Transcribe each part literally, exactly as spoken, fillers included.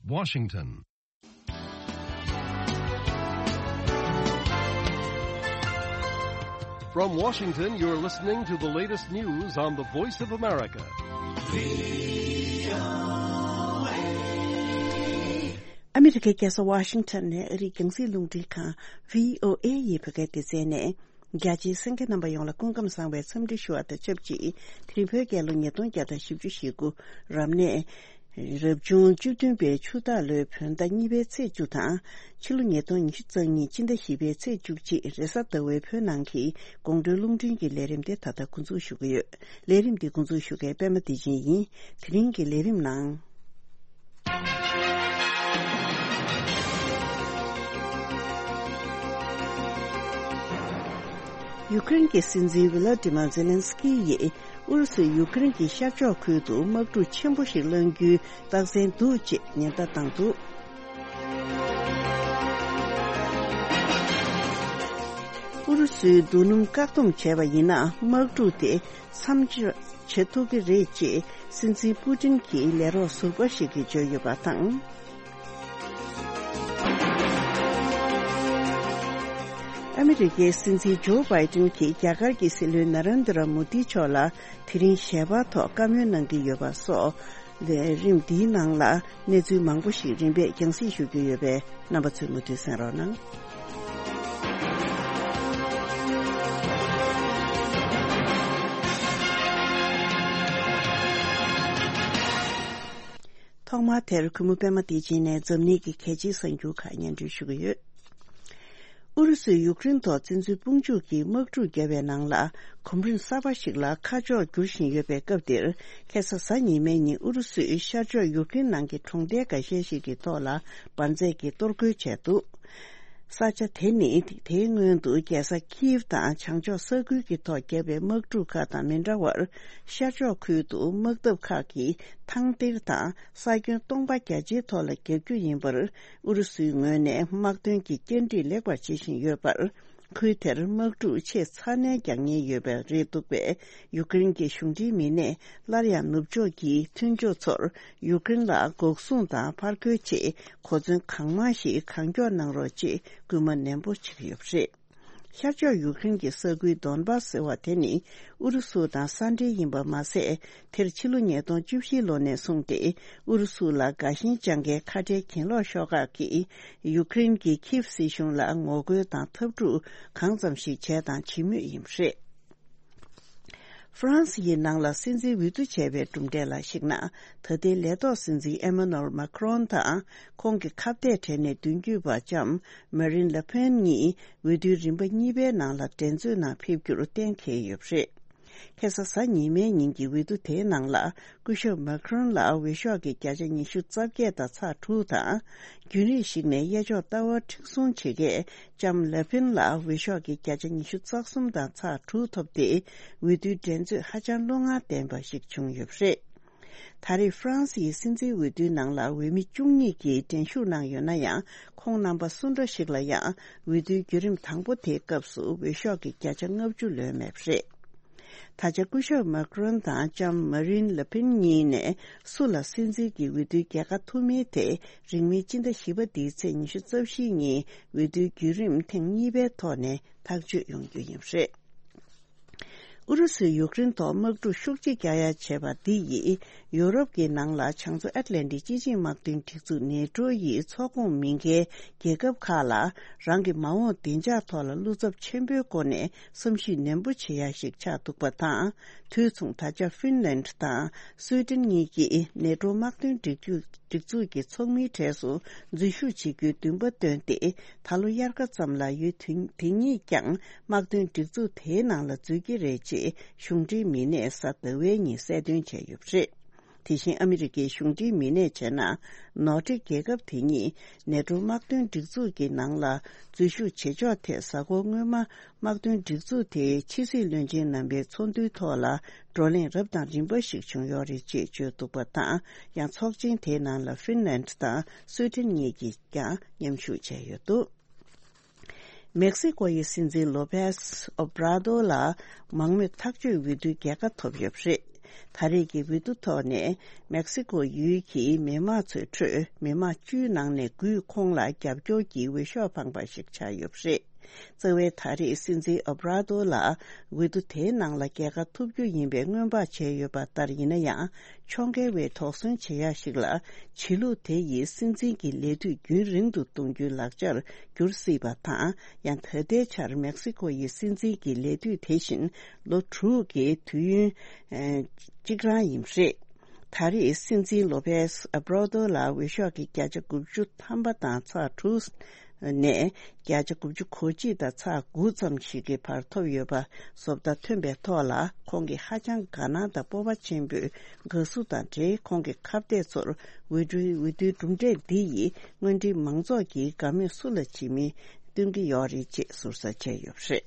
Washington. From Washington, you're listening to the latest news on the Voice of America. ཨ་མི་རི་ཀའི་རྒྱལ་ས་ཝ་ཤིང་ཊོན་ནས་ཨ་རིའི་རྒྱང་སྲིང་རླུང་འཕྲིན་ཁང་བྷི་ཨོ་ཨེ་ཡི་བོད་སྐད་སྡེ་ཚན་ནས། རྒྱ་ཆེའི་གསན་མཁན་རྣམ་པ་ཡོངས་ལ་སྐུ་ཁམས་བཟང་བའི་འཚམས་འདྲི་ཞུ་བ་དང་ཆབས་ཅིག་དེ་རིང་བོད་རྒྱལ་ལོ་ཉིས་སྟོང་བརྒྱ་དང་བཞི་བཅུ་ཞེ་དགུ་རབ་གནས། རབ་བྱུང་བཅུ་བདུན་པའི་ཆུ་སྟག་ལོའི་བོད་ཟླ་གཉིས་པའི་ཚེས་བཅུ་དང་། ཕྱི་ལོ་ཉིས་སྟོང་ཉི་ཤུ་རྩ་གཉིས་སྤྱི་ཟླ་བཞི་པའི་ཚེས་བཅུ་གཅིག་རེས་གཟའ་ཟླ་བའི་བོད་ནང་གི་དགོང་དྲོའི་རླུང་འཕྲིན་གྱི་ལས་རིམ་དེ་ད་ལྟ་འགོ་འཛུགས་ཞུ་གི་ཡོད། ལས་རིམ་འདི་འགོ་འཛུགས་ཞུ་མཁན་པད་མ་བདེ་ཆེན་ཡིན། དེ་རིང་གི་ལས་རིམ་ནང་། ཡུ་ཀེ་རེན་གྱི་སྲིད་འཛིན་ཝི་ལ་ཏི་མ་ཛེ་ལན་སི་ཀི་ཡིས་ཨུ་རུ་སུས་ཡུ་ཀེ་རེན་གྱི་ཤར་ཕྱོགས་ཁུལ་དུ་དམག་འཁྲུག་ཆེན་པོ་ཞིག་བསླང་རྒྱུའི་རྟགས་མཚན་འདུག་ཅེས་ཉེན་བརྡ་བཏང་འདུག་ཨུ་རུ་སུའི་རྡོ་སྣུམ་བཀག་སྡོམ་བྱས་པ་ཡིན་ན། དམག་འཁྲུག་དེ་མཚམས་འཇོག་བྱེད་ཐུབ་ཀྱི་རེད་ཅེས་སྲིད་འཛིན་པུ་ཏིན་གྱིས་ལས་རོགས་ཟུར་པ་ཞིག་གིས་བརྗོད་ཡོད་པ་དང་། ཨ་མི་རི་ཀའི་སྲིད་འཛིན་ཇོ་བྷའི་ཏིན་གྱིས་རྒྱ་གར་གྱི་སྲིད་བློན་ན་རེན་དྲ་མོ་དི་མཆོག་ལ་དེ་རིང་ཞལ་པར་ཐོག་བཀའ་མོལ་གནང་གི་ཡོད་པ་སོགས། ལས་རིམ་འདིའི་ནང་ལ་གནས་ཚུལ་མང་པོ་ཞིག་རིམ་པས་རྒྱང་སྲིང་ཞུ་རྒྱུ་ཡོད་པས། རྣམ་པ་ཚོས་མུ་མཐུད་གསན་རོགས་གནང་། ཐོག་མར་དེར་གུས་མོ་པད་མ་བདེ་ཆེན་ནས་འཛམ་གླིང་གི་གལ་ཆེའི་གསར་འགྱུར་ཁག་སྙན་སྒྲོན་ཞུ་གི་ཡོད། ཨུ་རུ་སུས་ཡུཀ་རེན་ཐོག་བཙན་འཛུལ་དཔུང་འཇུག་གིས་དམག་འཁྲུག་བརྒྱབ་པའི་ནང་ལ། གོམ་རིམ་གསར་པ་ཞིག་ལ་ཁ་ཕྱོགས་བསྒྱུར་བཞིན་ཡོད་པའི་སྐབས་འདིར། ཁ་སང་གཟའ་ཉི་མའི་ཉིན་ཨུ་རུ་སུས་ཤར་ཕྱོགས་ཡུཀ་རེན་ནང་གི་གྲོང་རྡལ་འགའ་ཤས་ཤིག་གི་ཐོག་ལ་འབར་རྫས་ཀྱིས་གཏོར་རྒོལ་བྱས་འདུག་ས་ཆ་དེ་ནི་དེའི་སྔོན་དུ་རྒྱལ་ས་ཁིའིབ་དང་བྱང་ཕྱོགས་ས་ཁུལ་གྱི་ཐོག་བརྒྱབ་པའི་དམག་འཁྲུག་ཁག་དང་མི་འདྲ་བར། ཤར་ཕྱོགས་ཁུལ་དུ་དམག་འཐབ་ཁག་གིས་ཐང་སྟེར་དང་ས་ཁྱོན་སྟོང་པ་བརྒྱ་ཆའི་ཐོག་ལ་བརྒྱབ་རྒྱུ་ཡིན་པར། ཨུ་རུ་སུའི་ངོས་ནས་དམག་དོན་གྱི་བཅར་འདྲི་ལེགས་པར་བྱེད་བཞིན་ཡོད་པར། ཁུལ་དེར་དམག་འཁྲུག་ཆེས་ཚ་ནན་རྒྱག་ཉེན་ཡོད་པ་རེད་འདུག་པས། ཡུཀ་རེན་གྱི་གཞུང་འབྲེལ་མི་སྣས་སླར་ཡང་ནུབ་ཕྱོགས་ཀྱི་མཐུན་ཕྱོགས་ཚོར་ཡུཀ་རེན་ལ་འགོག་སྲུང་དང་ཕར་རྒོལ་ཆེད་གོ་མཚོན་གང་མང་ཞིག་གང་མགྱོགས་གནང་རོགས་ཅེས་སྐུལ་མ་ནན་པོ་བྱེད་ཀྱི་ཡོད་པ་རེད། ཤར་ཕྱོགས་ཡུཀ་རེན་གྱི་ས་ཁུལ་དོན་པཱ་ཟེར་བ་དེ་ནི་ཨུ་རུ་སུ་དང་ས་འབྲེལ་ཡིན་པ་མ་ཟད། དེར་ཕྱི་ལོ་ཉིས་སྟོང་བཅུ་བཞི་ལོ་ནས་བཟུང་སྟེ་ཨུ་རུ་སུ་ལ་དགའ་ཞེན་བཅངས་མཁན་ཁ་བྲལ་གྱེན་ལོག་ཤོག་ཁག་གིས་ཡུཀ་རེན་གྱི་ཁིབ་སྲིད་གཞུང་ལ་ངོ་རྒོལ་དང་འཐབ་འཁྲུག་གང་ཙམ་ཞིག་བྱས་དང་བྱེད་མུས་ཡིན་པ་རེད། ཧྥ་རན་སི་ཡི་ནང་ལ་སྲིད་འཛིན་འོས་བསྡུ་བྱས་པའི་གྲུབ་འབྲས་ལ་གཞིགས་ན། ད་ལྟའི་ལས་ཐོག་སྲིད་འཛིན་ཨེ་མ་ནུ་ཨེལ་མཱ་ཁི་རོན་དང་ཁོང་གི་ཁ་གཏད་གྲས་ནས་མདུན་སྐྱོད་པ་ལྕམ་མ་རིན་ལེ་ཕེན་གཉིས་འོས་བསྡུའི་རིམ་པ་གཉིས་པའི་ནང་ལ་འགྲན་རྩོད་ནང་ཕེབས་རྒྱུར་གཏན་འཁེལ་ཡོད་པ་རེད། ཁ་སང་གཟའ་ཉི་མའི་ཉིན་གྱི་འོས་བསྡུ་དེའི་ནང་ལ། སྐུ་ཞབས་མཱ་ཁི་རོན་ལ་འོས་ཤོག་གི་བརྒྱ་ཆ་ཉི་ཤུ་རྩ་བརྒྱད་དང་ཚེག་དྲུག་དང་། རྒྱུན་རིང་ཞིག་ནས་གཡས་ཕྱོགས་ལྟ་བ་མཁྲེགས་བཟུང་བྱེད་མཁན་ལྕམ་ལེ་ཕིན་ལ་འོས་ཤོག་གི་བརྒྱ་ཆ་ཉི་ཤུ་རྩ་གསུམ་དང་ཚེག་དྲུག་ཐོབ་སྟེ། འོས་བསྡུའི་འགྲན་རྩོད་ཧ་ཅང་བློ་ངར་ལྡན་པ་ཞིག་བྱུང་ཡོད་པ་རེད། ད་རེས་ཧྥ་རན་སིའི་སྲིད་འཛིན་འོས་བསྡུའི་ནང་ལ་འོས་མི་བཅུ་གཉིས་ཀྱིས་འགྲན་ཞུགས་གནང་ཡོད་ན་ཡང་། ཁོང་རྣམ་པ་སུ་འདྲ་ཞིག་ལ་ཡང་འོས་བསྡུའི་བརྒྱུད་རིམ་དང་པོ་དེའི་སྐབས་སུ་འོས་ཤོག་གི་བརྒྱ་ཆ་ལྔ་བཅུ་ལོན་མེད་པ་རེད། ད་ཆ་སྐུ་ཞབས་མཱ་ཁི་རོན་དང་ལྕམ་མཱ་རིན་ལེ་ཕིན་གཉིས་ནས་སུ་ལ་སྲིད་འཛིན་གྱི་འོས་བསྡུའི་རྒྱལ་ཁ་ཐོབ་མིན་དེ། རིང་མིན་སྤྱི་ཟླ་བཞི་པ་འདིའི་ཚེས་ཉི་ཤུ་རྩ་བཞི་ཉིན་འོས་བསྡུའི་བརྒྱུད་རིམ་ཐེངས་གཉིས་པའི་ཐོག་ནས་ཐག་གཅོད་ཡོང་རྒྱུ་ཡིན་པ་རེད། ཨུ་རུ་སུས་ཡུཀ་རེན་ཐོག་དམག་འཁྲུག་ཤུགས་ཆེ་རྒྱག་ཡ་བྱས་པ་འདི་ཡིས། ཡོ་རོབ་ཀྱི་ནང་ལ་བྱང་མཚོ་ཨེཊ་ལན་ཊིག་སྤྱི་ཆིངས་དམག་དོན་སྒྲིག་འཛུགས་ནེ་ཊོ་ཡི་ཚོགས་ཁོངས་མིན་འགའི་རྒྱལ་ཁབ་ཁག་ལ། རང་གི་མ་འོངས་བདེ་འཇགས་ཐོག་ལ་བློ་འཚབ་ཆེན་པོའི་སྒོ་ནས་བསམ་ཤེས་ནན་པོ་བྱེད་ཡ་ཞིག་ཆགས་འདུག་པ་དང་། དུས་མཚུངས་ད་ཆ་ཧྥིན་ལན་དང་སུའེ་ཏེན་གཉིས་ཀྱིས་ནེ་ཊོ་དམག་དོན་སྒྲིག་འཛུགས་སྒྲིག་འཛུགས་ཀྱི་ཚོགས་མིའི་གྲས་སུ་འཛུལ་ཞུགས་བྱེད་རྒྱུའི་འདུན་པ་བཏོན་ཏེ། ད་ལོ་དབྱར་ཁ་ཙམ་ལ་ཡུལ་དེ་དེ་གཉིས་ཀྱང་དམག་དོན་སྒྲིག་འཛུགས་དེའི་ནང་ལ་འཛུལ་གྱི་རེད་ཅེས་གཞུང་འབྲེལ་མི་སྣས་གཟའ་ཟླ་བའི་ཉིན་གསལ་སྟོན་བྱས་ཡོད་པ་རེད། དེ་བཞིན་ཨ་མི་རི་ཀའི་གཞུང་འབྲེལ་མི་སྣས་བྱས་ན། ནོར་ཌིག་རྒྱལ་ཁབ་དེ་གཉིས་ནེ་ཊོ་དམག་དོན་སྒྲིག་འཛུགས་ཀྱི་ནང་ལ་འཛུལ་ཞུགས་བྱེད་ཕྱོགས་ཐད་གཟའ་འཁོར་སྔོན་མ། དམག་དོན་སྒྲིག་འཛུགས་དེའི་ཕྱི་སྲིད་བློན་ཆེན་རྣམ་པའི་ཚོགས་འདུའི་ཐོག་ལ་བགྲོ་གླེང་རབ་དང་རིམ་པ་ཞིག་བྱུང་ཡོད་རེད་ཅེས་བརྗོད་འདུག་པ་དང་། ཡང་ཚོགས་ཆེན་དེའི་ནང་ལ་ཧྥིན་ལན་དང་སུའེ་ཏེན་གཉིས་ཀྱིས་ཀྱང་མཉམ་ཞུགས་བྱས་ཡོད་འདུག་མེག་སི་ཀོ་ཡི་སྲིད་འཛིན་ལོ་པེས་ཨོ་བྲ་དོ་ལ་མང་མོས་ཐག་གཅོད་འོས་བསྡུའི་རྒྱལ་ཁ་ཐོབ་ཡོད་པ་རེད། ད་རེས་ཀྱི་འོས་བསྡུ་ཐོག་ནས་མེག་སི་ཀོ་ཡུལ་གྱི་མི་དམངས་ཚོའི་ཁྲོད་མི་དམངས་བཅུའི་ནང་ནས་དགུས་ཁོང་ལ་རྒྱབ་སྐྱོར་གྱི་འོས་ཤོག་འཕངས་པ་ཞིག་ཆགས་ཡོད་པ་རེད། རྩ་བའི་ད་རེས་སྲིད་འཛིན་ཨོ་བྷ་ར་ཏོ་ལ་འོས་བསྡུ་དེའི་ནང་ལ་རྒྱལ་ཁ་ཐོབ་རྒྱུ་ཡིན་པའི་སྔོན་དཔག་བྱས་ཡོད་པ་ལྟར་ཡིན་ན་ཡང་། ཕྱོགས་འགལ་བའི་དོགས་ཟོན་བྱེད་ཡག་ཞིག་ལ། ཆོས་ལུགས་དེ་ཡིས་སྲིད་འཛིན་གྱི་ལས་དུས་རྒྱུན་རིང་དུ་གཏོང་རྒྱུའི་ལག་ཆར་འགྱུར་སྲིད་པ་དང་། ཡང་ད་ལྟའི་ཆར་མེག་སི་ཀོ་ཡི་སྲིད་འཛིན་གྱི་ལས་དུས་དེ་བཞིན་ལོ་དྲུག་གི་དུས་ཡུན་གཅིག་རང་ཡིན་པ་རེད། ད་རེས་སྲིད་འཛིན་ལོ་པེས་ཨ་བྷ་ར་ཏོ་ལ་འོས་ཤོག་གི་བརྒྱ་ཆ་དགུ་བཅུ་ཐམ་པ་དང་ཚེག་དྲུག་ནས་བརྒྱ་ཆ་དགུ་བཅུ་གོ་གཅིག་དང་ཚེག་དགུ་ཙམ་ཞིག་གི་བར་ཐོབ་ཡོད་པ་བཟོ་ལྟ་ཐོན་པའི་ཐོག་ལ། ཁོང་གིས་ཧ་ཅང་དགའ་སྣང་དང་སྤོབས་པ་ཆེན་པོས་དགའ་བསུ་དང་འབྲེལ། ཁོང་གི་ཁ་གཏད་ཚོར་འོས་བསྡུའི་འོས་བསྡུའི་གྲུབ་འབྲས་འདི་ཡིས་སྔོན་འགྲིག་མང་ཚོགས་ཀྱིས་དགའ་མོས་སུ་ལ་བྱེད་མིན་སྟོན་གྱི་ཡོད་རེད་ཅེས་ཟུར་ཟ་བྱས་ཡོད་པ་རེད།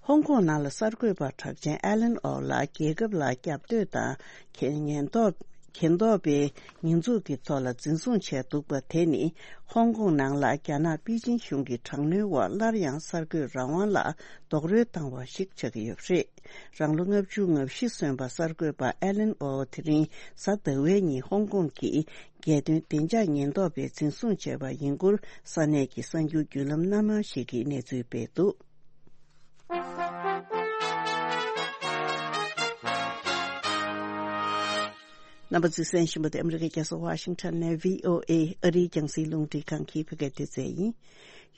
ཧོང་ཀོང་ནང་ལ་གསར་འགོད་པ་གྲགས་ཅན་ཨ་ལན་ཨོ་ལ་རྒྱལ་ཁབ་ལ་རྒྱབ་གཏོད་དང་། ཉེན་རྟོག་ཉེན་རྟོག་པའི་ཉེས་འཛུགས་ཀྱི་ཐོག་ལ་འཛིན་བཟུང་བྱས་འདུག་པ་དེ་ནི། ཧོང་ཀོང་ནང་ལ་རྒྱ་ནག་པེ་ཅིན་གཞུང་གི་དྲག་གནོན་འོག་སླར་ཡང་གསར་འགོད་རང་དབང་ལ་རྡོག་རོལ་བཏང་བ་ཞིག་ཆགས་ཀྱི་ཡོད་པ་རེད། རང་ལོ་ལྔ་བཅུ་ང་བཞི་སོན་པ་གསར་འགོད་པ་ཨ་ལན་ཨོ་དེ་རིང་གཟའ་ཟླ་བའི་ཉིན་ཧོང་ཀོང་གི་རྒྱལ་དོན་བདེ་འཇགས་ཉེན་རྟོག་པས་འཛིན་བཟུང་བྱས་པ་ཡིན་སྐོར་ས་གནས་ཀྱི་གསར་འགྱུར་བརྒྱུད་ལམ་སྣ་མང་ཞིག་གིས་གནས་ཚུལ་སྤེལ་འདུག་རྣམ་པ་ཚོས་གསན་བཞིན་པ་དེ་ཨ་མི་རི་ཀའི་རྒྱལ་ས་ཝ་ཤིང་ཊོན་ནས་བྷི་ཨོ་ཨེ་ཨ་རིའི་རྒྱང་སྲིང་རླུང་འཕྲིན་ཁང་གི་བོད་སྐད་སྡེ་ཚན་ཡིན།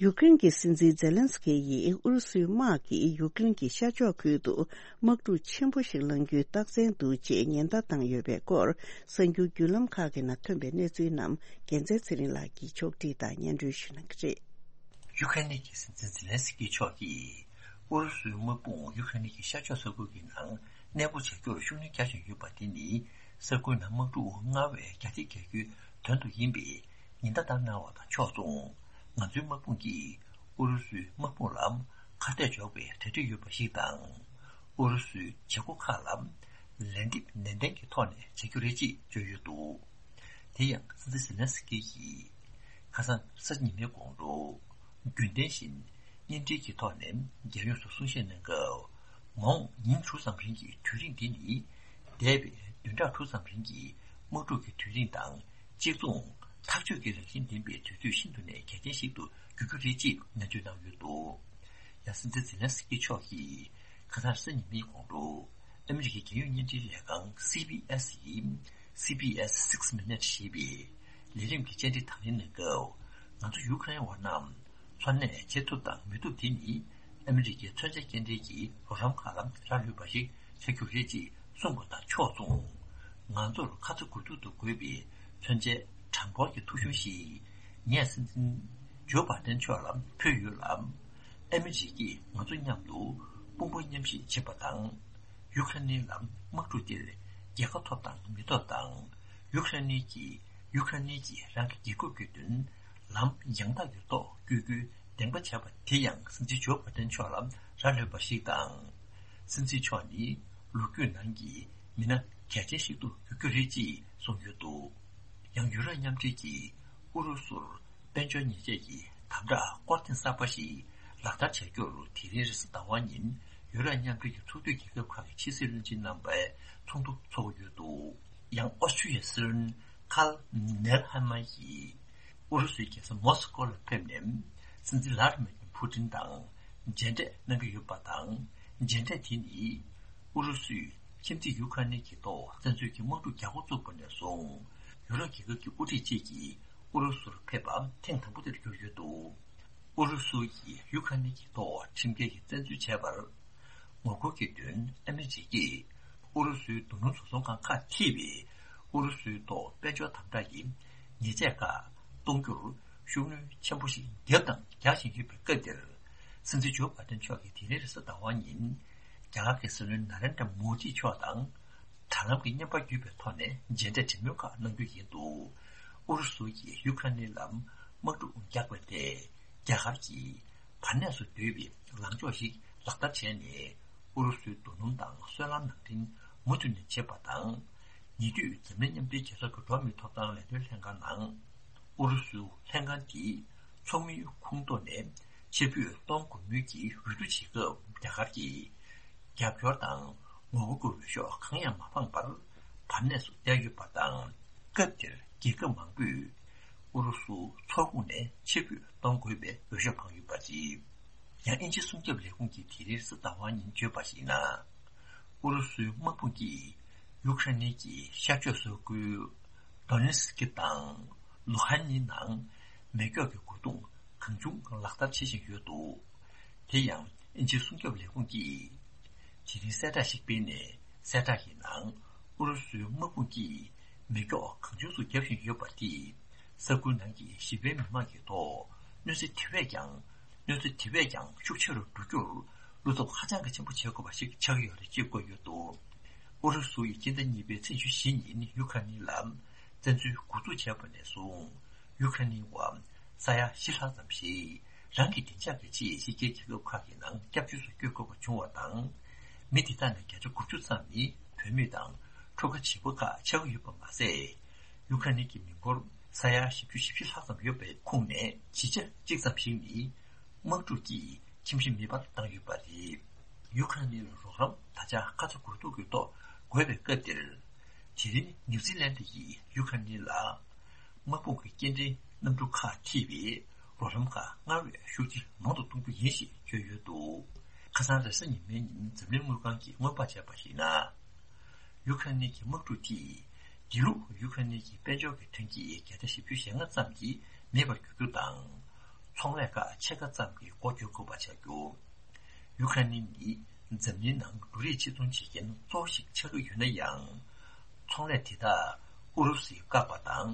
ཡུཀ་རེན་གྱི་སྲིད་འཛིན་ཛེ་ལན་སི་ཀི་ཡིས་ཨུ་རུ་སུའི་དམག་གིས་ཡུཀ་རེན་གྱི་ཤར་ཕྱོགས་ཁུལ་དུ་དམག་འཁྲུག་ཆེན་པོ་ཞིག་བསླང་རྒྱུའི་རྟགས་མཚན་འདུག་ཅེས་ཉེན་བརྡ་བཏང་ཡོད་པའི་སྐོར། གསར་འགྱུར་བརྒྱུད་ལམ་ཁག་གི་ནང་ཐོན་པའི་གནས་ཚུལ་རྣམས་རྒྱལ་མཚན་ཚེ་རིང་ལགས་ཀྱིས་ཕྱོགས་སྒྲིག་དང་སྙན་སྒྲོན་ཞུ་གནང་གི་རེད། ཡུ་ཁ་ནི་གི་སྲིད་འཛིན་ཛེ་ལན་སི་ཀི་མཆོག་གིས་ཨུ་རུ་སུའི་དམག་དཔུང་ཡུ་ཁ་ནི་གི་ཤར་ཕྱོགས་ས་ཁུལ་གྱི་ནང་གནས་སྤོ་བྱ་རྒྱུར་ཤུགས་སྣོན་རྒྱག་བཞིན་ཡོད་པ་དེ་ནི་ས་ཁུལ་ནང་དམག་འཁྲུག་སྔར་བས་རྒྱ་སྐྱེད་རྒྱག་རྒྱུའི་དོན་དུ་ཡིན་པའི་ཉེན་བརྡ་བཏང་གནང་བ་དང་ཕྱོགས་མཚུངས། ང་ཚོའི་དམག་དཔུང་གིས་ཨུ་རུ་སུའི་དམག་དཔུང་ལ་ཁ་གཏད་གཅོག་པའི་གྲ་སྒྲིག་ཡོད་པ་ཞིག་དང་། ཨུ་རུ་སུའི་བྱེད་སྒོ་ཁག་ལ་ལན་འདེབས་ནན་ཏན་གྱི་ཐོག་ནས་བྱ་རྒྱུ་རེད་ཅེས་བརྗོད་ཡོད་འདུག་དེ་ཡང་སྲིད་འཛིན་ཟེ་ལན་སི་ཀི་ཡིས་ཁ་སང་གཟའ་ཉི་མའི་དགོང་དྲོ་རྒྱུན་ལྡན་བཞིན་བརྙན་འཕྲིན་གྱི་ཐོག་ནས་རྒྱལ་ཡོངས་སུ་གསུང་བཤད་གནང་སྐབས། མ་འོངས་ཉིན་དྲུག་ཙམ་རིང་གི་དུས་རིང་འདི་ནི་འདས་པའི་བདུན་ཕྲག་དྲུག་ཙམ་རིང་གི་དམག་འཁྲུག་གི་དུས་རིང་དང་གཅིག་མཚུངས། ཐག་གཅོད་ཀྱི་རང་བཞིན་ལྡན་པའི་དུས་ཚོད་ཤིན་ཏུ་ནས་གལ་ཆེན་ཞིག་ཏུ་འགྱུར་རྒྱུ་རེད་ཅེས་ནན་བརྗོད་གནང་ཡོད་འདུག་ཡང་སྲིད་འཛིན་ཛེ་ལན་སི་ཀི་མཆོག་གིས་ཁ་སང་གཟའ་ཉི་མའི་དགོང་དྲོ་ཨ་མི་རི་ཀའི་རྒྱལ་ཡོངས་བརྙན་འཕྲིན་ལས་ཁང་སི་བྷི་ཨེས་ཡི་སི་བྷི་ཨེས་Six Minutes ཞེས་པའི་ལས་རིམ་གྱི་བཅར་འདྲི་དང་ལེན་གནང་སྐབས། ང་ཚོ་ཡུ་ཁ་རེན་བ་རྣམས་འཚོ་གནས་བྱེད་ཐུབ་དང་མི་ཐུབ་དེ་ནི་ཨ་མི་རི་ཀའི་མཚོན་ཆ་སྐྱེལ་འདྲེན་གྱི་རོགས་རམ་ཁག་ལ་རག་ལུས་པ་ཞིག་ཆགས་རྒྱུ་རེད་ཅེས་གསུངས་པ་དང་ཕྱོགས་མཚུངས། ང་ཚོར་ཁ་ཚ་དགོས་གཏུག་ཏུ་དགོས་པའི་མཚོན་ཆའི་གྲངས་འབོར་གྱི་ཐོ་གཞུང་ཞིག་ངས་སྲིད་འཛིན་ཇོ་བྷ་དན་མཆོག་ལ་ཕུལ་ཡོད་ལ། ཨ་མི་རི་ཀས་ང་ཚོ་མཉམ་དུ་དཔུང་པ་མཉམ་གཤིབ་བྱེད་པ་དང་། ཡུ་ཁ་ནི་ལ་དམག་འཁྲུག་འདིར་རྒྱལ་ཁ་ཐོབ་དང་མི་ཐོབ་དང་། ཡུ་ཁ་ནི་གིས་ཡུ་ཁ་ནི་གིས་རང་གི་རྒྱལ་ཁབ་ཀྱི་དོན་ལམ་ཡང་དག་གི་ཐོག་བསྐྱོད་རྒྱུའི་འདེམས་པ་བྱས་པ་དེ་ཡང་སྲིད་འཛིན་ཇོ་བྷ་དན་མཆོག་ལ་རག་ལུས་པ་ཞིག་དང་། སྲིད་འཛིན་མཆོག་ནི་ལོ་རྒྱུས་ནང་གི་མི་སྣ་གལ་ཆེན་ཞིག་ཏུ་འགྱུར་རྒྱུ་རེད་ཅེས་གསུངས་ཡོད་འདུག་ཡང་ཡུ་རོབ་མཉམ་འབྲེལ་གྱིས་ཨུ་རུ་སུར་དཔལ་འབྱོར་ཉེས་ཆད་ཀྱི་དམ་དྲག་སྐོར་ཐེངས་གསར་པ་ཞིག་ལག་བསྟར་བྱ་རྒྱུར་དེ་རིང་རེས་གཟའ་ཟླ་བ་ཉིན་ཡུ་རོབ་མཉམ་འབྲེལ་གྱི་ཚོགས་འཐུས་རྒྱལ་ཁབ་ཁག་གི་ཕྱི་སྲིད་བློན་ཆེན་རྣམ་པའི་ཚོགས་འདུ་འཚོགས་ཀྱི་ཡོད་འདུག་ཡང་ཨོ་སི་ཁྲུ་ཡའི་སྲིད་བློན་ཁཱལ་ནེལ་ཧེ་མ་ཡིས་ཨུ་རུ་སུའི་རྒྱལ་ས་མོ་སི་ཀོ་ལ་ཕེབས་ནས་སྲིད་འཛིན་ལྷ་དྷི་མི་ཕུ་ཏིན་དང་མཇལ་འཕྲད་གནང་གི་ཡོད་པ་དང་། མཇལ་འཕྲད་དེ་ནི་ཨུ་རུ་སུས་ཁྱིམ་མཚེས་ཡུ་ཁ་ནི་གི་ཐོག་བཙན་འཛུལ་གྱི་དམག་འཁྲུག་རྒྱག་འགོ་བཙུགས་པ་ནས་བཟུང་ཡུ་རོབ་རྒྱལ་ཁབ་ཀྱི་དབུ་ཁྲིད་བཅས་ཀྱིས་ཨུ་རུ་སུར་ཕེབས་པ་ཐེངས་དང་པོ་དེར་གྱུར་ཡོད་འདུག་ཨུ་རུ་སུ་ཡིས་ཡུ་ཁ་ནི་གི་ཐོག་ཁྲིམས་འགལ་གྱི་བཙན་འཛུལ་བྱས་པར་ངོ་རྒོལ་གྱི་དོན་ཨ་མི་རི་ཀས་ཨུ་རུ་སུའི་རྡོ་སྣུམ་བཟོ་ཚོང་ཁང་ཁག་ཐེ་བའི་ཨུ་རུ་སུའི་ཐོག་དཔལ་འབྱོར་དམ་དྲག་གི་ཉེས་ཆད་ཁག་གཏོང་རྒྱུར་ཤུགས་སྣོན་ཆེན་པོ་ཞིག་བརྒྱབ་དང་རྒྱག་བཞིན་ཡོད་པའི་སྐབས་འདིར། སྲིད་འཛིན་ཇོ་བྷ་དན་མཆོག་གིས་དེ་རིང་རེས་གཟའ་ཟླ་བ་ཉིན་རྒྱ་གར་གྱི་སྲིད་བློན་ན་རེན་དྲ་མོ་དི་མཆོག་དང་། དྲ་ལམ་གྱི་བརྙན་པར་བརྒྱུད་པའི་ཐོག་ནས་མཇལ་འཕྲད་གྲོས་མོལ་ཁག་གནང་རྒྱུ་ཡིན་འདུག་ཨུ་རུ་སུ་ཡིས་ཡུ་ཁ་ནི་ལ་དམག་འཁྲུག་རྒྱག་པ་དེ་རྒྱ་གར་གྱིས་བར་གནས་སུ་སྡོད་པའི་ལངས་ཕྱོགས་ཤིག་ལག་བསྟར་བྱས་ནས། ཨུ་རུ་སུའི་རྡོ་སྣུམ་དང་སོལ་རླངས་ནང་འདྲེན་མུ་མཐུད་ནས་བྱེད་པ་དང་། ཉེ་དུས་འཛམ་གླིང་མཉམ་འབྲེལ་རྒྱལ་ཚོགས་ཀྱི་འགྲོ་བ་མིའི་ཐོབ་ཐང་ལས་དོན་ལྷན་ཁང་ནང་། ཨུ་རུ་སུ་ལྷན་ཁང་དེས་ཚོགས་མིའི་ཁོངས་གཏོགས་ནས་ཕྱིར་འབུད་གཏོང་དགོས་མིན་གྱི་འོས་བསྡུ་བྱེད་སྐབས། རྒྱ་གར་གྱིས་རྒྱབ་སྐྱོར་དང་ ངོ་རྒོལ་འོས་ཤོག་གང་ཡང་མ་འཕངས་པར་བར་གནས་སུ་བསྡད་ཡོད་པ་དང་། སྐབས་དེར་རྒྱལ་ཁབ་མང་པོས་ཨུ་རུ་སུ་མཚོ་ཁོངས་ནས་ཕྱིར་འབུད་གཏོང་དགོས་པའི་འོས་ཤོག་འཕངས་ཡོད་པ་རེད། ཡང་དབྱིན་ཇི་སྲུང་སྐྱོབ་ལས་ཁུངས་ཀྱིས་དེ་རིང་གཟའ་ཟླ་བ་ཉིན་བརྗོད་པར་གཞིགས་ན། ཨུ་རུ་སུའི་དམག་དཔུང་གིས་ཡུ་ཁ་རེན་གྱི་ཤར་ཕྱོགས་ས་ཁུལ་ཌོ་ནེ་སི་ཀི་དང་ལུ་ཧན་ནི་ནང་མེ་སྒྱོགས་ཀྱི་རྒོལ་རྡུང་གང་བྱུང་ལག་བསྟར་བྱེད་བཞིན་ཡོད་འདུག་དེ་ཡང་། དབྱིན་ཇིའི་སྲུང་སྐྱོབ་ལས་ཁུངས་ཀྱིས་དེ་རིང་གསལ་བསྒྲགས་ཤིག་སྤེལ་ནས། གསལ་བསྒྲགས་ཀྱི་ནང་། ཨུ་རུ་སུའི་དམག་དཔུང་གིས་མེ་སྒྱོགས་གང་བྱུང་དུ་བརྒྱབ་བཞིན་ཡོད་པ་དེས། ས་ཁུལ་ནང་གི་ཞི་བའི་མི་མང་གི་ཐོག་གནོད་འཚེ་དེ་བས་ཀྱང་། གནོད་འཚེ་དེ་བས་ཀྱང་ཤུགས་ཆེ་རུ་འགྲོ་རྒྱུར་བློ་སྟོབས་ཧ་ཅང་གི་ཆེན་པོ་བྱེད་དགོས་པ་ཞིག་ཆགས་ཀྱི་ཡོད་རེད་ཅེས་བཀོད་ཡོད་འདུག་ཨུ་རུ་སུ་ཡིས་སྤྱི་ཟླ་གཉིས་པའི་ཚེས་ཉི་ཤུ་ཉིན་ཡུ་ཁ་ནི་ལ་བཙན་འཛུལ་འགོ་འཛུགས་བྱས་པ་ནས་བཟུང་། ཡུ་ཁ་ནི་བ་ས་ཡ་བཞི་ལྷག་ཙམ་ཞིག་རང་གི་བདེ་འཇགས་ཀྱི་ཆེད་ཕྱི་རྒྱལ་རྒྱལ་ཁབ་ཁག་གི་ནང་སྐྱབས་བཅོལ་དུ་བསྐྱོད་དགོས་པ་བྱུང་བ་དང་། མི་དེ་དག་ནི་བརྒྱ་ཆ་དགུ་བཅུ་ཙམ་ནི་བུད་མེད་དང་ཁྲོ་ཁ་བྱིས་པ་ཁག་ཆགས་ཀྱི་ཡོད་པ་མ་ཟད། ཡུ་ཁ་ནི་གི་མི་འབོར་ས་ཡ་བཞི་བཅུ་ཞེ་བཞི་ལྷག་ཙམ་ཡོད་པའི་ཁོངས་ནས་བཞི་ཆ་གཅིག་ཙམ་ཞིག་ནི་དམག་འཁྲུག་གིས་ཁྱིམ་གཞིས་མེད་པར་བཏང་ཡོད་པ་རེད། ཡུ་ཁ་ནི་ལ་རོགས་རམ་ད་ཆ་ཁ་ཚ་དགོས་གཏུགས་ཀྱི་ཐོག་དགོས་པའི་སྐབས་དེར། དེ་རིང་ནིའུ་ཛི་ལན་ཌི་ཡིས་ཡུ་ཁ་ནི་ལ་དམག་དཔུང་གི་སྐྱེལ་འདྲེན་གནམ་གྲུ་ཁག་ཁྲིད་པའི་རོགས་རམ་ཁག་སྔར་བས་ཤུགས་ཆེ་མང་དུ་གཏོང་རྒྱུ་ཡིན་ཞེས་བརྗོད་ཡོད་འདུག་ཁ་སང་རེས་གཟའ་ཉི་མའི་ཉིན་འཛམ་གླིང་དངུལ་ཁང་གིས་སྔོན་དཔག་བྱས་པར་གཞིགས་ན། ཡུ་ཁ་ནི་གི་དམག་འཁྲུག་དེས་དེ་ལུགས་ཡུ་ཁ་ནི་གི་དཔལ་འབྱོར་གྱི་ཐོན་སྐྱེད་བརྒྱ་ཆ་བཞི་བཅུ་ཞེ་ལྔ་ཙམ་གྱིས་མེད་པར་གྱུར་རྒྱུ་དང་། ཚོང་ལས་ཁག་ཕྱེད་ཀ་ཙམ་གྱི་སྒོ་གཅོད་དགོས་པ་ཆགས་རྒྱུ། ཡུ་ཁ་ནི་ནི་འཛམ་གླིང་ནང་འབྲུ་རིགས་ཕྱིར་ཚོང་བྱེད་མཁན་གཙོ་བོ་ཞིག་ཆགས་ཀྱི་ཡོད་ན་ཡང་། ཚོང་ལས་དེ་དག་ཨུ་རུ་སུས་བཀག་པ་དང་།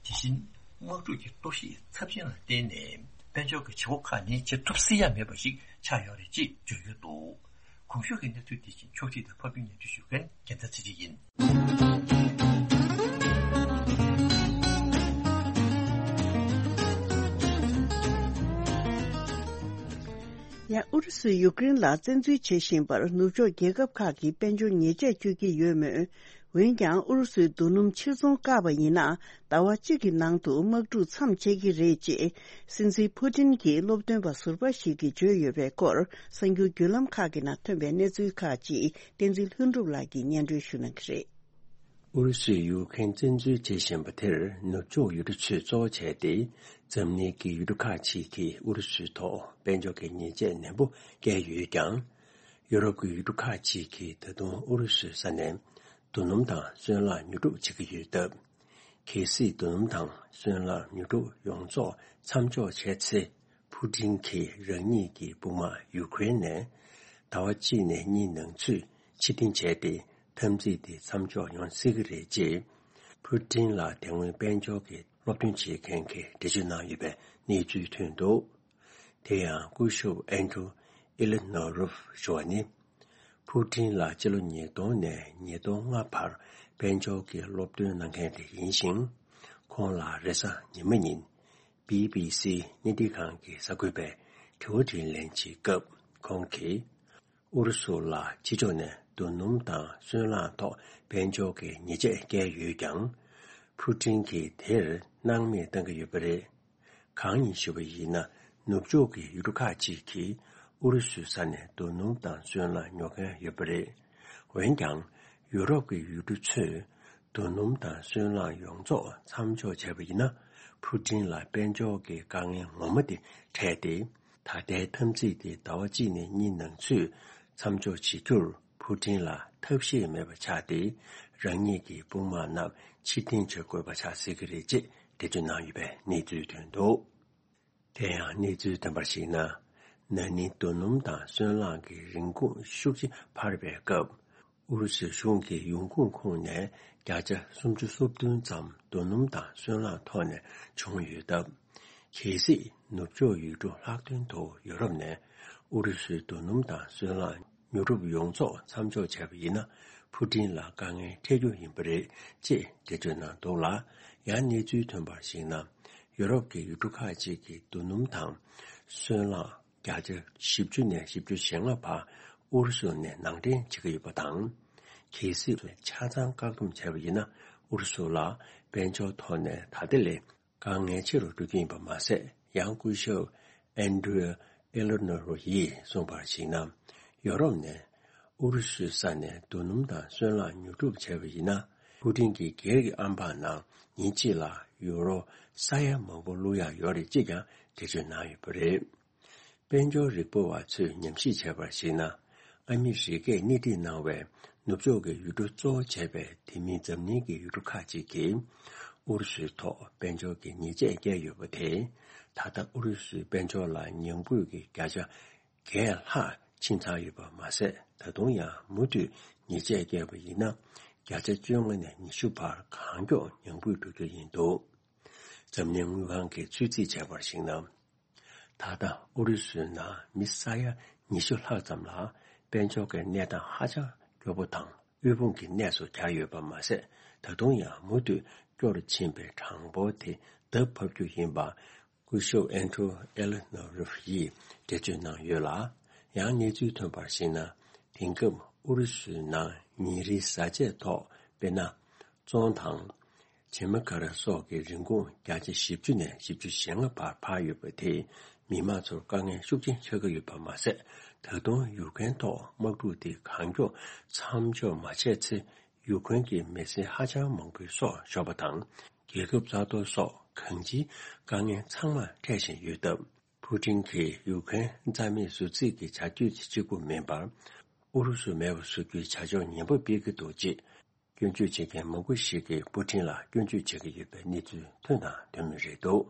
དེ་བཞིན་དམག་འཁྲུག་གི་གཏོར་བཤིག་ཚབས་ཆེན་ལ་བརྟེན་ནས་དཔལ་འབྱོར་གྱི་བྱེད་སྒོ་ཁག་ནི་བྱེད་ཐུབ་སྲིད་ཡ་མེད་པ་ཞིག་ཆགས་ཡོད་རེད་ཅེས་བརྗོད་ཡོད་འདུག་གོང་ཞུས་ཀྱི་གནས་ཚུལ་དེ་བཞིན་ཕྱོགས་སྒྲིག་དང་ཕབ་སྒྱུར་སྙན་སྒྲོན་ཞུ་མཁན་རྒྱལ་མཚན་ཚེ་རིང་ཡིན། ཡང་ཨུ་རུ་སུས་ཡུཀ་རེན་ལ་བཙན་འཛུལ་བྱེད་བཞིན་པར་ནུབ་ཕྱོགས་རྒྱལ་ཁབ་ཁག་གིས་དཔལ་འབྱོར་ཉེས་ཆད་གཅོད་ཀྱི་ཡོད་མོད། འོན་ཀྱང་ཨུ་རུ་སུའི་རྡོ་སྣུམ་ཕྱིར་ཚོང་བཀག་པ་ཡིན་ན། ཟླ་བ་གཅིག་གི་ནང་དུ་དམག་འཁྲུག་མཚམས་ཆད་ཀྱི་རེད་ཅེས་སྲིད་འཛིན་ཕུ་ཏིན་གྱི་སློབ་སྟོན་པ་ཟུར་པ་ཞིག་གིས་བརྗོད་ཡོད་པའི་སྐོར། གསར་འགྱུར་བརྒྱུད་ལམ་ཁག་གི་ནང་ཐོན་པའི་གནས་ཚུལ་ཁག་ཅིག་བསྟན་འཛིན་ལྷུན་གྲུབ་ལགས་ཀྱིས་སྙན་སྒྲོན་ཞུ་གནང་གི་རེད། ཨུ་རུ་སུས་ཡུཀ་རེན་བཙན་འཛུལ་བྱེད་བཞིན་པ་དེར་ནུབ་ཕྱོགས་ཡུལ་གྲུ་ཚོས་གཙོ་བོ་བྱས་ཏེ། འཛམ་གླིང་གི་ཡུལ་གྲུ་ཁག་ཅིག་གིས་ཨུ་རུ་སུའི་ཐོག་དཔལ་འབྱོར་གྱི་ཉེས་ཆད་ནན་པོ་བཀལ་ཡོད་ཀྱང་། ཡུ་རོབ་ཀྱི་ཡུལ་གྲུ་ཁག་ཅིག་གིས་ད་དུང་ཨུ་རུ་སུའི་ས་ནས་རྡོ་སྣུམ་དང་སོལ་རླངས་ཉོ་སྒྲུབ་བྱེད་ཀྱི་ཡོད་སྟབས། གལ་སྲིད་རྡོ་སྣུམ་དང་སོལ་རླངས་ཉོ་སྒྲུབ་ཡོངས་རྫོགས་མཚམས་འཇོག་བྱས་ཚེ། ཕུ་ཏིན་གྱིས་རང་ཉིད་ཀྱི་དཔུང་དམག་ཡུ་ཀེ་རེན་ནས་ཟླ་བ་གཅིག་ནས་གཉིས་ནང་ཚུད་ཕྱིར་འཐེན་བྱས་ཏེ། འཐབ་འཛིང་དེ་མཚམས་འཇོག་ཡོང་སྲིད་ཀྱི་རེད་ཅེས། ཕུ་ཏིན་ལ་དེ་སྔོན་དཔལ་འབྱོར་གྱི་སློབ་སྟོན་བྱེད་མཁན་གྱིས་འགྲེལ་བརྗོད་གནང་ཡོད་པའི་གནས་ཚུལ་ཐོན་འདུག་དེ་ཡང་སྐུ་ཞབས་ཨན་ཌྲུ་ཨི་ལི་ནོ་རོབ་ཞུ་བ་ནི། ཕུ་ཏིན་ལ་ཕྱི་ལོ་ཉིས་སྟོང་ནས་ཉིས་སྟོང་ལྔ་བར་དཔལ་འབྱོར་གྱི་སློབ་སྟོན་གནང་མཁན་དེ་ཡིན་ཞིང་། ཁོང་ལ་རེས་གཟའ་ཉི་མ་ཉིན། བི་བི་སི་བརྙན་འཕྲིན་ཁང་གི་གསར་འགོད་པས་དྲི་བ་དྲིས་ལན་བྱེད་སྐབས་ཁོང་གིས། ཨུ་རུ་སུ་ལ་ཕྱི་ཕྱོགས་ནས་རྡོ་སྣུམ་དང་སོལ་རླངས་ཐོག་དཔལ་འབྱོར་གྱི་ཉེས་ཆད་བཀལ་ཡོད་ཀྱང་། ཕུ་ཏིན་གྱིས་དེར་སྣང་མེད་བཏང་གི་ཡོད་པ་རེད། གང་ཡིན་ཞུས་པ་ཡིན་ན། ནུབ་ཕྱོགས་ཀྱི་ཡུལ་གྲུ་ཁག་ཅིག་གིས་ཨུ་རུ་སུའི་ས་ནས་རྡོ་སྣུམ་དང་སོལ་རླངས་ཉོ་མཁན་ཡོད་པ་རེད། འོན་ཀྱང་། ཡུ་རོབ་ཀྱི་ཡུལ་གྲུ་ཚོས། རྡོ་སྣུམ་དང་སོལ་རླངས་ཡོངས་རྫོགས་མཚམས་འཇོག་བྱས་པ་ཡིན་ན། ཕུ་ཏིན་ལ་དཔལ་འབྱོར་གྱི་དཀའ་ངལ་ངོ་མ་དེ་འཕྲད་དེ། ད་ལྟའི་འཐབ་འཛིང་དེ་ཟླ་བ་གཅིག་ནས་གཉིས་ནང་ཚུད་མཚམས་འཇོག་བྱེད་རྒྱུར་ཕུ་ཏིན་ལ་ཐབས་ཤེས་མེད་པ་ཆགས་ཏེ། རང་ཉིད་ཀྱི་དཔུང་དམག་རྣམས་ཕྱིར་འཐེན་བྱེད་དགོས་པ་ཆགས་སྲིད་ཀྱི་རེད་ཅེས་འགྲེལ་བརྗོད་གནང་ཡོད་པའི་གནས་ཚུལ་ཐོན་འདུག་དེ་ཡང་གནས་ཚུལ་ཐོན་པར་གཞིགས་ན། ན་ནིང་རྡོ་སྣུམ་དང་སོལ་རླངས་ཀྱི་རིན་གོང་ཤུགས་ཆེ་འཕར་བའི་སྐབས། ཨུ་རུ་སུའི་གཞུང་གི་ཡོང་ཁུངས་ཁོངས་ནས་བརྒྱ་ཆ་སུམ་ཅུ་སོ་བདུན་ཙམ་རྡོ་སྣུམ་དང་སོལ་རླངས་ཐོག་ནས་བྱུང་ཡོད་སྟབས། གལ་སྲིད་ནུབ་ཕྱོགས་ཡུལ་གྲུ་ལྷག་དོན་དུ་ཡོ་རོབ་ནས་ཨུ་རུ་སུའི་རྡོ་སྣུམ་དང་སོལ་རླངས་ཉོ་སྒྲུབ་ཡོངས་རྫོགས་མཚམས་འཇོག་བྱས་པ་ཡིན་ན། ཕུ་ཏིན་ལ་དཀའ་ངལ་འཕྲད་རྒྱུ་ཡིན་པ་རེད་ཅེས་འགྲེལ་བརྗོད་གནང་འདུག་ལ། ཡང་གནས་ཚུལ་ཐོན་པར་གཞིགས་ན། ཡོ་རོབ་ཀྱི་ཡུལ་གྲུ་ཁག་ཅིག་གིས་རྡོ་སྣུམ་དང་སོལ་རླངས་བརྒྱ་ཆ་བཞི་བཅུ་ནས་བཞི་བཅུ་ཞེ་ལྔ་བར་ཨུ་རུ་སུ་ནས་ནང་འདྲེན་བྱེད་ཀྱི་ཡོད་པ་དང་། གལ་སྲིད་ཆ་ཚང་བཀག་སྡོམ་བྱས་པ་ཡིན་ན། ཨུ་རུ་སུ་ལ་དཔལ་འབྱོར་ཐོག་ནས་ད་ལྟ་ལས་དཀའ་ངལ་ཆེ་རུ་འགྲོ་རྒྱུ་ཡིན་པ་མ་ཟད། ཡང་སྐུ་ཞབས་ཨན་ཌྲུ་ཨེ་ལོ་ནོ་རོ་ཡིས་གསུངས་པར་གཞིགས་ན། ཡོ་རོབ་ནས་ ཨུ་རུ་སུའི་ས་ནས་རྡོ་སྣུམ་དང་སོལ་རླངས་ཉོ་སྒྲུབ་བྱས་པ་ཡིན་ན། ཕུ་ཏིན་གྱི་སྒེར་གྱི་ཨམ་བག་ནང་ཉིན་གཅིག་ལ་ཡུ་རོ་ས་ཡ་མང་པོ་བླུག་ཡག་ཡོད་རེད་ཅེས་ཀྱང་འགྲེལ་བརྗོད་གནང་ཡོད་པ་རེད། དཔལ་འབྱོར་རིག་པ་བ་ཚོས་ཉམས་ཞིབ་བྱས་པར་གཞིགས་ན། ཨ་མི་རི་ཀས་སྣེ་ཁྲིད་གནང་བའི་ནུབ་ཕྱོགས་ཀྱི་ཡུལ་གྲུ་གཙོ་བོ་བྱས་པའི་དེ་མིན་འཛམ་གླིང་གི་ཡུལ་གྲུ་ཁག་ཅིག་གིས་ཨུ་རུ་སུའི་ཐོག་དཔལ་འབྱོར་གྱི་ཉེས་ཆད་བཀལ་ཡོད་པ་དེས། ད་ལྟ་ཨུ་རུ་སུའི་དཔལ་འབྱོར་ལ་ཉམས་རྒུད་ཀྱི་བརྒྱ་ཆ་བརྒྱད་ལྷག་ཕྱིན་ཚར་ཡོད་པ་མ་ཟད། ད་དུང་ཡང་མུ་མཐུད་ཉེས་ཆད་བཀལ་བ་ཡིན་ན། བརྒྱ་ཆ་བཅོ་ལྔ་ནས་ཉི་ཤུ་བར་གང་མགྱོགས་ཉམས་རྒུད་འགྲོ་རྒྱུ་ཡིན་འདུག། འཛམ་གླིང་དངུལ་ཁང་གིས་ཚོད་རྩིས་བྱས་པར་གཞིགས་ན། ད་ལྟ་ཨུ་རུ་སུའི་ནང་མི་ས་ཡ་ཉི་ཤུ་ལྷག་ཙམ་ལ་དཔལ་འབྱོར་གྱི་གནས་སྟངས་ཧ་ཅང་སྐྱོ་པོ་དང་དབུལ་ཕོངས་ཀྱི་གནས་སུ་གྱར་ཡོད་པ་མ་ཟད། ད་དུང་ཡང་མུ་མཐུད་སྐྱོ་རུ་ཕྱིན་པའི་གྲངས་འབོར་དེ་ལྡབ་ཕབ་རྒྱུ་ཡིན་པ། སྐུ་ཞབས་ཨན་ཏྲོ་ཨེ་ལི་ནོ་རོབ་ཡིས་འགྲེལ་བརྗོད་གནང་ཡོད་ལ། ཡང་གནས་ཚུལ་ཐོན་པར་གཞིགས་ན། དེང་སྐབས་ཨུ་རུ་སུའི་ནང་ཉིན་རེའི་བཟའ་ཆས་ཐོག་དཔེར་ན། བཙོང་དང་། བྱེ་མ་ཀ་ར་སོགས་ཀྱི་རིན་གོང་བརྒྱ་ཆ་བཞི་བཅུ་ནས་བཞི་བཅུ་ཞེ་ལྔ་བར་འཕར་ཡོད་པ་དེས་མི་མང་ཚོར་དཀའ་ངལ་ཤུགས་ཆེན་ཆགས་ཀྱི་ཡོད་པ་མ་ཟད། ད་དུང་ཡུཀ་རེན་ཐོག་དམག་འཁྲུག་དེ་གང་མགྱོགས་མཚམས་འཇོག་མ་བྱས་ཚེ། ཡུཀ་རེན་གྱི་མི་སེར་ཧ་ཅང་མང་པོའི་སྲོག་ཤོར་བ་དང་། རྒྱལ་ཁབ་རྩ་གཏོར་སོགས་གང་ཅིའི་དཀའ་ངལ་ཚང་མ་འཕྲད་བཞིན་ཡོད་སྟབས། ཕུ་ཏིན་གྱིས་ཡུཀ་རེན་རྩ་མེད་བཟོ་རྩིས་ཀྱི་བྱ་སྤྱོད་ཅིག་གཅིག་པུ་མིན་པར། ཨུ་རུ་སུ་མེད་པར་བཟོ་རྒྱུའི་བྱ་སྤྱོད་ངན་པ་སྤེལ་གྱི་འདུག་ཅེས། སྐྱོན་བརྗོད་བྱེད་མཁན་མང་པོ་ཞིག་གིས་པུ་ཏིན་ལ་སྐྱོན་བརྗོད་བྱེད་ཀྱི་ཡོད་པའི་གནས་ཚུལ་ཐོན་དང་ཐོན་མུས་རེད་འདུག།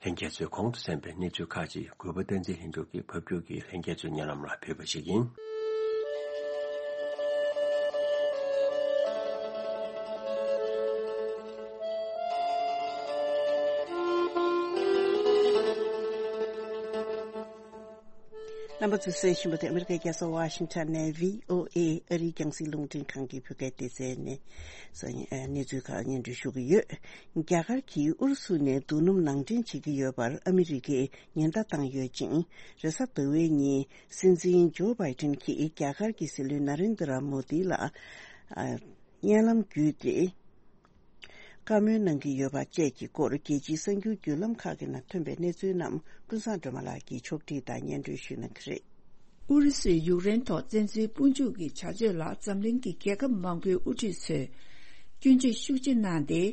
ལྷན་རྒྱས་ཚོས་གོང་དུ་གསན་པའི་གནས་ཚུལ་ཁག་ཅིག་གུས་པ་བསྟན་འཛིན་ལྷུན་གྲུབ་ཀྱིས་ཕབ་སྒྱུར་གྱིས་ལྷན་རྒྱས་ཚོའི་སྙན་ལམ་ལ་ཕུལ་བ་ཞིག་ཡིན། རྣམ་པ་ཚོས་གསན་བཞིན་པ་དེ་ཨ་མི་རི་ཀའི་རྒྱལ་ས་ཝ་ཤིང་ཊོན་ནས་བྷི་ཨོ་ཨེ་ཨ་རིའི་རྒྱང་སྲིང་རླུང་འཕྲིན་ཁང་གི་བོད་སྐད་སྡེ་ཚན་ནས་གནས་ཚུལ་ཁག་སྙན་སྒྲོན་ཞུ་གི་ཡོད། རྒྱ་གར་གྱིས་ཨུ་རུ་སུ་ནས་རྡོ་སྣུམ་ནང་འདྲེན་བྱེད་ཀྱི་ཡོད་པར་ཨ་མི་རི་ཀས་ཉེན་བརྡ་བཏང་ཡོད་ཅིང་། རེས་གཟའ་ཟླ་བའི་ཉིན་སྲིད་འཛིན་ཇོ་བྷའི་ཏིན་གྱིས་རྒྱ་གར་གྱི་སྲིད་བློན་ན་རེན་དྲ་མོ་དི་ལ་སྙན་ལམ་བརྒྱུད་དེ། བཀའ་མོལ་གནང་གི་ཡོད་པ་བཅས་ཀྱི་སྐོར་རྒྱལ་སྤྱིའི་གསར་འགྱུར་བརྒྱུད་ལམ་ཁག་གི་ནང་ཐོན་པའི་གནས་ཚུལ་རྣམས་ཀུན་བཟང་སྒྲོལ་མ་ལགས་ཀྱིས་ཕྱོགས་སྒྲིག་དང་སྙན་སྒྲོན་ཞུ་གནང་གི་རེད། ཨུ་རུ་སུས་ཡུཀ་རེན་ཐོག་བཙན་འཛུལ་དཔུང་འཇུག་གི་བྱ་སྤྱོད་ལ་འཛམ་གླིང་གི་རྒྱལ་ཁབ་མང་པོའི་དབུ་ཁྲིད་ཚོས་སྐྱོན་བརྗོད་ཤུགས་ཆེ་གནང་སྟེ།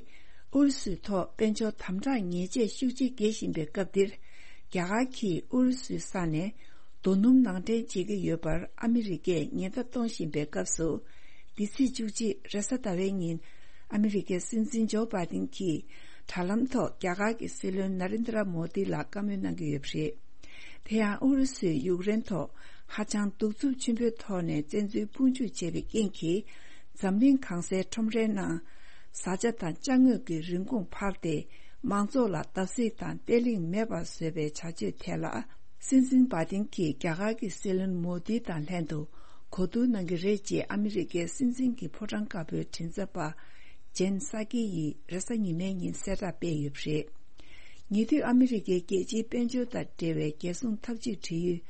ཨུ་རུ་སུའི་ཐོག་དཔལ་འབྱོར་དམ་དྲག་ཉེས་ཆད་ཤུགས་ཆེ་འགེལ་བཞིན་པའི་སྐབས་འདིར། རྒྱ་གར་གྱིས་ཨུ་རུ་སུའི་ས་ནས་རྡོ་སྣུམ་ནང་འདྲེན་བྱེད་ཀྱི་ཡོད་པར་ཨ་མི་རི་ཀས་ཉེན་བརྡ་གཏོང་བཞིན་པའི་སྐབས་སུ། འདི་ཚེས་བཅུ་གཅིག་རེས་གཟའ་ཟླ་བའི་ཉིན། ཨ་མི་རི་ཀའི་སྲིད་འཛིན་ཇོ་བྷའི་ཏིན་གྱིས་དྲ་ལམ་ཐོག་རྒྱ་གར་གྱི་སྲིད་བློན་ན་རེན་དྲ་མོ་དི་ལ་བཀའ་མོལ་གནང་གི་ཡོད་པ་རེད། དེ་ཡང་ཨུ་རུ་སུས་ཡུཀ་རེན་ཐོག་ཧ་ཅང་གདུག་རྩུབ་ཆེན་པོའི་ཐོག་ནས་བཙན་འཛུལ་དཔུང་འཇུག་བྱས་པའི་རྐྱེན་གྱིས། འཛམ་གླིང་གང་སའི་ཁྲོམ་རའི་ནང་བཟའ་བཅའ་དང་ཅ་དངོས་ཀྱི་རིན་གོང་འཕར་ཏེ། མང་ཚོགས་ལ་བརྡབ་གསིག་དང་བརྟན་ལྷིང་མེད་པར་བཟོས་པའི་བྱ་སྤྱོད་ཐད་ལ། སྲིད་འཛིན་བྷའི་ཏིན་གྱིས་རྒྱ་གར་གྱི་སྲིད་བློན་མོ་དི་དང་ལྷན་དུ་གོ་བསྡུར་གནང་གི་རེད་ཅེས་ཨ་མི་རི་ཀའི་སྲིད་འཛིན་གྱི་ཕོ་བྲང་དཀར་པོའི་མགྲིན་ཚབ་པ་ཇེན་སཱ་ཀི་ཡིས་རེས་གཟའ་ཉི་མའི་ཉིན་གསལ་བསྒྲགས་སྤེལ་ཡོད་པ་རེད། ཉེ་དུས་ཨ་མི་རི་ཀའི་རྒྱལ་སྤྱིའི་དཔལ་འབྱོར་དང་འབྲེལ་བའི་རྒྱལ་སྲུང་འཐབ་ཇུས་འབྲེལ་ཡོད་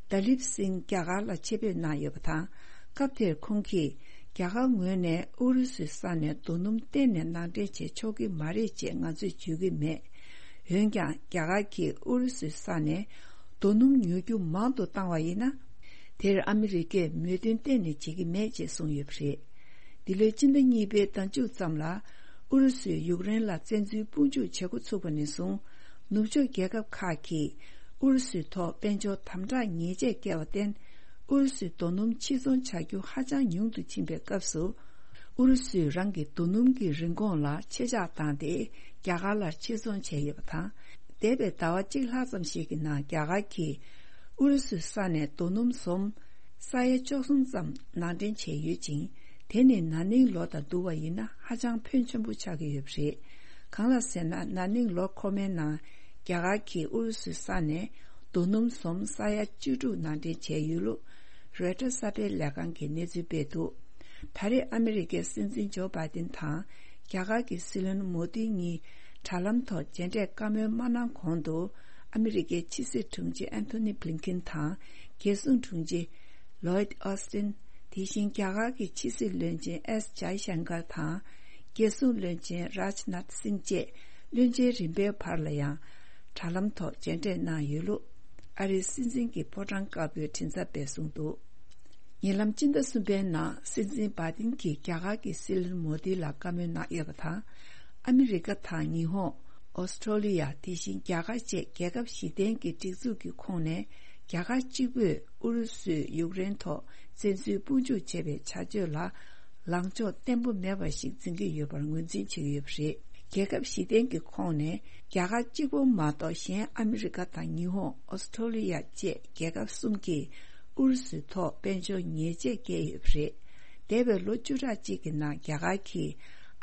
ཏཱ་ལིབ་སིང་རྒྱ་གར་ལ་ཆེད་ཕེབས་གནང་ཡོད་པ་དང་། སྐབས་དེར་ཁོང་གིས། རྒྱ་གར་ངོས་ནས་ཨུ་རུ་སུའི་ས་ནས་རྡོ་སྣུམ་གཏན་ནས་ནང་འདྲེན་བྱེད་ཆོག་གི་མ་རེད་ཅེས་ང་ཚོས་བརྗོད་ཀྱི་མེད། འོན་ཀྱང་རྒྱ་གར་གྱིས་ཨུ་རུ་སུའི་ས་ནས་རྡོ་སྣུམ་ཉོ་རྒྱུ་མང་དུ་བཏང་བ་ཡིན་ན། དེར་ཨ་མི་རི་ཀས་མོས་མཐུན་གཏན་ནས་བྱེད་ཀྱི་མེད་ཅེས་གསུངས་ཡོད་པ་རེད། འདི་ལོའི་སྤྱི་ཟླ་གཉིས་པའི་ཟླ་མཇུག་ཙམ་ལ། ཨུ་རུ་སུས་ཡུཀ་རེན་ལ་བཙན་འཛུལ་དཔུང་འཇུག་བྱེད་འགོ་ཚུགས་པ་ནས་བཟུང་། ནུབ་ཕྱོགས་རྒྱལ་ཁབ་ཁག་གིས་ཨུ་རུ་སུའི་ཐོག་དཔལ་འབྱོར་དམ་དྲག་ཉེས་ཆད་བཀལ་བར་བརྟེན། ཨུ་རུ་སུའི་རྡོ་སྣུམ་ཕྱིར་ཚོང་བྱ་རྒྱུ་ཧ་ཅང་ཉུང་དུ་ཕྱིན་པའི་སྐབས་སུ། ཨུ་རུ་སུས་རང་གི་རྡོ་སྣུམ་གྱི་རིན་གོང་ལ་ཆེད་ཆག་བཏང་སྟེ། རྒྱ་གར་ལ་ཕྱིར་ཚོང་བྱས་ཡོད་པ་དང་། འདས་པའི་ཟླ་བ་གཅིག་ལྷག་ཙམ་ཞིག་གི་ནང་རྒྱ་གར་གྱིས་ཨུ་རུ་སུའི་ས་ནས་རྡོ་སྣུམ་ཟོམ་ས་ཡ་བཅུ་གསུམ་ཙམ་ནང་འདྲེན་བྱས་ཡོད་ཅིང་། དེ་ནི་ན་ནིང་ལོ་དང་བསྡུར་བ་ཡིན་ན་ཧ་ཅང་ཕོན་ཆེན་པོ་ཆགས་ཀྱི་ཡོད་པ་རེད། གང་ལགས་ཟེར་ན། ན་ནིང་ལོ་འཁོར་མའི་ནང་རྒྱ་གར་གྱིས་ཨུ་རུ་སུའི་ས་ནས་རྡོ་སྣུམ་ཟོམ་ས་ཡ་བཅུ་དྲུག་ནང་འདྲེན་བྱས་ཡོད་ལུགས། རོའི་ཊར་གསར་སྤེལ་ལས་ཁང་གིས་གནས་ཚུལ་སྤེལ་འདུག། ད་རེས་ཨ་མི་རི་ཀའི་སྲིད་འཛིན་ཇོ་བྷའི་ཏིན་དང་རྒྱ་གར་གྱི་སྲིད་བློན་མོ་དི་གཉིས་དྲ་ལམ་ཐོག་མཇལ་འཕྲད་བཀའ་མོལ་མ་གནང་གོང་དུ། ཨ་མི་རི་ཀའི་ཕྱི་སྲིད་དྲུང་ཆེ་ཨན་ཐོ་ནི་བྷི་ལིན་ཁིན་དང་། རྒྱལ་སྲུང་དྲུང་ཆེ་ལོའིད་ཨོ་སི་ཏིན། དེ་བཞིན་རྒྱ་གར་གྱི་ཕྱི་སྲིད་བློན་ཆེན་ཨེས་ཇའི་ཤང་ཀར་དང་། རྒྱལ་སྲུང་བློན་ཆེན་རཱཇ་ནཱཐ་སིང་བཅས་བློན་ཆེན་རིམ་པའི་བར་ལ་ཡང་དྲ་ལམ་ཐོག་མཇལ་འཕྲད་གནང་ཡོད་ལུགས། ཨ་རིའི་སྲིད་འཛིན་གྱི་ཕོ་བྲང་དཀར་པོའི་མགྲིན་ཚབ་པས་གསུངས་འདུག། ཉེ་ལམ་སྤྱི་ཟླ་གསུམ་པའི་ནང་སྲིད་འཛིན་བྷ་ཏིན་གྱིས་རྒྱ་གར་གྱི་སྲིད་བློན་མོ་དི་ལ་བཀའ་མོལ་གནང་ཡོད་པ་དང་། ཨ་མི་རི་ཀ་དང་ཉི་ཧོང་། ཨོ་སི་ཁྲོ་ལི་ཡ། དེ་བཞིན་རྒྱ་གར་བཅས་རྒྱལ་ཁབ་བཞི་ལྡན་གྱི་སྒྲིག་འཛུགས་ཀྱི་ཁོངས་ནས་རྒྱ་གར་གཅིག་པུས་ཨུ་རུ་སུས་ཡུཀ་རེན་ཐོག་བཙན་འཛུལ་དཔུང་འཇུག་བྱས་པའི་བྱ་སྤྱོད་ལ་ལངས་ཕྱོགས་བརྟན་པོ་མེད་པ་ཞིག་འཛིན་གྱི་ཡོད་པར་ངོས་འཛིན་བྱེད་ཀྱི་ཡོད་པ་རེད། རྒྱལ་ཁབ་བཞི་ལྡན་གྱི་ཁོངས་ནས་རྒྱ་གར་གཅིག་པུ་མ་གཏོགས་གཞན་ཨ་མི་རི་ཀ་དང་ཉི་ཧོང་། ཨོ་སི་ཁྲོ་ལི་ཡ་བཅས་རྒྱལ་ཁབ་གསུམ་གྱིས་ཨུ་རུ་སུའི་ཐོག་དཔལ་འབྱོར་ཉེས་ཆད་བཀལ་ཡོད་པ་རེད། འདས་པའི་ལོ་བཅུ་ཕྲག་གཅིག་གི་ནང་རྒྱ་གར་གྱིས་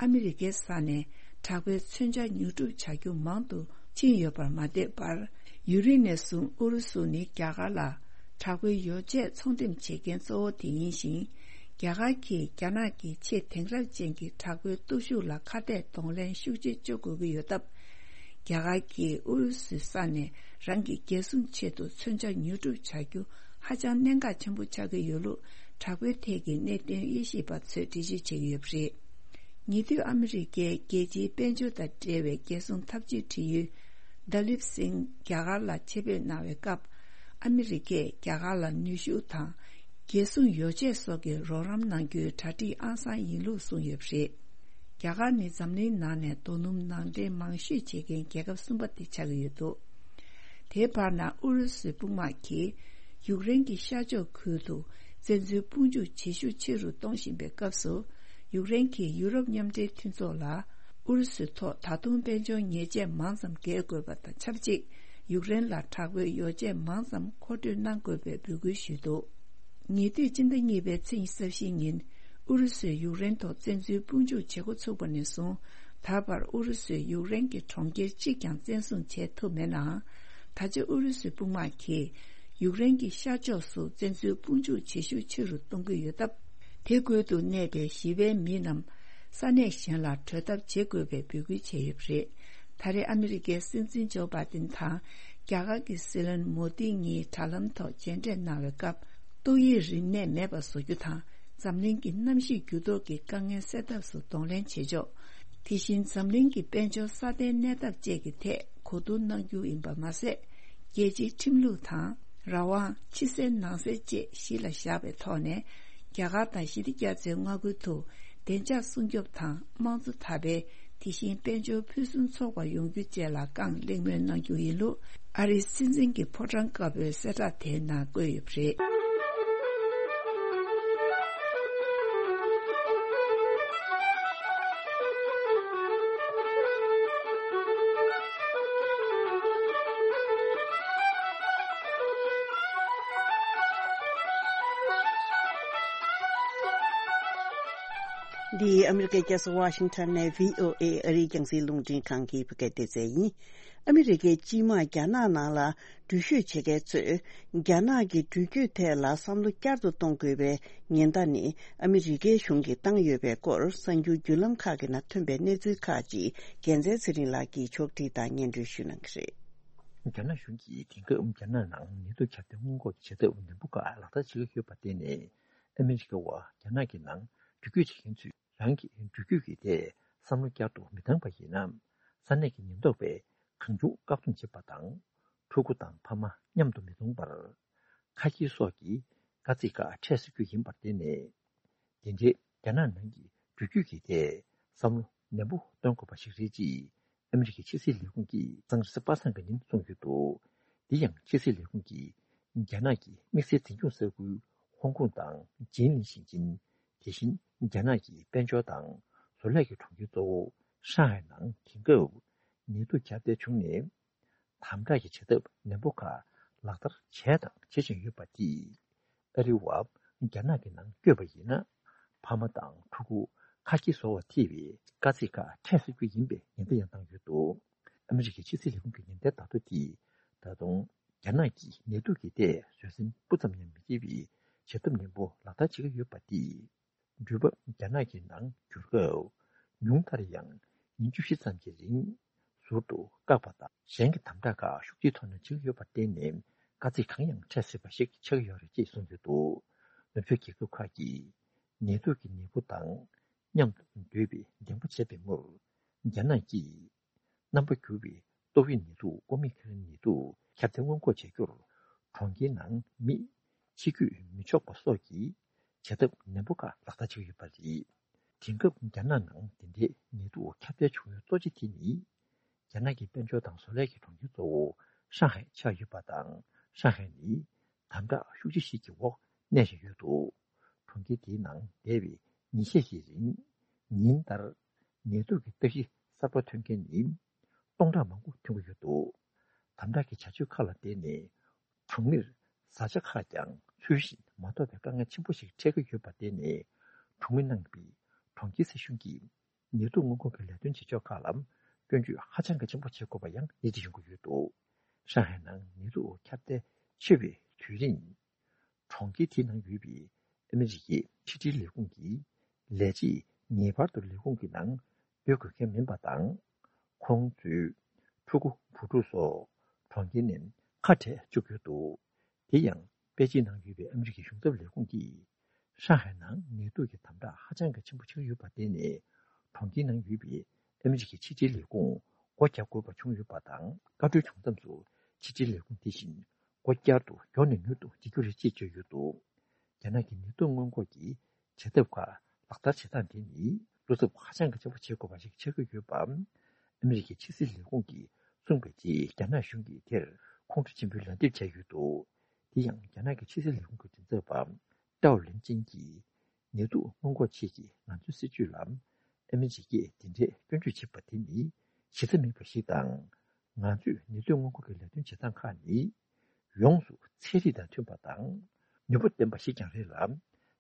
ཨ་མི་རི་ཀའི་ས་ནས་དྲག་པོའི་མཚོན་ཆ་ཉོ་སྒྲུབ་བྱ་རྒྱུ་མང་དུ་ཕྱིན་ཡོད་པར་མ་ལྟོས་པར། ཡུན་རིང་ནས་བཟུང་ཨུ་རུ་སུ་ནི་རྒྱ་གར་ལ་དྲག་པོའི་ཡོ་བྱད་ཚོང་འགྲེམས་བྱེད་མཁན་གཙོ་བོ་དེ་ཡིན་ཞིང་། རྒྱ་གར་གྱིས་རྒྱ་ནག་གི་ཆེས་དེང་རབས་ཅན་གྱི་དྲག་པོའི་སྟོབས་ཤུགས་ལ་ཁ་གཏད་གདོང་ལེན་ཤུགས་ཆེ་བྱེད་དགོས་ཀྱི་ཡོད་སྟབས། རྒྱ་གར་གྱིས་ཨུ་རུ་སུའི་ས་ནས་རང་གི་རྒྱལ་སྲུང་ཆེད་དུ་མཚོན་ཆ་ཉོ་སྒྲུབ་བྱ་རྒྱུ་ཧ་ཅང་གནད་འགག་ཆེན་པོ་ཆགས་ཀྱི་ཡོད་ལུགས་དྲག་པོའི་ཐད་ཀྱི་གནད་དོན་དབྱེ་ཞིབ་པ་ཚོས་འགྲེལ་བརྗོད་བྱེད་ཀྱི་ཡོད་པ་རེད། ཉེ་དུས་ཨ་མི་རི་ཀའི་རྒྱལ་སྤྱིའི་དཔལ་འབྱོར་དང་འབྲེལ་བའི་རྒྱལ་སྲུང་འཐབ་ཇུས་འབྲེལ་ཡོད་ད་ལིབ་སིང་རྒྱ་གར་ལ་ཆེད་ཕེབས་གནང་བའི་སྐབས། ཨ་མི་རི་ཀས་རྒྱ་གར་ལ་ནུས་ཤུགས་དང་། རྒྱལ་སྲུང་ཡོ་བྱད་སོགས་ཀྱི་རོགས་རམ་གནང་རྒྱུའི་གྲ་སྒྲིག་ཨང་གསར་ཡིན་ལུགས་གསུངས་ཡོད་པ་རེད། རྒྱ་གར་ནི་འཛམ་གླིང་ནང་ནས་རྡོ་སྣུམ་ནང་འདྲེན་མང་ཤོས་བྱེད་མཁན་རྒྱལ་ཁབ་གསུམ་པ་དེ་ཆགས་ཀྱི་ཡོད་འདུག་དེའི་བར་ན་ཨུ་རུ་སུའི་དཔུང་དམག་གིས་ཡུཀ་རེན་གྱི་ཤར་ཕྱོགས་ཁུལ་དུ་བཙན་འཛུལ་དཔུང་འཇུག་བྱེད་ཤུགས་ཆེ་རུ་གཏོང་བཞིན་པའི་སྐབས་སུ། ཡུཀ་རེན་གྱིས་ཡུ་རོབ་མཉམ་འབྲེལ་མཐུན་ཚོགས་ལ་ཨུ་རུ་སུའི་ཐོག་ད་དུང་དཔལ་འབྱོར་ཉེས་ཆད་མང་ཙམ་འགེལ་དགོས་པ་དང་ཆབས་ཅིག་ཡུཀ་རེན་ལ་དྲག་པོའི་ཡོ་བྱད་མང་ཙམ་མཁོ་སྤྲོད་གནང་དགོས་པའི་འབོད་སྐུལ་ཞུས་འདུག་ཉེ་དུས་སྤྱི་ཟླ་གཉིས་པའི་ཚེས་ཉི་ཤུ་རྩ་བཞི་ཉིན། ཨུ་རུ་སུས་ཡུཀ་རེན་ཐོག་བཙན་འཛུལ་དཔུང་འཇུག་བྱེད་འགོ་ཚུགས་པ་ནས་བཟུང་། ད་བར་ཨུ་རུ་སུས་ཡུཀ་རེན་གྱི་གྲོང་ཁྱེར་གཅིག་ཀྱང་བཙན་བཟུང་བྱས་ཐུབ་མེད་ནའང་། ད་ཆ་ཨུ་རུ་སུའི་དཔུང་དམག་གིས་ཡུཀ་རེན་གྱི་ཤར་ཕྱོགས་སུ་བཙན་འཛུལ་དཔུང་འཇུག་བྱེད་ཤུགས་ཆེ་རུ་གཏོང་གི་ཡོད་སྟབས། དེ་ཁུལ་དུ་གནས་པའི་ཞི་བའི་མི་རྣམས་ས་གནས་གཞན་ལ་བྲོས་ཐབས་བྱེད་དགོས་པའི་འབོད་སྐུལ་བྱས་ཡོད་པ་རེད། ད་རེས་ཨ་མི་རི་ཀའི་སྲིད་འཛིན་ཇོ་བྷ་དིན་དང་རྒྱ་གར་གྱི་སྲིད་བློན་མོ་དི་གཉིས་དྲ་ལམ་ཐོག་མཇལ་འཕྲད་གནང་བའི་སྐབས། ཏོག་དབྱིབས་རིམས་ནད་མེད་པ་བཟོ་རྒྱུ་དང་། འཛམ་གླིང་གི་གནམ་གཤིས་འགྱུར་ལྡོག་གི་དཀའ་ངལ་སེལ་ཐབས་སུ་གདོང་ལེན་བྱེད་ཕྱོགས། དེ་བཞིན་འཛམ་གླིང་གི་དཔལ་འབྱོར་སྲ་བརྟན་གནས་ཐབས་བཅས་ཀྱི་ཐད་གོ་བསྡུར་གནང་རྒྱུ་ཡིན་པ་མ་ཟད། རྒྱལ་སྤྱིའི་ཁྲིམས་ལུགས་དང་། རང་དབང་། ཕྱི་གསལ་ནང་གསལ་བཅས་གཞི་ལ་བཞག་པའི་ཐོག་ནས། རྒྱ་གར་དང་ཞི་བདེ་རྒྱ་མཚོའི་མངའ་ཁུལ་དུ་བདེ་འཇགས་སྲུང་སྐྱོབ་དང་། དམངས་གཙོ་དར་སྤེལ། དེ་བཞིན་དཔལ་འབྱོར་ཕུན་སུམ་ཚོགས་པ་ཡོང་རྒྱུ་བཅས་ལ་རྐང་གླེང་མོལ་གནང་རྒྱུ་ཡིན་ལུགས་ཨ་རིའི་སྲིད་འཛིན་གྱི་ཕོ་བྲང་དཀར་པོའི་གསལ་བསྒྲགས་དེའི་ནང་བཀོད་ཡོད་པ་རེད། འདི་ཨ་མི་རི་ཀའི་རྒྱལ་ས་ཝ་ཤིང་ཊོན་ནས་བྷི་ཨོ་ཨེ་ཨ་རིའི་རྒྱང་སྲིང་རླུང་འཕྲིན་ཁང་གི་བོད་སྐད་སྡེ་ཚན་ཡིན། ཨ་མི་རི་ཀའི་སྤྱི་དམངས་རྒྱ་ནག་ནང་ལ་འགྲུལ་བཞུད་བྱེད་མཁན་ཚོས་རྒྱ་ནག་གི་འགྲུལ་སྐྱོད་ཐད་ལ་བསམ་བློ་བསྐྱར་དུ་གཏོང་དགོས་པའི་ཉེན་བརྡ་ནི་ཨ་མི་རི་ཀའི་གཞུང་གིས་བཏང་ཡོད་པའི་སྐོར་གསར་འགྱུར་བརྒྱུད་ལམ་ཁག་གི་ནང་ཐོན་པའི་གནས་ཚུལ་ཁག་ཅིག་རྒྱལ་མཚན་ཚེ་རིང་ལགས་ཀྱིས་ཕྱོགས་སྒྲིག་དང་སྙན་སྒྲོན་ཞུ་གནང་གི་རེད། རྒྱ་ནག་གཞུང་གིས་དེང་སྐབས་རྒྱ་ནག་ནང་ནད་དུག་ཁྱབ་གདལ་སྔོན་འགོག་གི་བྱ་ཐབས་ནན་པོ་ཁག་ལག་བསྟར་བྱེད་ཀྱི་ཡོད་པར་བརྟེན་ནས། ཨ་མི་རི་ཀ་བ་རྒྱ་ནག་གི་ནང་འགྲུལ་སྐྱོད་བྱེད་མཁན་ཚོས་རང་གི་འགྲུལ་སྐྱོད་ཀྱི་ཐད་བསམ་བློ་བསྐྱར་དུ་མི་བཏང་པ་ཡིན་ན། ས་གནས་ཀྱི་ཉེན་རྟོག་པས་གང་བྱུང་བཀག་སྡོམ་བྱེད་པ་དང་། ཕྲུ་གུ་དང་ཕ་མ་མཉམ་དུ་མི་གཏོང་བར། ཁ་ཁྱེར་སོགས་ཀྱི་དཀའ་ཚེགས་ཁག་འཕྲད་སྲིད་རྒྱུ་ཡིན་པར་བརྟེན་ནས། དེ་འདྲའི་རྒྱ་ནག་ནང་གི་འགྲུལ་སྐྱོད་ཀྱི་ཐད་བསམ་བློ་ནན་པོ་གཏོང་དགོས་པ་ཞིག་རེད་ཅེས་ཨ་མི་རི་ཀའི་ཕྱི་སྲིད་ལས་ཁུངས་ཀྱིས་སང་ཉིན་རེས་གཟའ་པ་སངས་ཀྱི་ཉིན་གསུངས་ཡོད་འདུག་དེ་ཡང་ཕྱི་སྲིད་ལས་ཁུངས་ཀྱིས་རྒྱ་ནག་གི་དམིགས་བསལ་འཛིན་སྐྱོང་ས་ཁུལ་ཧོང་ཀོང་དང་ཅིན་ལིན་ཞིང་ཆེན། དེ་བཞིན་རྒྱ་ནག་གི་དཔལ་འབྱོར་དང་བཟོ་ལས་ཀྱི་གྲོང་ཁྱེར་གཙོ་བོ་ཧྲང་ཧའེ་ནང་དེང་སྐབས་ནད་དུག་ཁྱབ་གདལ་བྱུང་ནས། དམ་དྲག་གི་བྱ་ཐབས་ནན་པོ་ཁག་ལག་བསྟར་བྱས་དང་བྱེད་བཞིན་ཡོད་པ་དེས། ཨ་རི་བ་རྒྱ་ནག་གི་ནང་བསྐྱོད་པ་ཡིན་ན། ཕ་མ་དང་ཕྲུ་གུ་ཁ་ཁྱེར་བཟོ་བར་ཐེ་བའི་དཀའ་ཚེགས་ཁག་འཕྲད་སྲིད་རྒྱུ་ཡིན་པའི་ཉེན་བརྡ་ཡང་བཏང་ཡོད་འདུག་ཨ་མི་རི་ཀའི་ཕྱི་སྲིད་ལས་ཁུངས་ཀྱི་ཉེན་བརྡའི་བརྡ་ཐོ་དེས། ད་དུང་རྒྱ་ནག་གིས་ནད་དུག་གི་ཐད་བཟོད་སེམས་སྤུ་ཙམ་ཡང་མི་སྐྱེ་བའི་བྱ་ཐབས་ནན་པོ་ལག་བསྟར་བྱེད་ཀྱི་ཡོད་པ་དེས། འགྲུལ་པ་རྒྱ་ནག་གི་ནང་འགྱུར་སྐབས། ཉུང་མཐར་ཡང་ཉིན་བཅུ་བཞི་ཙམ་གྱི་རིང་ཟུར་དུ་བཀག་པ་དང་། གཞན་གྱི་དམ་དྲག་ཁག་ཤུགས་ཆེའི་ཐོག་ནས་བྱེད་ཀྱི་ཡོད་པར་བརྟེན་ནས། དཀའ་ཚེགས་གང་ཡང་འཕྲད་སྲིད་པ་ཞིག་ཆགས་ཀྱི་ཡོད་རེད་ཅེས་གསུངས་ཡོད་འདུག་ནུབ་ཕྱོགས་རྒྱལ་ཁབ་ཁག་གིས་ནད་དུག་གི་ནད་འབུ་དང་མཉམ་དུ་སྡོད་པའི་འདེམས་སྒོ་བྱས་པའི་མུར། རྒྱ་ནག་གིས་རྣམ་པ་འགྱུར་བའི་ཏོག་དབྱིབས་ནད་དུག་ཨོ་མི་ཁི་རོན་ནད་དུག་ཁྱབ་གདལ་སྔོན་འགོག་བྱ་རྒྱུར། གྲོང་ཁྱེར་ནང་མི་ཕྱི་སྐྱོད་མི་ཆོག་པ་སོགས་ཀྱི་ བྱ་ཐབས་ནན་པོ་ཁག་ལག་བསྟར་བྱེད་ཀྱི་ཡོད་པ་རེད། དེང་སྐབས་རྒྱ་ནག་ནང་འདི་འདྲའི་ནད་དུག་ཁྱབ་གདལ་བྱུང་ཡུལ་གཙོ་ཆེ་དེ་ནི། རྒྱ་ནག་གི་དཔལ་འབྱོར་དང་བཟོ་ལས་ཀྱི་གྲོང་ཁྱེར་གཙོ་བོ་ཧྲང་ཧའེ་ཆགས་ཡོད་པ་དང་། ཧྲང་ཧའེ་ནི་དམ་དྲག་ཤུགས་ཆེ་ཞིག་གི་འོག་གནས་བཞིན་ཡོད་འདུག་གྲོང་ཁྱེར་དེའི་ནང་འདས་པའི་ཉིན་ཤས་ཤིག་རིང་ཉིན་ལྟར་ནད་དུག་གི་རྟགས་གཞི་གསར་པ་ཐོན་མཁན་ནི་སྟོང་ཕྲག་མང་པོ་ཐོན་གྱི་ཡོད་འདུག་དམ་དྲག་གི་བྱ་སྤྱོད་ཁག་ལ་བརྟེན་ནས་གྲོང་མིར་བཟའ་བཅའ་ཁག་ཀྱང་ཚུལ་བཞིན་མ་ཐོབ་པའི་དཀའ་ངལ་ཆེན་པོ་ཞིག་འཕྲད་ཀྱི་ཡོད་པར་བརྟེན་ནས། གྲོང་མི་རྣམས་ཀྱིས་གྲོང་ཁྱེར་སྲིད་གཞུང་གིས་ནད་དུག་སྔོན་འགོག་གི་ལས་དོན་བྱེད་ཕྱོགས་ཁག་ལ་སྐྱོན་བརྗོད་ཧ་ཅང་གི་ཆེན་པོ་བྱེད་དགོས་པ་ཡང་ཡིད་ཆེས་ཡོང་གི་ཡོད་འདུག་ཧྲང་ཧའེ་ནང་ནད་དུག་ཁྱབ་གདལ་ཆེ་བའི་དུས་རིང་། གྲོང་ཁྱེར་དེའི་ནང་ཡོད་པའི་ཨ་མི་རི་ཀའི་ཕྱི་དྲིལ་ལས་ཁུངས་ཀྱི་ལས་བྱེད་ངེས་པར་དུ་ལས་ཁུངས་ཀྱི་ནང་སྡོད་དགོས་མཁན་མིན་པ་དང་། ཁོང་ཚོས་ཕྲུ་གུ་བུ་ཕྲུག་སོགས་གྲོང་ཁྱེར་ནས་ཁ་བྲལ་བཅུག་ཡོད་འདུག་དེ་ཡང་པེ་ཅིན་ནང་ཡོད་པའི་ཨ་མི་རི་ཀའི་གཞུང་ཚབ་ལས་ཁུངས་ཀྱིས། ཧྲང་ཧའེ་ནང་ནད་དུག་གི་དམ་དྲག་ཧ་ཅང་གི་ཆེན་པོ་ཆགས་ཡོད་པར་བརྟེན་ནས། གྲོང་ཁྱེར་ནང་ཡོད་པའི་ཨ་མི་རི་ཀའི་ཕྱི་དྲིལ་ལས་ཁུངས་སྒོ་རྒྱག་དགོས་པ་བྱུང་ཡོད་པ་དང་། བཀའ་འཁྲོལ་བྱུང་མཚམས་སུ་ཕྱི་དྲིལ་ལས་ཁུངས་དེ་བཞིན་སྒོ་བསྐྱར་དུ་མགྱོགས་ནས་མྱུར་དུ་འབྱེད་རྒྱུ་རེད་ཅེས་བརྗོད་ཡོད་འདུག་རྒྱ་ནག་གི་ནད་དུག་སྔོན་འགོག་གི་བྱ་ཐབས་ཁག་ལག་བསྟར་བྱེད་སྟངས་དེ་ནི་བློ་འཚབ་ཧ་ཅང་གི་ཆེན་པོ་བྱེད་དགོས་པ་ཞིག་ཆགས་ཀྱི་ཡོད་པ། ཨ་མི་རི་ཀའི་ཕྱི་སྲིད་ལས་ཁུངས་ཀྱིས་གསུངས་པའི་རྗེས། རྒྱ་ནག་གཞུང་གིས་དེར་ཁོང་ཁྲོ་ཆེན་པོས་ལན་འདེབས་བྱས་ཡོད་འདུག་དེ་ཡང་རྒྱ་ནག་གི་ཕྱི་སྲིད་ལས་ཁུངས་ཀྱི་མགྲིན་ཚབ་པ་ཀྲའོ་ལིན་ཅིན་གྱིས། ནད་དུག་སྔོན་འགོག་ཆེད་ཀྱི་ང་ཚོའི་སྲིད་ཇུས་ལ་ཨ་མི་རི་ཀས་འདི་འདྲའི་སྐྱོན་བརྗོད་བྱེད་པ་དེ་ནི་གཞི་རྩ་མེད་པ་ཞིག་དང་། ང་ཚོས་ནད་དུག་སྔོན་འགོག་གི་ལས་དོན་བྱེད་སྟངས་ཁག་ནི་ཡོངས་སུ་ཚན་རིག་དང་མཐུན་པ་དང་ནུས་པ་ལྡན་པ་ཞིག་ཀྱང་རེད་ལ།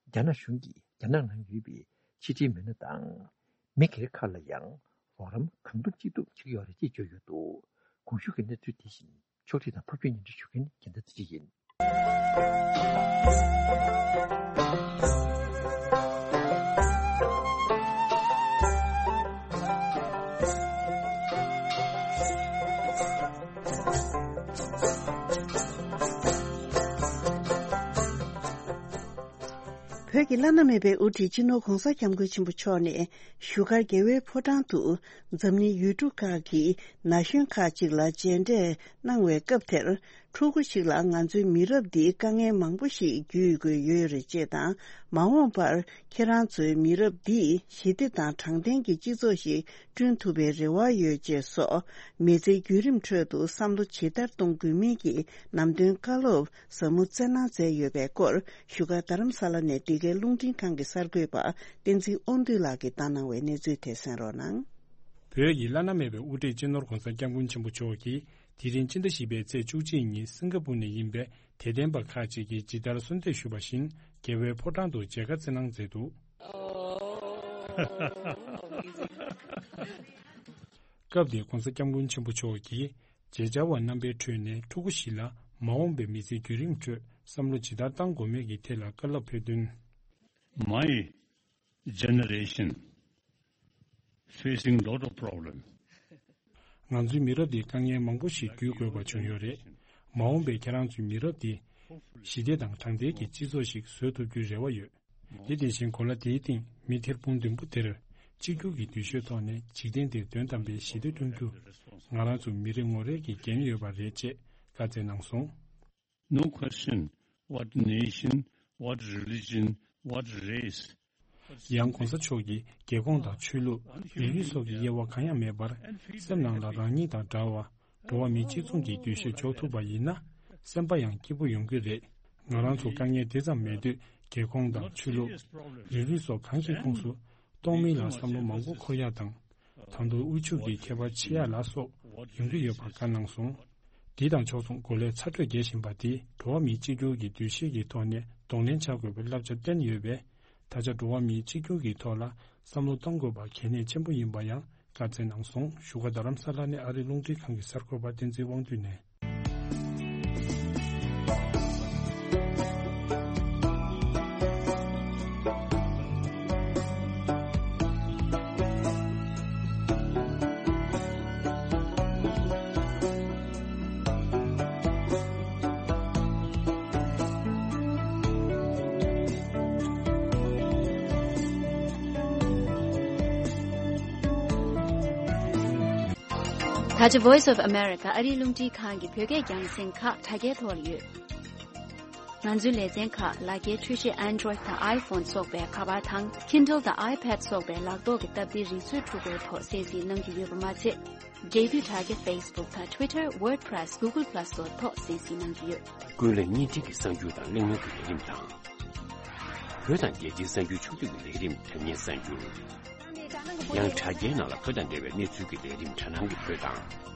རྒྱ་ནག་གཞུང་གིས་རྒྱ་ནག་ནང་ཡོད་པའི་ཕྱི་དྲིལ་མི་སྣ་དང་མི་སྒེར་ཁག་ལ་ཡང་རོགས་རམ་གང་ཐུབ་ཅི་ཐུབ་བྱེད་ཀྱི་ཡོད་རེད་ཅེས་བརྗོད་ཡོད་འདུག་གོང་ཞུས་ཀྱི་གནས་ཚུལ་དེ་བཞིན། ཕྱོགས་སྒྲིག་དང་ཕབ་སྒྱུར་སྙན་སྒྲོན་ཞུ་མཁན་རྒྱལ་མཚན་ཚེ་རིང་ཡིན། བོད་ཀྱི་བླ་ན་མེད་པའི་དབུ་ཁྲིད་སྤྱི་ནོར་༧གོང་ས་༧སྐྱབས་མགོན་ཆེན་པོ་མཆོག་ནས་བཞུགས་སྒར་རྒྱལ་བའི་ཕོ་བྲང་དུ་འཛམ་གླིང་ཡུལ་གྲུ་ཁག་གི་ན་གཞོན་ཁག་ཅིག་ལ་མཇལ་འཕྲད་གནང་བའི་སྐབས་དེར། ཕྲུ་གུ་ཞིག་ལ་ང་ཚོའི་མི་རབས་འདིས་དཀའ་ངལ་མང་པོ་ཞིག་བརྒྱུད་དགོས་ཡོད་རེད་ཅེས་དང་། མ་འོངས་པར་ཁྱེད་རང་ཚོའི་མི་རབས་འདིས་ཞི་བདེ་དང་དྲང་བདེན་གྱི་སྤྱི་ཚོགས་ཤིག་བསྐྲུན་ཐུབ་པའི་རེ་བ་ཡོད་ཅེས་སོགས། མི་ཚེའི་བརྒྱུད་རིམ་ཁྲོད་དུ་བསམ་བློ་ཇི་ལྟར་གཏོང་དགོས་མིན་གྱི་ནམ་དོན་བཀའ་སློབ་ཟབ་མོ་སྩལ་གནང་མཛད་ཡོད་པའི་སྐོར། བཞུགས་སྒར་རྡ་རམ་ས་ལ་ནས་འདི་གའི་རླུང་འཕྲིན་ཁང་གི་གསར་འགོད་པ་བསྟན་འཛིན་དབང་འདུས་ལགས་ཀྱིས་བཏང་གནང་བའི་གནས་ཚུལ་དེ་གསན་རོགས་གནང་། བོད་ཀྱི་བླ་ན་མེད་པའི་དབུ་ཁྲིད་སྤྱི་ནོར་༧གོང་ས་༧སྐྱབས་མགོན་ཆེན་པོ་མཆོག་གིས། དེ་རིང་སྤྱི་ཟླ་བཞི་པའི་ཚེས་བཅུ་གཅིག་ཉིན་སིང་ག་པུར་ནས་ཡིན་པའི་དད་ལྡན་པ་ཁག་ཅིག་གིས་ཇི་ལྟར་གསོལ་འདེབས་ཞུས་པ་བཞིན་རྒྱལ་བའི་ཕོ་བྲང་དུ་མཇལ་ཁ་བསྩལ་གནང་མཛད་འདུག་སྐབས་དེར་༧གོང་ས་༧སྐྱབས་མགོན་ཆེན་པོ་མཆོག་གིས་མཇལ་བཅར་བ་རྣམ་པའི་ཁྲོད་ནས་ཕྲུ་གུ་བཞི་ལ་མ་འོངས་པའི་མི་ཚེའི་བརྒྱུད་རིམ་ཁྲོད་བསམ་བློ་ཇི་ལྟར་གཏང་དགོས་མིན་གྱི་ཐད་ལ་བཀའ་སློབ་ཕེབས་དོན། My generation facing lot of problem. ང་ཚོའི་མི་རབས་འདིས་དཀའ་ངལ་མང་པོ་ཞིག་བརྒྱུད་དགོས་པ་བྱུང་ཡོད་རེད། མ་འོངས་པའི་ཁྱེད་རང་ཚོའི་མི་རབས་འདིས་ཞི་བདེ་དང་དྲང་བདེན་གྱི་སྤྱི་ཚོགས་ཤིག་བཟོ་ཐུབ་རྒྱུའི་རེ་བ་ཡོད། དེ་དེ་བཞིན་གོ་ལ་དེའི་སྟེང་མི་ཐེར་འབུམ་བདུན་པོ་དེར་གཅིག་གྱུར་གྱི་འདུ་ཤེས་ཐོག་ནས་འཇིག་རྟེན་འདིར་དོན་དམ་པའི་ཞི་བདེ་བསྐྲུན་རྒྱུ་ང་རང་ཚོ་མི་རེ་ངོ་རེ་གི་འགན་ཡོད་པ་རེད་ཅེས་བཀའ་སྩལ་གནང་སོང་། No question what nation, what religion, what race. ཡང་༧གོང་ས་མཆོག་གིས་རྒྱལ་ཁོངས་དང་ཆོས་ལུགས་རིགས་རུས་སོགས་ཀྱི་དབྱེ་བ་གང་ཡང་མེད་པར་སེམས་ནང་ལ་རང་ཉིད་དང་འདྲ་བ་འགྲོ་བ་མི་གཅིག་མཚུངས་ཀྱི་འདུ་ཤེས་འཇོག་ཐུབ་པ་ཡིན་ན་སེམས་པ་ཡང་སྐྱིད་པོ་ཡོང་གི་རེད། ང་རང་ཚོ་དཀའ་ངལ་དེ་ཙམ་མེད་དུས་རྒྱལ་ཁོངས་དང་ཆོས་ལུགས་རིགས་རུས་སོགས་གང་ཞིག་ཁོངས་སུ་གཏོང་མིན་ལ་བསམ་བློ་མང་པོ་འཁོར་ཡག་དང་། ད་དུང་དབུལ་ཕྱུག་གི་ཁྱད་པར་ཕྱེ་ཡག་ལ་སོགས་ཡོང་གི་ཡོད་པ་བཀའ་གནང་སོང་། དེ་དང་ཕྱོགས་མཚུངས་གོ་ལའི་ཚ་དྲོད་རྒྱས་བཞིན་པ་དེས་འགྲོ་བ་མིའི་གཅིག་གྱུར་གྱི་འདུ་ཤེས་ཀྱི་ཐོག་ནས་གདོང་ལེན་བྱ་དགོས་པའི་བསླབ་བྱ་བསྟན་ཡོད་པས། ད་ཆ་འགྲོ་བ་མིའི་གཅིག་གྱུར་གྱི་ཐོག་ལ་བསམ་བློ་གཏོང་དགོས་པ་གལ་གནད་ཆེན་པོ་ཡིན་པ་ཡང་བཀའ་སྩལ་གནང་སོང་། བཞུགས་སྒར་རྡ་རམ་ས་ལ་ནས་ཨ་རིའི་རླུང་འཕྲིན་ཁང་གི་གསར་འགོད་པ་བསྟན་འཛིན་དབང་འདུས་ནས། ད་ཆ་Voice of America ཨ་རིའི་རླུང་འཕྲིན་ཁང་གི་བོད་སྐད་རྒྱང་སྲིང་ཁག་དྲ་རྒྱའི་ཐོག་ལ་ཡོད། ང་ཚོའི་ལེ་ཚན་ཁག་ལག་འཁྱེར་འཕྲུལ་ཆས་Android་དང་iPhone་སོགས་པའི་ཁ་པར་དང་Kindle་དང་iPad་སོགས་པའི་ལག་ཐོག་གི་སྟབས་བདེའི་རིག་མཛོད་འཕྲུལ་འཁོར་ཐོག་གསན་གཟིགས་གནང་རྒྱུ་ཡོད་པ་མ་ཚད། འབྲེལ་མཐུད་དྲ་རྒྱ་Facebook་དང་Twitter། WordPress། Google Plus་སོགས་ཐོག་གསན་གཟིགས་གནང་རྒྱུ་ཡོད། ཀུན་གླེང་བརྙན་འཕྲིན་གྱི་གསར་འགྱུར་དང་གླེང་མོལ་གྱི་ལས་རིམ་དང་། བོད་དང་རྒྱལ་སྤྱིའི་གསར་འགྱུར་ཕྱོགས་བསྡུས་ཀྱི་ལས་རིམ། དྲ་བརྙན་གསར་འགྱུར། ཡང་དྲ་རྒྱའི་ནང་ལ་བོད་དང་འབྲེལ་བའི་གནས་ཚུལ་གྱི་ལས་རིམ། དྲ་སྣང་གི་བོད་དང་།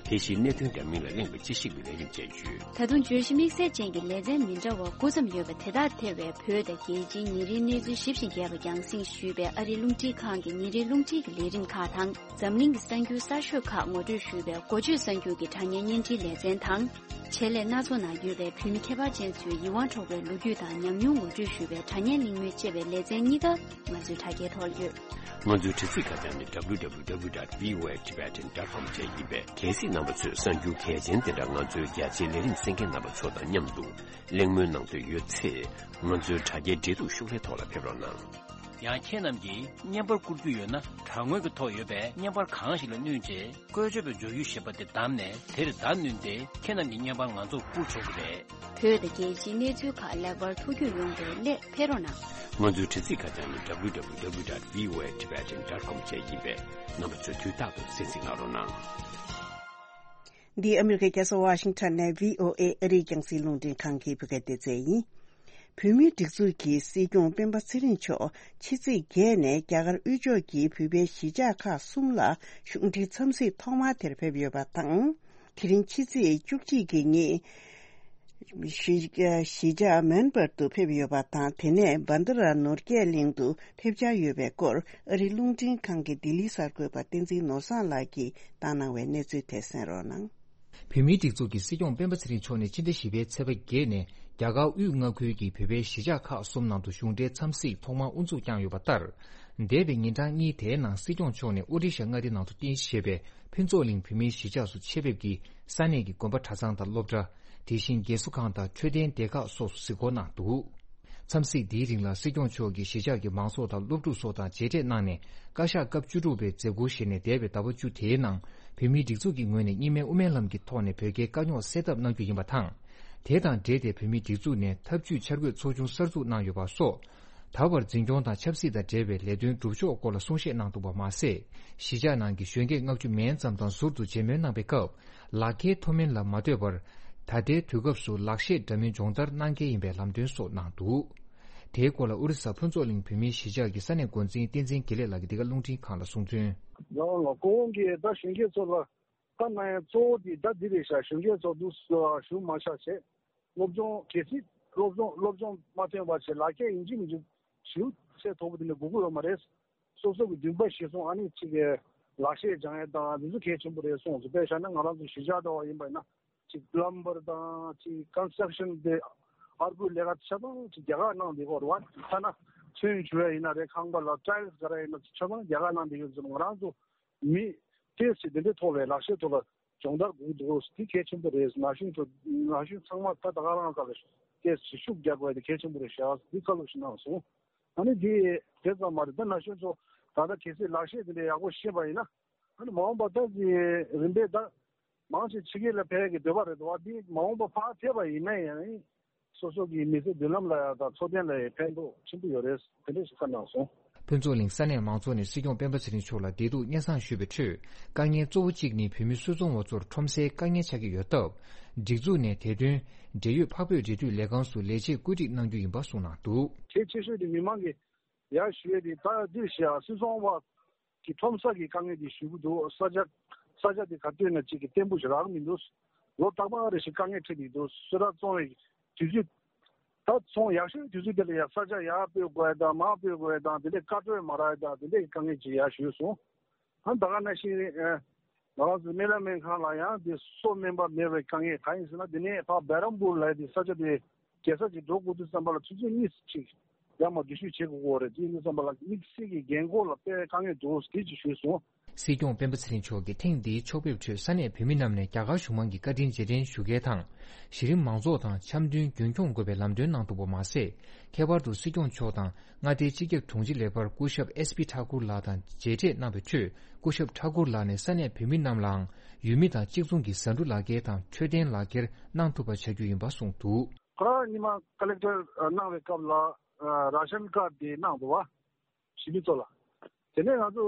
དེ་བཞིན་གནད་དོན་འདྲ་མིན་ལ་གླེང་བའི་དཔྱད་ཞིབ་ཀྱི་ལས་རིམ་བཅས་ཡོད། ད་དུང་བརྗོད་གཞི་དམིགས་བསལ་ཅན་གྱི་ལེ་ཚན་མི་འདྲ་བ་དགུ་ཙམ་ཡོད་པ་དེ་དག་ཐེ་བའི་བོད་དང་རྒྱལ་སྤྱིའི་ཉིན་རེའི་གནས་ཚུལ་ཞིབ་ཅིང་རྒྱས་པ་རྒྱང་སྲིང་ཞུས་པའི་ཨ་རིའི་རླུང་འཕྲིན་ཁང་གི་ཉིན་རེའི་རླུང་འཕྲིན་གྱི་ལས་རིམ་ཁག་དང་། འཛམ་གླིང་གི་གསར་འགྱུར་གསར་ཤོས་ཁག་ངོ་སྤྲོད་ཞུས་པའི་འགོ་བརྗོད་གསར་འགྱུར་གྱི་དྲ་བརྙན་བརྙན་འཕྲིན་ལེ་ཚན་དང་། ཆེད་ལས་སྣ་ཚོགས་ནང་ཡོད་པའི་བོད་མི་ཁྱད་པར་ཅན་ཚོའི་ཡིད་དབང་འཕྲོག་པའི་ལོ་རྒྱུས་དང་ཉམས་མྱོང་ངོ་སྤྲོད་ཞུས་པའི་དྲ་བརྙན་གླེང་མོལ་བཅས་པའི་ལེ་ཚན་གཉིས་ཀ་ང་ཚོའི་དྲ་རྒྱའི་ཐོག་ལ་ཡོད། ང་ཚོའི་དྲ་ཚིགས་ཁ་བྱང་ནི་W W W dot V O A Tibetan dot com བཅས་ཡིན་པས། གལ་སྲིད་རྣམ་པ་ཚོས་གསར་འགྱུར་གལ་ཆེན་དེ་འདྲ་ང་ཚོའི་རྒྱ་ཆེའི་ལས་རིམ་གསན་མཁན་རྣམ་པ་ཚོ་དང་མཉམ་དུ་གླེང་མོལ་གནང་འདོད་ཡོད་ཚེ། ང་ཚོའི་དྲ་རྒྱའི་འབྲེལ་གཏུག་ཤོག་ལྷེ་ཐོག་ལ་ཕེབས་རོགས་གནང་། ཡང་ཁྱེད་རྣམས་ཀྱིས་བརྙན་པར་བསྐུར་རྒྱུ་ཡོད་ན། དྲ་ངོས་ཀྱི་ཐོག་ཡོད་པའི་བརྙན་པར་གང་ཞིག་ལ་བསྣུན་རྗེས། བཀོལ་སྤྱོད་པའི་མགྱོགས་ཡུལ་ཞེས་པ་དེ་བདམས་ནས། དེར་བརྡ་བསྣུན་ཏེ། ཁྱེད་རྣམས་ཀྱི་བརྙན་པར་ང་ཚོར་བསྐུར་ཆོག་གི་རེད། བོད་དང་རྒྱལ་སྤྱིའི་གནས་ཚུལ་ཁག་ལེགས་པར་ཐུགས་རྒྱུས་ཡོང་བའི་སླད་ཕེབས་རོགས་གནང་། ང་ཚོའི་དྲ་ཚིགས་ཁ་བྱང་ནི་W W W dot V O A Tibetan dot com བཅས་ཡིན་པས། རྣམ་པ་ཚོས་དུས་རྟག་ཏུ་གསན་གཟིགས་གནང་རོགས་གནང་། འདི་ཨ་མི་རི་ཀའི་རྒྱལ་ས་ཝ་ཤིང་ཊོན་ནས་V O A་ཨ་རིའི་རྒྱང་སྲིང་རླུང་འཕྲིན་ཁང་གི་བོད་སྐད་སྡེ་ཚན་ཡིན། བོད་མིའི་སྒྲིག་འཛུགས་ཀྱི་སྲིད་སྐྱོང་སྤེན་པ་ཚེ་རིང་མཆོག་ཕྱི་ཚེས་བརྒྱད་ནས་རྒྱ་གར་དབུས་ཕྱོགས་ཀྱི་བོད་པའི་གཞིས་ཆགས་ཁག་གསུམ་ལ་གཞུང་འབྲེལ་འཚམས་གཟིགས་ཐོག་མ་དེར་ཕེབས་ཡོད་པ་དང་། དེ་རིང་ཕྱི་ཚེས་བཅུ་གཅིག་གི་ཉིན་གཞིས་གཞིས་ཆགས་མོན་པར་དུ་ཕེབས་ཡོད་པ་དང་། དེ་ནས་བྷན་དྷ་ར་ནོར་རྒྱས་གླིང་དུ་ཕེབས་འཆར་ཡོད་པའི་སྐོར་ཨ་རིའི་རླུང་འཕྲིན་ཁང་གི་ལྡི་ལིའི་གསར་འགོད་པ་བསྟན་འཛིན་ནོར་བཟང་ལགས་ཀྱིས་བཏང་གནང་བའི་གནས་ཚུལ་དེ་གསན་རོགས་གནང་། བོད་མིའི་སྒྲིག་འཛུགས་ཀྱི་སྲིད་སྐྱོང་སྤེན་པ་ཚེ་རིང་མཆོག་ནས་སྤྱི་ཟླ་བཞི་པའི་ཚེས་པ་བརྒྱད་ནས་རྒྱ་གར་དབུས་མངའ་ཁུལ་གྱི་བོད་པའི་གཞིས་ཆགས་ཁག་གསུམ་ནང་དུ་གཞུང་འབྲེལ་འཚམས་གཟིགས་ཐོག་མར་དབུ་འཛུགས་བསྐྱངས་ཡོད་པ་ལྟར། འདས་པའི་ཉིན་གྲངས་གཉིས་དེའི་ནང་སྲིད་སྐྱོང་མཆོག་ནས་ཨོ་རི་ཤ་མངའ་སྡེ་ནང་དུ་རྟེན་གཞི་བྱས་པའི་ཕུན་ཚོགས་གླིང་བོད་མིའི་གཞིས་ཆགས་སུ་ཆེད་ཕེབས་ཀྱིས་ས་གནས་ཀྱི་དགོན་པ་གྲྭ་ཚང་དང་སློབ་གྲྭ། དེ་བཞིན་རྒས་གསོ་ཁང་དང་འཕྲོད་བསྟེན་སྡེ་ཁག་སོགས་སུ་གཟིགས་སྐོར་གནང་འདུག། འཚམས་གཟིགས་འདིའི་རིང་ལ་སྲིད་སྐྱོང་མཆོག་གིས་གཞིས་ཆགས་ཀྱི་མང་ཚོགས་དང་སློབ་ཕྲུག་སོགས་དང་མཇལ་འཕྲད་གནང་ནས། བཀའ་ཤག་སྐབས་བཅུ་དྲུག་པའི་མཛད་སྒོར་ཞུགས་ནས། འདས་པའི་ཟླ་བ་བཅུ་དེའི་ནང་བོད་མིའི་སྒྲིག་འཛུགས་ཀྱི་ངོས་ནས་གཉིས་སྨན་དབུ་མའི་ལམ་གྱི་ཐོག་ནས་བོད་རྒྱའི་དཀའ་རྙོག་སེལ་ཐབས་གནང་རྒྱུ་ཡིན་པ་དང་། དེ་དང་འབྲེལ་ཏེ་བོད་མིའི་སྒྲིག་འཛུགས་ནས་ཐབས་ཇུས་འཆར་འགོད་ཚོགས་ཆུང་གསར་འཛུགས་གནང་ཡོད་པ་སོགས། ད་བར་འཛིན་སྐྱོང་དང་ཆབ་སྲིད་དང་འབྲེལ་བའི་ལས་དོན་སྒྲུབ་ཕྱོགས་སྐོར་ལ་གསུང་བཤད་གནང་འདུག་པ་མ་ཟད། གཞིས་ཆགས་ནང་གི་གཞོན་སྐྱེས་ལྔ་བཅུ་མན་ཙམ་དང་ཟུར་དུ་མཇལ་མོལ་གནང་བའི་སྐབས། ལག་འཁྱེར་མཐོ་དམན་ལ་མ་ལྟོས་པར། ད་ལྟའི་དུས་སྐབས་སུ་ལག་ཤེས་འདྲ་མིན་སྦྱོང་བརྡར་གནང་གལ་ཡིན་པའི་ལམ་སྟོན་སོགས་གནང་འདུག། དེའི་སྐོར་ལ་ཨོ་རི་ས་ཕུན་ཚོགས་གླིང་བོད་མིའི་གཞིས་ཆགས་ཀྱི་ས་གནས་འགོ་འཛིན་བསྟན་འཛིན་དགེ་ལེགས་ལགས་ཀྱིས་འདི་ག་རླུང་འཕྲིན་ཁང་ལ་གསུངས་དོན། ཡང་ལ་སྐུ་ངོ་གིས་ད་གཞོན་སྐྱེས་ཚོ་ལ་བཀའ་གནང་ཡ་གཙོ་བོ་དེ་ད་འདི་རེད་ཤག། གཞོན་སྐྱེས་ཚོ་འདུག་ཞུ་མ་ཤག་བྱས། སློབ་སྦྱོང་གལ་སྲིད་སློབ་སྦྱོང་སློབ་སྦྱོང་མ་ཐོན་པ་བྱས་ལག་ཁྱེར་ཡིན་གཅིག་མིན་གཅིག་ཞེ་པོ་ཚད་མཐོ་པོ་དེ་འདྲ་དགོས་ཀྱི་ཡོད་མ་རེད། སོ་སོ་གི་འདུན་པ་གཞིར་བཟུང་ཨ་ནི་གཅིག་གི་ལག་ཤེས་སྦྱང་ཡ་དང་འདི་ཚོ་གལ་ཆེན་པོ་རེད་གསུངས་སོང་། དཔེ་བཞག་ན་ང་རང་ཚོ་གཞིས་ཆགས་འདྲ་བ་ཡིན་པ་ཡིན་ན་གཅིག་པི་ལམ་བར་དང་གཅིག་ཀོན་སི་ཊྲག་ཤན་དེ་ཨར་པོའི་ལས་ཀ་ཆ་ཚང་གཅིག་རྒྱ་གར་ནང་འདི་སྐོར་བ་ཐ་ན་ཚོན་བྱུག་ཡ་ཡིན་ན་རེད། ཁང་པ་ལ་ཊའིལ་སི་ག་རེ་ཡིན་ན་ཆ་ཚང་རྒྱ་གར་ནང་འདི་ཡོད་ཙང་ང་རང་ཚོ་མི་ཏོག་ཙམ་དེ་འདྲའི་ཐོག་ལ་ལག་ཤེས་ཐོག་ལ་སྦྱོང་བརྡར་དགོས་འདུག། དེ་གལ་ཆེན་པོ་རེད། ན་གཞོན་ཚོ་ན་གཞོན་ཚང་མ་ད་ད་ག་རང་ལ་ཏོག་ཙམ་ཤུགས་རྒྱག་དགོས་དེ་གལ་ཆེན་པོ་རེད་ཤག། འདི་བཀའ་སློབ་ཞིག་གནང་སོང་། ཨ་ནི་འདི་དེ་ཙམ་མ་རེད། ད་ན་གཞོན་ཚོ་ད་ལྟ་གལ་སྲིད་ལག་ཤེས་དེ་འདྲ་ཡག་པོ་ཤེས་པ་ཡིན་ན་ཨ་ནི་མ་འོངས་པ་ད་འདི་རིམ་པས་ད་མང་ཆེ་ཕྱི་རྒྱལ་ལ་ཕེབས་ཀྱི་འདོད་པ་རེད་དོ། འདི་མ་འོངས་པ་ཕར་ཕེབས་པ་ཡིན་ན་ཡང་། སོ་སོ་གི་མི་ཚེ་མདུན་ལམ་ལ་ཡང་དང་འཚོ་རྟེན་ལ་ཡང་ཕན་ཐོགས་ཆེན་པོ་ཡོད་རེད། དེ་འདྲ་ཞིག་བཀའ་གནང་སོང་། ཕུན་ཚོགས་གླིང་ས་གནས་མང་ཚོགས་ནས་སྲིད་སྐྱོང་སྤེན་པ་ཚེ་རིང་མཆོག་ལ་བདེ་སྡུག་སྙན་སེང་ཞུས་པའི་ཁྲོད། དཀའ་ངལ་གཙོ་བོ་གཅིག་ནི་བོད་མི་སུད་ཚོང་བ་ཚོར་ཁྲོམ་སའི་དཀའ་ངལ་ཆགས་ཀྱི་ཡོད་སྟབས། སྒྲིག་འཛུགས་ནས་དེ་དོན་འབྲེལ་ཡོད་འཕགས་བོད་འབྲེལ་མཐུད་ལས་ཁང་སུ་ལས་བྱེད་བཀོད་སྒྲིག་གནང་རྒྱུ་ཡིན་པ་གསུངས་གནང་འདུག། གལ་ཆེ་ཤོས་དེ་མི་མང་གི་ཡར་ཞུ་ཡས་དེ་ད་འདིར་བཞག་སུད་ཚོང་བ་གི་ཁྲོམ་ས་གི་དཀའ་ངལ་དེ་ཞུ་གི་འདུག། ས་ཆ་ས་ཆ་དེ་ག་དུས་ན་གཅིག་གི་བརྟན་པོ་ཞིག་རག་མི་འདུག། ལོ་རྟག་པར་རེ་ཞིག་དཀའ་ངལ་འཕྲད་ཀྱི་འདུག། སུད་ཊར་བཙོང་བའི་དུས་ཚོད་ད་ཚོང་ཡག་ཤོས་དུས་ཚོད་དེ་ལ་ཡང་ས་ཆ་ཡར་སྤོས་དགོས་ཡ་དང་མར་སྤོས་དགོས་ཡ་དང་དེ་འདྲའི་བཀའ་འཁྲོལ་མ་རག་ཡ་དང་དེ་འདྲའི་དཀའ་ངལ་ཅིག་ཡར་ཞུས་སོང་། ཨ་ད་ག་ནང་བཞིན་ང་རང་ཚོ་སྨན་བླ་སྨན་ཁང་ལ་ཡང་དེ་གསོ་སྨན་པ་མེད་པའི་དཀའ་ངལ་གང་ཡིན་ཟེར་ན་དེ་ནས་ཕར་བེ་རམ་པུར་ལ་དེ་ས་ཆ་དེ། རྒྱལ་ས་ཅིག་འགྲོ་དགོས་དུས་ཙམ་པ་ལ་ཆུ་ཚོད་གཉིས་ཅིག་ཡར་མར་འགྲུལ་བཞུད་བྱེད་དགོས་ཀྱི་རེད། དེ་ཡིན་དུས་ཙམ་པ་ལ་དམིགས་བསལ་གྱི་རྒན་འཁོགས་ལ་དཔེ་དཀའ་ངལ་འདུག་དེ་ཅིག་ཞུས་སོང་། སྲིད་སྐྱོང་སྤེན་པ་ཚེ་རིང་མཆོག་གིས་ཐེངས་འདིའི་ཕྱོགས་ཕེབས་ཁྲོད་ས་གནས་བོད་མི་རྣམས་ནས་རྒྱ་གར་གཞུང་མང་གི་བཀའ་དྲིན་རྗེས་དྲན་ཞུ་མཁན་དང་། གཞི་རིམ་མང་ཚོགས་དང་འཆམ་མཐུན་རྒྱུན་འཁྱོངས་དགོས་པའི་ལམ་སྟོན་གནང་འདུག་པ་མ་ཟད། ཁྱད་པར་དུ་སྲིད་སྐྱོང་མཆོག་དང་མངའ་སྡེའི་སྤྱི་ཁྱབ་དྲུང་ཆེ་ལེགས་པར་སྐུ་ཞབས་ཨེས་པི་ཐཱ་ཀུར་ལགས་དང་མཇལ་འཕྲད་གནང་བའི་ཁྲོད། སྐུ་ཞབས་ཐཱ་ཀུར་ལགས་ནས་ས་གནས་བོད་མི་རྣམས་ལའང་ཡུལ་མི་དང་གཅིག་མཚུངས་ཀྱི་ཟ་འབྲུ་ལག་འཁྱེར་དང་འཕྲོད་བསྟེན་ལག་འཁྱེར་གནང་ཐུབ་པ་བྱ་རྒྱུ་ཡིན་པ་གསུངས་འདུག། ཁོ་རང་ཉི་མ་ཀ་ལེག་ཊར་གནང་བའི་སྐབས་ལ་ར་ཤན་ཀར་དེ་གནང་འདུག་བ། གཞིས་ལུས་ཚོ་ལ། དེ་ནས་ང་ཚོ་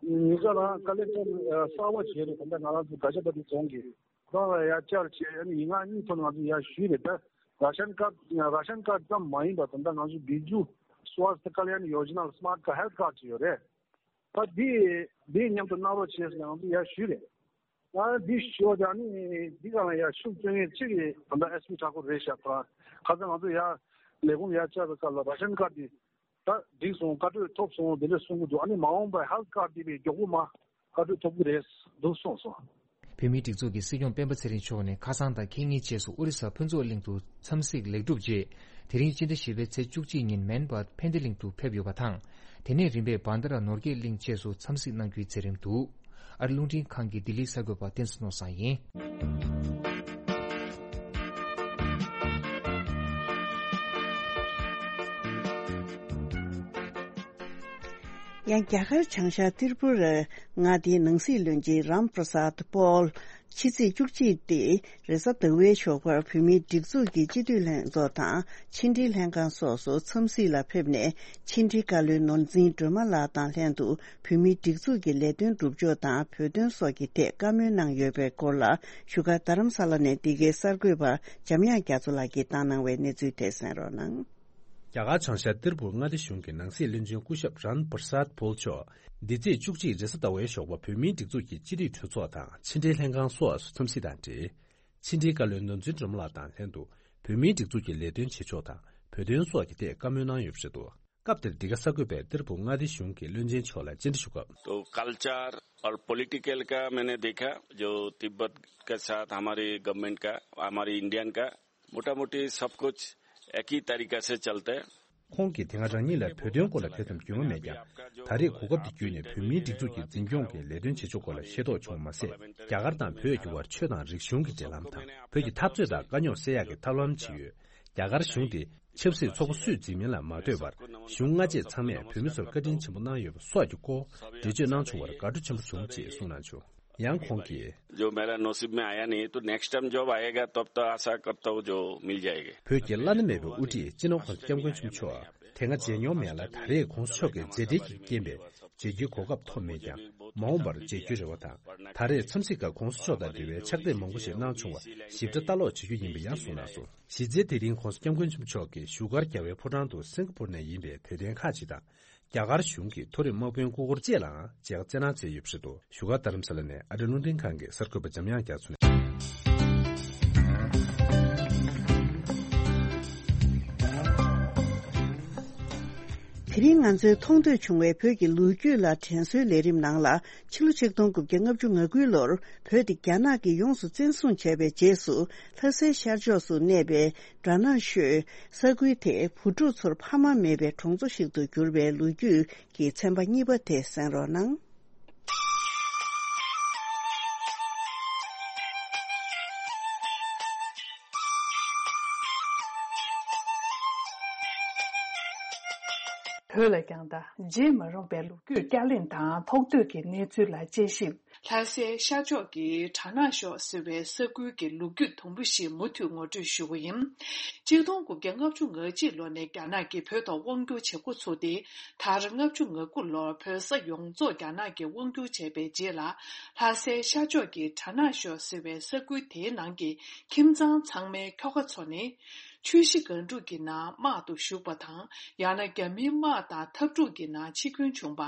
ཉེ་ཆར་ལ་ཀ་ལེག་ཊར་གསར་པ་བྱས་རེད། ད་ལྟ་ང་རང་ཚོ་གྷ་ཇ་པ་ཏི་རྫོང་གི་ཁོ་རང་ལ་ཡར་བཅར་བྱས། ཨ་ནི་ཡིག་ངག་གཉིས་ཐོག་ང་ཚོ་ཡར་ཞུས་རེད། ད་ར་ཤན་ཀར་ར་ཤན་ཀར་ཙམ་མ་ཡིན་པར་ད་ལྟ་ང་ཚོ་བི་ཇུ་སྭ་སྟ་ཀ་ལ་ཡ་ནི་ཡོ་ཇ་ན་ལ་སི་མཱར་ཊི་ཀར་ཧེལ་ཐི་ཀར་ཌི་ཅིག་ཡོད་རེད། ད་འདི་འདི་མཉམ་དུ་གནང་རོགས་བྱས་ཟེར་ང་ཚོ་ཡར་ཞུས་རེད། ང་འདི་ཞུ་བ་ད་ནི་འདི་ག་ལ་ཡར་ཤུགས་བསྐྱོན་མཁན་གཅིག་གིས་ད་ལྟ་ཨེས་པི་ཁྲ་ཁོ་རེད་ཤག་ཁོ་རང་ཁ་སང་ང་ཚོ་ཡར་ལས་ཁུངས་ཡར་བཅར་བའི་སྐབས་ལ་ར་ཤན་ཀར་ཌི་ད་འགྲིག་སོང་། བཀའ་འཁྲོལ་ཐོབ་སོང་དེ་འདྲ་གསུང་གི་འདུག་ཨ་ནི་མ་འོངས་པར་ཧེལ་ཐི་ཀར་ཌི་དེ་བས་མགྱོགས་པོ་མ་བཀའ་འཁྲོལ་ཐོབ་ཀྱི་རེད་འདུག་གསུངས་སོང་། བོད་མིའི་སྒྲིག་འཛུགས་ཀྱི་སྲིད་སྐྱོང་སྤེན་པ་ཚེ་རིང་མཆོག་ནས་ཁ་སང་དང་ཁེ་ཉིན་རྗེས་སུ་ཨོ་རི་ས་ཕུན་ཚོགས་གླིང་དུ་འཚམས་གཟིགས་ལེགས་གྲུབ་རྗེས། དེ་རིང་སྤྱི་ཟླ་བཞི་པའི་ཚེས་བཅུ་གཅིག་ཉིན་མན་སྦར་ཕན་བདེ་གླིང་དུ་ཕེབས་ཡོད་པ་དང་། དེ་ནས་རིམ་པས་བན་དྷ་ར་ནོར་རྒྱས་གླིང་བཅས་སུ་འཚམས་གཟིགས་གནང་རྒྱུའི་མཛད་རིམ་འདུག་ཨ་རི་རླུང་འཕྲིན་ཁང་གི་ལྡི་ལིའི་གསར་འགོད་པ་བསྟན་འཛིན་ནོར་བཟང་ཡིན། ཡང་རྒྱ་གར་བྱང་ཤར་ཏིར་པུ་ར་མངའ་སྡེའི་ནང་སྲིད་བློན་ཆེན་རམ་པྲ་སཱད་པོལ་ཕྱི་ཚེས་བཅུ་གཅིག་སྟེ་རེས་གཟའ་ཟླ་བའི་ཞོགས་པར་བོད་མིའི་སྒྲིག་འཛུགས་ཀྱི་སྤྱི་འཐུས་ལྷན་ཚོགས་དང་ཕྱི་འབྲེལ་ལྷན་ཁང་སོགས་སུ་འཚམས་གཟིགས་ལ་ཕེབས་ནས། ཕྱི་འབྲེལ་བཀའ་བློན་ནོར་འཛིན་སྒྲོལ་མ་ལགས་དང་ལྷན་དུ་བོད་མིའི་སྒྲིག་འཛུགས་ཀྱི་ལས་དོན་སྒྲུབ་ཕྱོགས་དང་བོད་དོན་སོགས་ཀྱི་ཐད་བཀའ་མོལ་གནང་ཡོད་པའི་སྐོར་ལ་བཞུགས་སྒར་རྡ་རམ་ས་ལ་ནས་འདི་གའི་གསར་འགོད་པ་འཇམ་དབྱངས་རྒྱ་མཚོ་ལགས་ཀྱིས་བཏང་གནང་བའི་གནས་ཚུལ་དེ་གསན་རོགས་གནང་། རྒྱ་གར་བྱང་ཤར་ཏིར་པུར་མངའ་སྡེ་གཞུང་གི་ནང་སྲིད་བློན་ཆེན་སྐུ་ཞབས་རན་པྲ་སཱད་པོལ་མཆོག་འདི་ཚེས་བཅུ་གཅིག་རེས་གཟའ་ཟླ་བའི་ཞོགས་པ་བོད་མིའི་སྒྲིག་འཛུགས་ཀྱི་སྤྱི་འཐུས་གྲོས་ཚོགས་དང་ཕྱི་འབྲེལ་ལྷན་ཁང་སོགས་སུ་འཚམས་གཟིགས་དང་འབྲེལ། ཕྱི་འབྲེལ་བཀའ་བློན་ནོར་འཛིན་སྒྲོལ་མ་ལགས་དང་ལྷན་དུ་བོད་མིའི་སྒྲིག་འཛུགས་ཀྱི་ལས་དོན་བྱེད་ཕྱོགས་དང་བོད་དོན་སོགས་ཀྱི་ཐད་བཀའ་མོལ་གནང་ཡོད་པ་རེད་འདུག་སྐབས་དེར་འདི་ག་གསར་འགོད་པས་ཏིར་པུར་མངའ་སྡེ་གཞུང་གི་བློན་ཆེན་མཆོག་ལ་བཅར་འདྲི་ཞུ་སྐབས། तो कल्चर और पॉलिटिकल का मैंने देखा, जो तिब्बत के साथ हमारे गवर्नमेंट का, हमारी इंडियन का मोटा मोटी सब कुछ एक ही तरीका से चलता है। ཁོང་གིས་དེ་སྔ་རང་ཉིད་ལ་བོད་དོན་སྐོར་ལ་དེ་ཙམ་རྒྱུས་མངའ་མེད་ཀྱང་། ད་རེས་གོ་སྐབས་འདི་བརྒྱུད་ནས་བོད་མིའི་སྒྲིག་འཛུགས་ཀྱི་འཛིན་སྐྱོང་གི་ལས་དོན་བྱེད་ཕྱོགས་སྐོར་ལ་ཤེས་རྟོགས་བྱུང་བ་མ་ཟད། རྒྱ་གར་དང་བོད་ཀྱི་དབར་ཆོས་དང་རིག་གཞུང་གི་འབྲེལ་ལམ་དང་། བོད་ཀྱི་འཐབ་རྩོད་དང་དཀའ་རྙོག་སེལ་ཡག་གི་ཐབས་ལམ་ཇི་ཡོད། རྒྱ་གར་གཞུང་དེ་ཆབ་སྲིད་ཚོགས་པ་སུས་འཛིན་མིན་ལ་མ་ལྟོས་པར། གཞུང་སྔ་རྗེས་ཚང་མས་བོད་མི་ཚོར་བཀའ་དྲིན་ཆེན་པོ་གནང་ཡོད་པ་སོགས་ཀྱི་སྐོར་འགྲེལ་བརྗོད་གནང་བྱུང་བར་དགའ་སྤྲོ་ཆེན་པོ་བྱུང་ཅེས་གསུངས་གནང་བྱུང་། ཡང་ཁོང་གིས། जो मेरा नसीब में आया नहीं, तो नेक्स्ट टाइम जब आएगा, तब तो आशा करता हूँ, जो मिल जाएगा। བོད་ཀྱི་བླ་ན་མེད་པའི་དབུ་ཁྲིད་སྤྱི་ནོར་༸གོང་ས་༸སྐྱབས་མགོན་ཆེན་པོ་མཆོག་དེ་སྔ་མཇལ་མྱོང་མེད་ལ། ད་རེས་༸གོང་ས་མཆོག་གི་མཛད་བྲེལ་གྱི་རྐྱེན་པས་མཇལ་རྒྱུའི་གོ་སྐབས་ཐོབ་མེད་ཀྱང་། མ་འོངས་པར་མཇལ་རྒྱུའི་རེ་བ་དང་། ད་རེས་འཚམས་གཟིགས་སྐབས་༸གོང་ས་མཆོག་དང་འབྲེལ་བའི་ཕྱག་དེབ་མང་པོ་ཞིག་གནང་བྱུང་བ་ཞིབ་ཕྲ་ལྟ་ཀློག་བྱེད་རྒྱུ་ཡིན་པ་ཡང་གསུངས་གནང་སོང་། གཞི་རྩའི་དེ་རིང་༸གོང་ས་༸སྐྱབས་མགོན་ཆེན་པོ་མཆོག་གིས་བཞུགས་སྒར་རྒྱལ་བའི་ཕོ་བྲང་དུ་སིང་ག་པུར་ནས་ཡིན་པའི་དད་ལྡན་ཁག་ཅིག་དང་། རྒྱ་གར་གཞུང་གི་མཐོ་རིམ་དམག་དཔོན་སྐུ་འཁོར་བཅས་ལའང་མཇལ་ཁ་བསྩལ་གནང་མཛད་ཡོད་པ་རེད་འདུག་བཞུགས་སྒར་རྡ་རམ་ས་ལ་ནས་ཨ་རིའི་རླུང་འཕྲིན་ཁང་གི་གསར་འགོད་པ་འཇམ་དབྱངས་རྒྱ་མཚོ་ནས། དེ་རིང་ང་ཚོའི་མཐོང་ཐོས་བྱུང་བའི་བོད་ཀྱི་ལོ་རྒྱུས་ལ་དྲན་གསོའི་ལས་རིམ་ནང་ལ། ཕྱི་ལོ་ཆིག་སྟོང་དགུ་བརྒྱ་ལྔ་བཅུ་ང་དགུའི་ལོར་བོད་དེ་རྒྱ་ནག་གིས་ཡོངས་སུ་བཙན་བཟུང་བྱས་པའི་རྗེས་སུ། ལྷ་སའི་ཤར་ཕྱོགས་སུ་གནས་པའི་གྲ་ནང་ཤོད་ས་ཁུལ་དེ་བུ་ཕྲུག་ཚོར་ཕ་མ་མེད་པའི་གྲོང་ཚོ་ཞིག་ཏུ་གྱུར་པའི་ལོ་རྒྱུས་ཀྱི་ཚན་པ་གཉིས་པ་དེ་གསན་རོགས་གནང་། བོད་ལ་ཀྱང་ད་བརྗེད་མ་རུང་བའི་ལོ་རྒྱུས་བསྐྱར་གླེང་དང་ཐོག་བསྡུས་ཀྱི་གནས་ཚུལ་ལ་དཔྱད་ཞིབ། ལྷ་སའི་ཤར་ཕྱོགས་ཀྱི་གྲ་ནང་ཤོད་ཟེར་བའི་ས་ཁུལ་གྱི་ལོ་རྒྱུས་དུམ་བུ་ཞིག་མུ་མཐུད་ངོ་སྤྲོད་ཞུ་གི་ཡིན། ཆིག་སྟོང་དགུ་བརྒྱ་ལྔ་བཅུ་ང་གཅིག་ལོ་ནས་རྒྱ་ནག་གིས་བོད་ཐོག་དབང་བསྒྱུར་བྱེད་འགོ་ཚུགས་ཏེ། མཐར་ལྔ་བཅུ་ང་དགུ་ལོར་བོད་ས་ཡོངས་རྫོགས་རྒྱ་ནག་གིས་དབང་བསྒྱུར་བྱས་པའི་རྗེས་ལ། ལྷ་སའི་ཤར་ཕྱོགས་ཀྱི་གྲ་ནང་ཤོད་ཟེར་བའི་ས་ཁུལ་དེའི་ནང་གི་ཁྱིམ་ཚང་ཚང་མའི་ཁྱོ་ག་ཚོ་ནི། ཆུ་བཞི་སྒང་དྲུག་གི་ནང་དམག་ཏུ་ཞུགས་པ་དང་། ཡང་ན་རྒྱ་མིའི་དམག་དང་འཐབ་འཁྲུག་གི་ནང་འཆི་སྐྱོན་བྱུང་བ།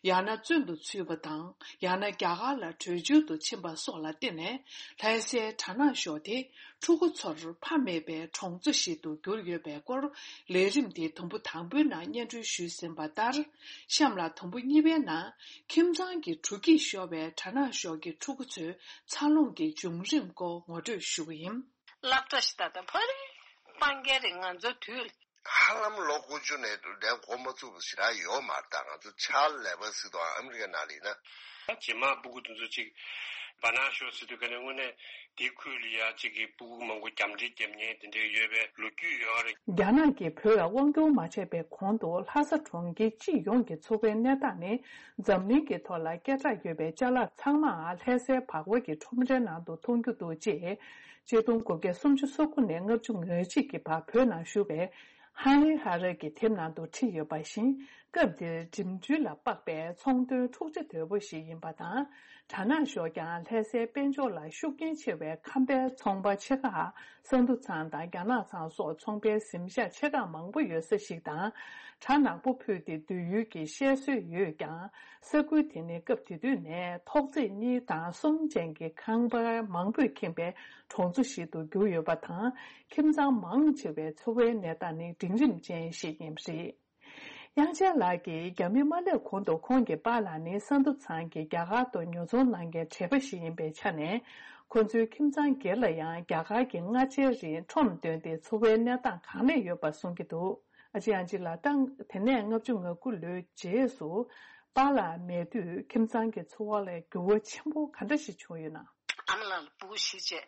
ཡང་ན་བཙོན་དུ་ཚུད་པ་དང་། ཡང་ན་རྒྱ་གར་ལ་བྲོས་བྱོལ་དུ་ཕྱིན་པ་སོགས་ལ་བརྟེན་ནས། ལྷ་སའི་གྲ་ནང་ཤོད་དེ་ཕྲུ་གུ་ཚོར་ཕ་མེད་པའི་གྲོང་ཚོ་ཞིག་ཏུ་གྱུར་ཡོད་པའི་སྐོར། ལས་རིམ་དེའི་དུམ་བུ་དང་པོའི་ནང་སྙན་སྒྲོན་ཞུས་ཟིན་པ་ལྟར། གཤམ་ལ་དུམ་བུ་གཉིས་པའི་ནང་ཁྱིམ་ཚང་གི་གྲུ་འགྱིག་ཤོར་བའི་གྲ་ནང་ཤོད་ཀྱི་ཕྲུ་གུ་ཚོའི་འཚར་ལོངས་ཀྱི་བྱུང་རིམ་སྐོར་ངོ་སྤྲོད་ཞུ་གི་ཡིན། སློབ་གྲྭ་ཞིག་ད་ལྟ་ཕ་རི་སྤང་རྒྱ་རེད། ང་ཚོ་དུས་ཧ་ལམ་ལོ་དགུ་བཅུ་ནས་ལས་འགོ་མ་ཚུགས་པ་ཞེ་དྲག་ཡོད་མ་རེད། ད་ང་ཚོ་ཕྱག་ལས་པ་ཟེར་དུས་ཨ་མི་རི་ཀའི་ནང་ལ་ཡིན་ན། རྗེས་མ་སྤུ་གུ་དེ་ཚོ་ཅིག་ བར་སྣང་ཤོར་ཟེར་དུས་ཀ་ནས་དངོས་གནས་དེའི་ཁུལ་ལ་ཡ་གཅིག་གི་སྤུ་གུ་མང་པོ་རྒྱམ་འདྲེ་བརྒྱབ་མཁན་དེ་འདྲ་ཡོད་པའི་ལོ་རྒྱུས་ཡོད་རེད། རྒྱ་ནག་གིས་བོད་ལ་དབང་བསྒྱུར་མ་བྱས་པའི་གོང་དུ་ལྷ་ས་གྲོང་ཁྱེར་སྤྱི་ཡོངས་ཀྱི་འཚོ་བའི་གནས་སྟངས་ནི་འཛམ་གླིང་གི་ཐོག་ལ་སྐད་གྲགས་ཡོད་པའི་ཅ་ལག་ཚང་མ་ལྷ་སའི་བག་བ་གི་ཁྲོམ་རའི་ནང་དུ་མཐོང་རྒྱུ་འདུག་ཅེས་ཆིག་སྟོང་དགུ་བརྒྱ་སུམ་ཅུ་སོ་དགུ་ནས་ལྔ་བཅུ་ང་གཅིག་གི་བར་བོད་ནང་བཞུགས་པའི་ཧན་རི་ཧ་རི་གིས་དེབ་ནང་དུ་བྲིས་ཡོད་པ་བཞིན། སྐབས་དེར་འགྲིམ་འགྲུལ་ལ་དཔག་པའི་ཚོང་དོན་འཁྲུག་ཆ་དོད་པོ་ཞིག་ཡིན་པ་དང་། གྲ་ནང་ཞོགས་ཀྱང་ལྷ་སའི་དཔལ་འབྱོར་ལ་ཤུགས་རྐྱེན་ཆེ་བའི་ཁམས་པའི་ཚོང་པ་ཆེ་ཁག་ས་འདུ་ཚང་དང་རྒྱ་ནག་ཚང་སོགས་ཚོང་པའི་གཟིམ་ཤག་ཆེ་ཁག་མང་པོ་ཡོད་ས་ཞིག་དང་། གྲ་ནག་པོ་ཕུད་དེ་སྡོད་ཡུལ་གྱི་བཤད་སྲོལ་ཡོད་ཀྱང་། ས་ཁུལ་དེ་ནི་སྐབས་དེ་དུས་ནས་ཐོག་བརྩེགས་གཉིས་དང་གསུམ་ཅན་གྱི་ཁང་པ་མང་པོས་ཁེངས་པའི་གྲོང་ཚོ་ཞིག་ཏུ་གྱུར་ཡོད་པ་དང་། ཁྱིམ་ཚང་མང་ཆེ་བའི་འཚོ་བའི་གནས་སྟངས་ནི་འབྲིང་རིམ་ཅན་ཞིག་ཡིན་པ་རེད། དབྱངས་ཅན་ལགས་ཀྱིས་རྒྱ་མི་མ་སླེབས་གོང་དུ་ཁོང་གི་པཱ་ལགས་ནི་ས་འདུ་ཚང་གི་རྒྱ་གར་དུ་ཉོ་ཚོང་གནང་མཁན་བྲེལ་པ་ཞིག་ཡིན་པའི་ཆ་ནས། ཁོ་ཚོའི་ཁྱིམ་ཚང་སྒེར་ལ་ཡང་རྒྱ་གར་གྱི་སྔ་ཕྱིའི་རིང་ཁྲོམ་བཏོན་ཏེ་འཚོ་བའི་གནས་སྟངས་གང་ལེགས་ཡོད་པ་གསུང་གི་འདུག་ཨ་ཅེ་ཨན་ཅི་ལགས། ད་དེ་ནས་ལྔ་བཅུ་ང་དགུ་ལོའི་རྗེས་སུ་པཱ་ལགས་མེད་དུས་ཁྱིམ་ཚང་གི་འཚོ་བ་ལ་འགྱུར་བ་ཆེན་པོ་ག་འདྲ་ཞིག་བྱུང་ཡོད་ན། ཨ་མ་ལགས་ལ་སྤུ་གུ་བཞི་བྱས།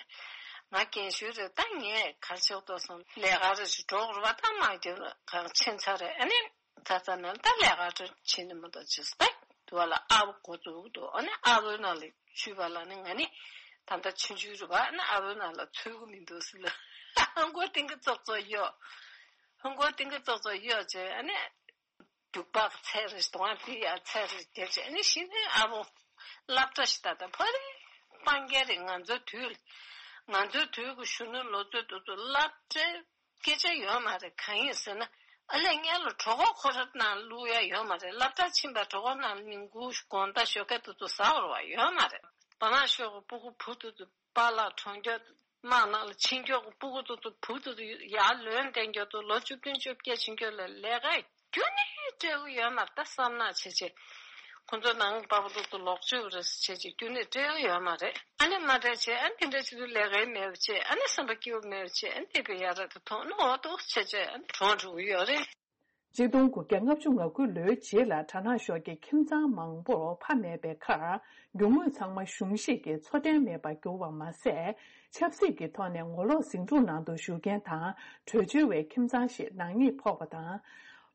ང་རྒན་ཤོས་རེད། ད་ངས་ག་རེ་བྱེད་དགོས་སོང་། ལས་ཀ་རེ་ཞིག་འགྲོ་དགོས་རེད་པ། ད་མ་འགྱུར་གང་ཕྱིན་ཚར་རེད། ཨ་ནི་ད་ལྟ་ན་ད་ལས་ཀ་རེ་བྱེད་ནི་མ་གཏོགས་བྱེད་ས་ད་དུ་བ་ལ་ཨ་བོ་འགོ་འཛུགས་འདུག་ཨ་ནི་ཨ་བོའི་ནང་ལ་ཆུད་པ་ལ་ནི་ང་ནི་ད་ལྟ་ཆུང་ཆུང་རེད་པ། ཨ་ནི་ཨ་བོའི་ནང་ལ་ཚུད་གི་མི་འདུག་ཟེར་ལ་ཧང་གོ་ཏིང་གི་ཙོག་ཙོག་གཡོ། ཧང་གོ་ཏིང་གི་ཙོག་ཙོག་གཡོ་བྱས། ཨ་ནི། རྒྱུག་པ་ཚད་རེ་གཏོང་བ་དེ་ཡ་ཚད་རེ་དེ་བྱས་ནས་གཞི་ནས་ཨ་བོ་སློབ་གྲྭ་ཞིག་ད་ལྟ་ཕ་རི་སྤང་རྒྱ་རེད། ང་ཚོའི་དུས་ང་ཚོའི་དུས་ཀྱི་གཞོན་ནུ་ལོ་ཚོད་དེ་ཚོ་སློབ་གྲྭའི་སྐད་ཆ་ཡོད་མ་རེད། གང་ཡིན་ཟེར་ན་ཨ་ལས་ངན་ལ་གྲོད་ཁོག་ཁོ་ར་ནང་བླུག་ཡ་ཡོད་མ་རེད། སློབ་གྲྭ་ཕྱིན་པ་གྲོད་ཁོག་ནང་ཉིན་གུང་དགོང་དག་ཞོགས་ཀས་དེ་ཚོ་ཟ་བར་བ་ཡོད་མ་རེད། བར་ན་ཤོག་གི་སྤུ་གུ་བུ་དེ་ཚོ་པཱ་ལགས་གྲོངས་རྒྱུ། དམག་ནང་ལ་ཕྱིན་རྒྱུ་སྤུ་གུ་ཏོ་ཏོ་བུ་ཏོ་ཏོ་ཡར་ལོན་བསྟན་རྒྱུ་ཏོ་ལོ་བཅུ་བདུན་བཅོ་བརྒྱད་ཕྱིན་རྒྱུ་ལ་ལས་ཀ་རྒྱུ་ནི་སྤྲད་གི་ཡོད་མ་རེད། ད་བསམ་ནག་བྱེད་བྱེད་ཁོ་ཚོ་ནང་པ་པ་ཏོ་ཏོ་ལོག་བཅོས་རེ་བྱེད་བྱེད་རྒྱུ་ནི་སྤྲད་གི་ཡོད་མ་རེད། ཨ་ནི་མ་སྤྲད་བྱེད་ཨ་ནི་དེ་འདྲ་བྱེད་དུས་ལས་ཀའི་མེད་པ་བྱེད་ཨ་ནི་བསམ་པ་སྐྱིད་པོ་མེད་པ་བྱེད་ཨ་ནི་དེ་གི་ཡ་ར་ཏོ་མཐོང་ནོ་ཏོ་བྱེད་བྱེད་ཨ་ནི་གྲོངས་འགྲོ་གི་ཡོད་རེད། ཆིག་སྟོང་དགུ་བརྒྱ་ལྔ་བཅུ་ང་དགུ་ལོའི་རྗེས་ལ་གྲ་ནང་ཤོག་གི་ཁྱིམ་ཚང་མང་པོར་ཕ་མེད་པའི་ཁར་རྒྱུ་དངོས་ཚང་མ་གཞུང་བཞེས་ཀྱིས་འཚོ་རྟེན་མེད་པར་གྱུར་བ་མ་ཟད། ཆབ་སྲིད་ཀྱི་ཐོག་ནས་ངོ་ལོག་ཟིང་འཁྲུག་ནང་དུ་ཞུགས་མཁན་དང་བྲོས་བྱོལ་བའི་ཁྱིམ་ཚང་ཞིག་ནག་ཉེས་ཕོག་པ་དང་།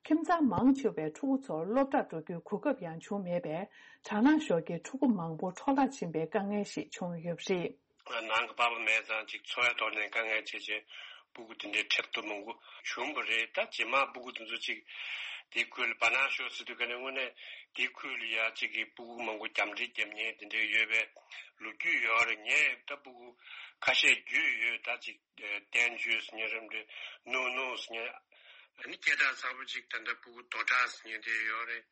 ཁྱིམ་ཚང་མང་ཆེ་བའི་ཕྲུ་གུ་ཚོར་སློབ་གྲྭར་འགྲོ་རྒྱུའི་གོ་སྐབས་ཡང་བྱུང་མེད་པས་གྲ་ནང་ཤོག་གི་ཕྲུ་གུ་མང་པོ་འཕྲོ་བརླག་ཕྱིན་པའི་དཀའ་ངལ་ཞིག་བྱུང་ཡོད་པ་རེད། ནང་གི་པ་ཕ་མེད་ཙང་ཅིག་འཚོ་བའི་ཐོག་ནས་དཀའ་ངལ་ཆེ་ཆེ་སྤུ་གུ་དེ་འདྲའི་འཕྲད་དུ་མང་པོ་བྱུང་བ་རེད། ད་རྗེས་མ་སྤུ་གུ་དེ་ཚོ་ཅིག་དེའི་ཁུལ་ལ་བར་སྣང་ཤོར་ཟེར་དུས་ག་ནས་དངོས་གནས་དེའི་ཁུལ་ལ་ཡ་ཅིག་གི་སྤུ་གུ་མང་པོ་རྒྱམ་འདྲེ་བརྒྱབ་མཁན་དེ་འདྲའི་ཡོད་པའི་ལོ་རྒྱུས་ཡོད་རེད། ངས་ད་སྤུ་གུ་ཁ་ཤས་རྒྱུས་ཡོད། ད་ཅིག་བསྟན་བཅོས་ཟེར་མཁན་རེད་འདྲ་ནུ་ནུ་ཟེར་མཁན་ཨ་ནི་སྐད་གྲགས་ཚ་པོ་ཅིག་ད་ལྟ་སྤུ་གུ་རྡོ་བྲག་ཟེར་མཁན་དེ་ཡོད་རེད།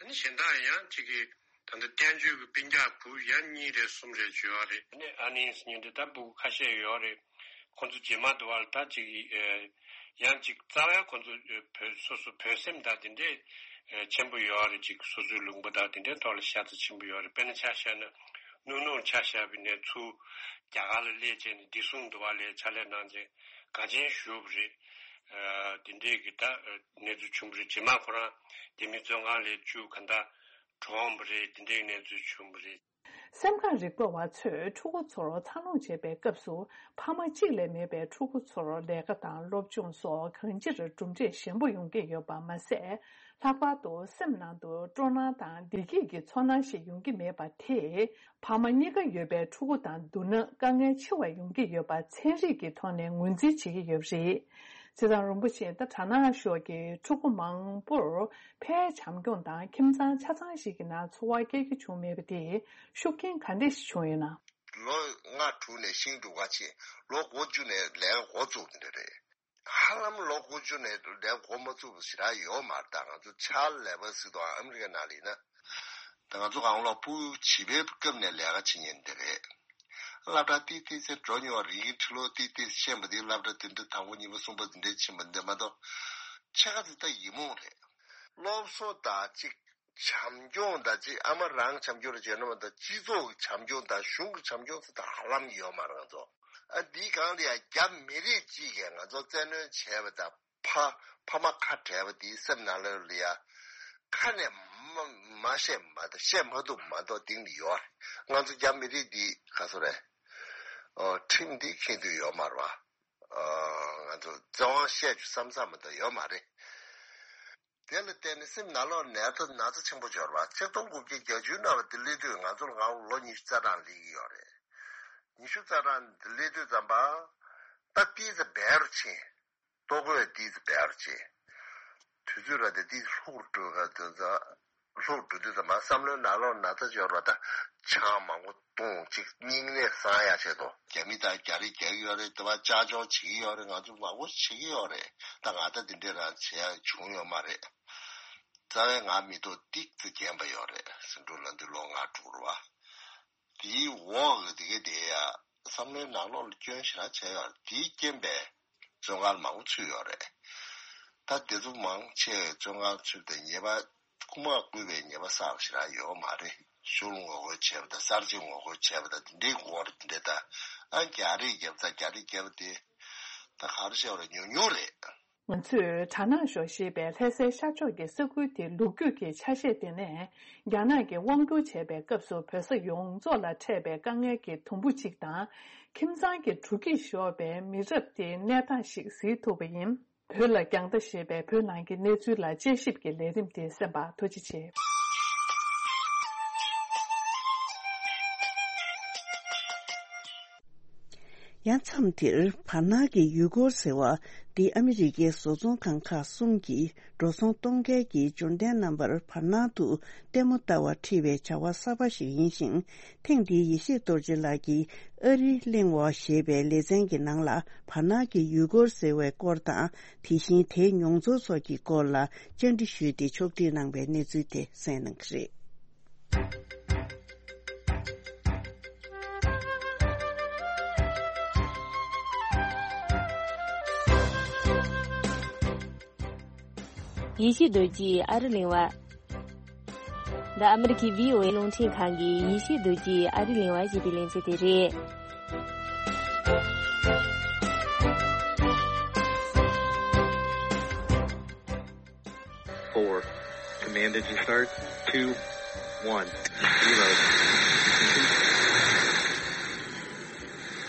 ཨ་ནི་གཞན་དག་ཡང་ཅིག་གི་ད་ལྟ་བསྟན་བཅོས་ཀྱི་སྤུན་ཀྱག་བུ་ཡང་གཉིས་རེ་གསུམ་རེ་བྱོས་པ་རེད། ཨ་ནི་ཨ་ནེ་ཟེར་མཁན་དེ་ད་སྤུ་གུ་ཁ་ཤས་ཡོད་རེད། ཁོང་ཚོ་རྗེས་མ་དུ་བར་ད་ཅིག་ཡང་ཅིག་རྩ་བའི་ཁོང་ཚོ་བོད་སོ་སོ་བོད་སེམས་དང་དེ་འདྲས་ཆེན་པོ་ཡོད་རེད། ཅིག་སོ་སོའི་ལུང་པ་དང་དེ་འདྲའི་ཐོག་ལ་ཤ་ཚ་ཆེན་པོ་ཡོད་རེད། དཔེར་ན་ཆ་བཞག་ན་ནུ་ནུ་ཆ་བཞག་པ་ཡིན་ན་ཚུར་རྒྱ་གར་ལ་སླེབས་བྱས་ནས་བདེ་སྲུང་དུ་བ་ལ་ཕྱག་ལས་གནང་བྱས་དགའ་ཆེན་ཞུ་བ་རེད། དེ་འདྲས་ཀྱི་ད་གནས་ཚུལ་བྱུང་བ་རེད། རྗེས་མ་ཁོ་རང་རྒྱ་མིའི་བཙོན་ཁང་ལས་བཅུག་གང་ལྟར་གྲོངས་པ་རེད། དེ་འདྲའི་གནས་ཚུལ་བྱུང་བ་རེད། སེམས་ཁམས་རིག་པ་བ་ཚོས་ཕྲུ་གུ་ཚོར་འཚར་ལོངས་བྱེད་པའི་སྐབས་སུ་ཕ་མ་གཅིག་ལས་མེད་པའི་ཕྲུ་གུ་ཚོར་ལས་ཀ་དང་སློབ་སྦྱོང་སོགས་གང་ཅིར་གྲུབ་འབྲས་ཞན་པོ་ཡོང་གི་ཡོད་པ་མ་ཟད། ལྷག་པར་དུ་སེམས་ནང་དུ་སྤྲོ་སྣང་དང་བདེ་སྐྱིད་ཀྱི་ཚོར་སྣང་ཞིག་ཡོང་གི་མེད་པ་དེས་ཕ་མ་གཉིས་ཀ་ཡོད་པའི་ཕྲུ་གུ་དང་བསྡུར་ན་དཀའ་ངལ་ཆེ་བ་ཡོང་གི་ཡོད་པ་ཚན་རིག་གི་ཐོག་ནས་ངོས་འཛིན་བྱེད་ཀྱི་ཡོད་པ་རེད། བྱས་ཙང་རིན་པོ་ཆེ་ད་གྲ་ནང་ཤོག་གི་ཕྲུ་གུ་མང་པོར་ཕའི་བྱམས་སྐྱོང་དང་ཁྱིམ་ཚང་ཆ་ཚང་ཞིག་གི་ནང་འཚོ་བ་སྐྱེལ་རྒྱུ་བྱུང་མེད་པ་དེས་ཤུགས་རྐྱེན་ག་འདྲ་ཞིག་བྱུང་ཡོད་ན། ལོ་ལྔ་དྲུག་ནས་ཤིང་འབྲུག་ག་ཆེ་ལོ་འགོ་བཅུ་ནས་ལས་ཀ་འགོ་བཙུགས་ཀྱི་འདྲ་རེད། ཧ་ལམ་ལོ་འགོ་བཅུ་ནས་ལས་འགོ་མ་བཙུགས་པ་ཞེ་དྲག་ཡོད་མ་རེད། ད་ང་ཚོ་ཕྱག་ལས་པ་ཟེར་དུས་ཨ་མི་རི་ཀའི་ནང་ལ་ཡིན་ན། ད་ང་ཚོ་གང་ལོ་སྤུ་གུ་བྱིས་པའི་སྐབས་ནས་ལས་ཀ་བྱེད་མཁན་འདི་རེད། སློབ་གྲྭ་ཏིག་ཏིག་ཙམ་འགྲོ་མྱོང་བ་རིགས་ཀྱི་ཁྲི་ལོ་ཏིག་ཏིག་ཤེས་པ་འདི་སློབ་གྲྭ་བདུན་ཕྲག་དང་པོ་གཉིས་པ་གསུམ་པ་འདི་འདྲའི་ཕྱིན་པ་འདི་མ་གཏོགས་ཕྱེད་ཀ་ཙམ་ད་ཡིག་རྨོངས་རེད། སློབ་གསོ་དང་གཅིག་བྱམས་སྐྱོང་དང་གཅིག་ཨ་མ་རང་བྱམས་སྐྱོང་རེ་བྱས་ན་མ་གཏོགས་སྤྱི་ཚོགས་ཀྱི་བྱམས་སྐྱོང་དང་གཞུང་གི་བྱམས་སྐྱོང་ཟེར་ད་ཧ་ལམ་ཡོད་མ་རེད་ང་ཚོ། ཨ་འདིའི་སྒང་ལ་ཡང་རྒྱ་མི་རིགས་གཅིག་གིས་ང་ཚོ་བཙན་གནོན་བྱས་པ་དང་ཕ་ཕ་མ་ཁ་བྲལ་བ་འདིའི་སེམས་ནང་ལ་ཡ་ཁ་ནས་ མ་མ་བཤད་མ་གཏོགས་བཤད་མ་ཐུབ་མ་གཏོགས་གཏིང་ནས་ཡོད་རེད། ང་ཚོ་རྒྱ་མི་རིགས་འདི་ག་ཚོད་རེད། ཨོ་ཁྲིམས་འདི་མཁྱེན་འདོད་ཡོད་མ་རེད་བ། ཨོ་ང་ཚོ་བཙན་དབང་བཤད་རྒྱུ་བསམ་བསམ་མ་གཏོགས་ཡོད་མ་རེད། དེ་ལ་བརྟེན་ནས་སེམས་ནང་ལོགས་ནད་ཐོ་ན་ཚ་ཆེན་པོ་འབྱོར་བ་ཆིག་སྟོང་དགུ་བརྒྱ་བརྒྱད་ཅུ་ནང་བ་དེ་སླེབས་དུས་ང་ཚོར་ང་ལོ་ཉི་ཤུ་རྩ་གྲངས་སླེབས་ཀྱི་ཡོད་རེད། ཉི་ཤུ་རྩ་གྲངས་དེ་སླེབས་དུས་ཙམ་པ་ད་ཏིས་སྦེ་རུ་ཕྱིན། ལྟོ་གོས་ཏིས་སྦེ་རུ་ཕྱིན། དུས་ཚོད་ར་དེ་ཏིས་ལྷུག་རུ་འགྲོ་ག་དེ་ཚ་ལྷུག་འགྲོ་དུས་ཙམ་པ་བསམ་བློའི་ནང་ལོགས་ན་ཚ་འབྱོར་བ་ད་ཆང་མང་པོ་བཏུང་ཅིག་སྙིང་ནད་སངས་ཡག་ཆེད་དུ་རྒྱ་མི་དང་རྒྱ་རིགས་རྒྱག་གི་ཡོད་རེད། དེ་བ་ཅག་ཅོག་བྱེད་ཀྱི་ཡོད་རེད། ང་ཚོ་མང་པོ་བྱེད་ཀྱི་ཡོད་རེད། ད་ང་ད་དེ་འདྲས་རང་བྱེད་ཡག་བྱུང་ཡོད་མ་རེད། རྩ་བའི་ང་མི་ཐོག་ཏིག་ཙི་རྒན་པ་ཡོད་རེད། ཟིང་འཁྲུག་ལ་འདི་ལོ་ལྔ་དྲུག་རེད་བ། དེའི་འོག་གི་དེ་ག་དེ་ཡ་བསམ་བློའི་ནང་ལོགས་ལ་སྐྱོན་ཞེ་དྲག་བྱས་ཡོད་རེད། དེའི་རྐྱེན་པས་བཙོན་ཁང་མང་པོ་ཚུད་ཡོད་རེད། ད་དེ་ཚོ་མང་ཆེ་བཙོན་ཁང་ཚུད་དེ་ཉེས་པ་རྐུ་མ་རྐུས་པའི་ཉེས་པ་བསགས་པ་ཞེ་དྲག་ཡོད་མ་རེད། ཤུལ་ངོ་རྒོལ་བྱས་པ་དང་གསར་བརྗེ་ངོ་རྒོལ་བྱས་པ་དང་དེ་འདྲའི་འགོ་རེད། དེ་འདྲའི་ད་ཨ་རྒྱ་རིགས་རྒྱབ་ཚ་རྒྱ་རིགས་རྒྱབ་དེ་ད་ག་རེ་བཤད་པ་རེད། ཉུང་ཉུང་རེད། ང་ཚོས་གྲ་ནང་ཞོ་ཞེས་པའི་ལྷ་སའི་ཤར་ཕྱོགས་ཀྱི་ས་ཁུལ་དེའི་ལོ་རྒྱུས་ཀྱི་ཆ་ཤས་དེ་ནས་རྒྱ་ནག་གིས་དབང་བསྒྱུར་བྱས་པའི་སྐབས་སུ་བོད་ས་ཡོངས་རྫོགས་ལ་འཕྲད་པའི་དཀའ་ངལ་གྱི་དུམ་བུ་གཅིག་དང་། ཁྱིམ་ཚང་གི་དྲོ་སྐྱིད་ཤོར་བའི་མི་རབས་དེའི་གནས་སྟངས་ཤིག་གཟིགས་ཐུབ་པ་ཡིན། བོད་ལ་རྒྱང་ལྟ་ཞེས་པའི་བོད་ནང་གི་གནས་ཚུལ་ལ་དཔྱད་ཞིབ་ཀྱི་ལས་རིམ་དེ་གསན་པར་ཐུགས་རྗེ་ཆེ། ཡང་མཚམས་འདིར་བར་སྣང་གི་ཡུལ་སྐོར་ཟེར་བ་འདི་ཨ་མི་རི་ཀའི་བཟོ་ཚོང་ཁང་ཁག་གསུམ་གྱིས་འགྲོ་སོང་གཏོང་མཁན་གྱི་འབྱོར་ལྡན་རྣམ་པར་བར་སྣང་དུ་ལྟད་མོ་ལྟ་བར་ཁྲིད་པའི་བྱ་བ་གསར་པ་ཞིག་ཡིན་ཞིང་། ཐེངས་འདིའི་ཡེ་ཤེས་རྡོ་རྗེ་ལགས་ཀྱིས་ཨ་རི་གླེང་བ་ཞེས་པའི་ལེ་ཚན་གྱི་ནང་ལ་བར་སྣང་གི་ཡུལ་སྐོར་ཟེར་བའི་སྐོར་དང་། དེ་བཞིན་དེའི་མྱོང་ཚོར་སོགས་ཀྱི་སྐོར་ལ་བཅར་འདྲི་ཞུས་ཏེ་ཕྱོགས་སྒྲིག་གནང་པའི་གནས་ཚུལ་དེ་གསན་གནང་གི་རེད། ཡེ་ཤེས་རྡོ་རྗེའི་ཨ་རི་གླེང་བ། འདི་ཨ་མི་རི་ཁའི་བྷི་ཨོ་ཨེ་རླུང་འཕྲིན་ཁང་གི་ཡེ་ཤེས་རྡོ་རྗེའི་ཨ་རི་གླེང་བ་ཞེས་པའི་ལེ་ཚན་དེ་རེད། Four. Command engine start. Two. One. Zero.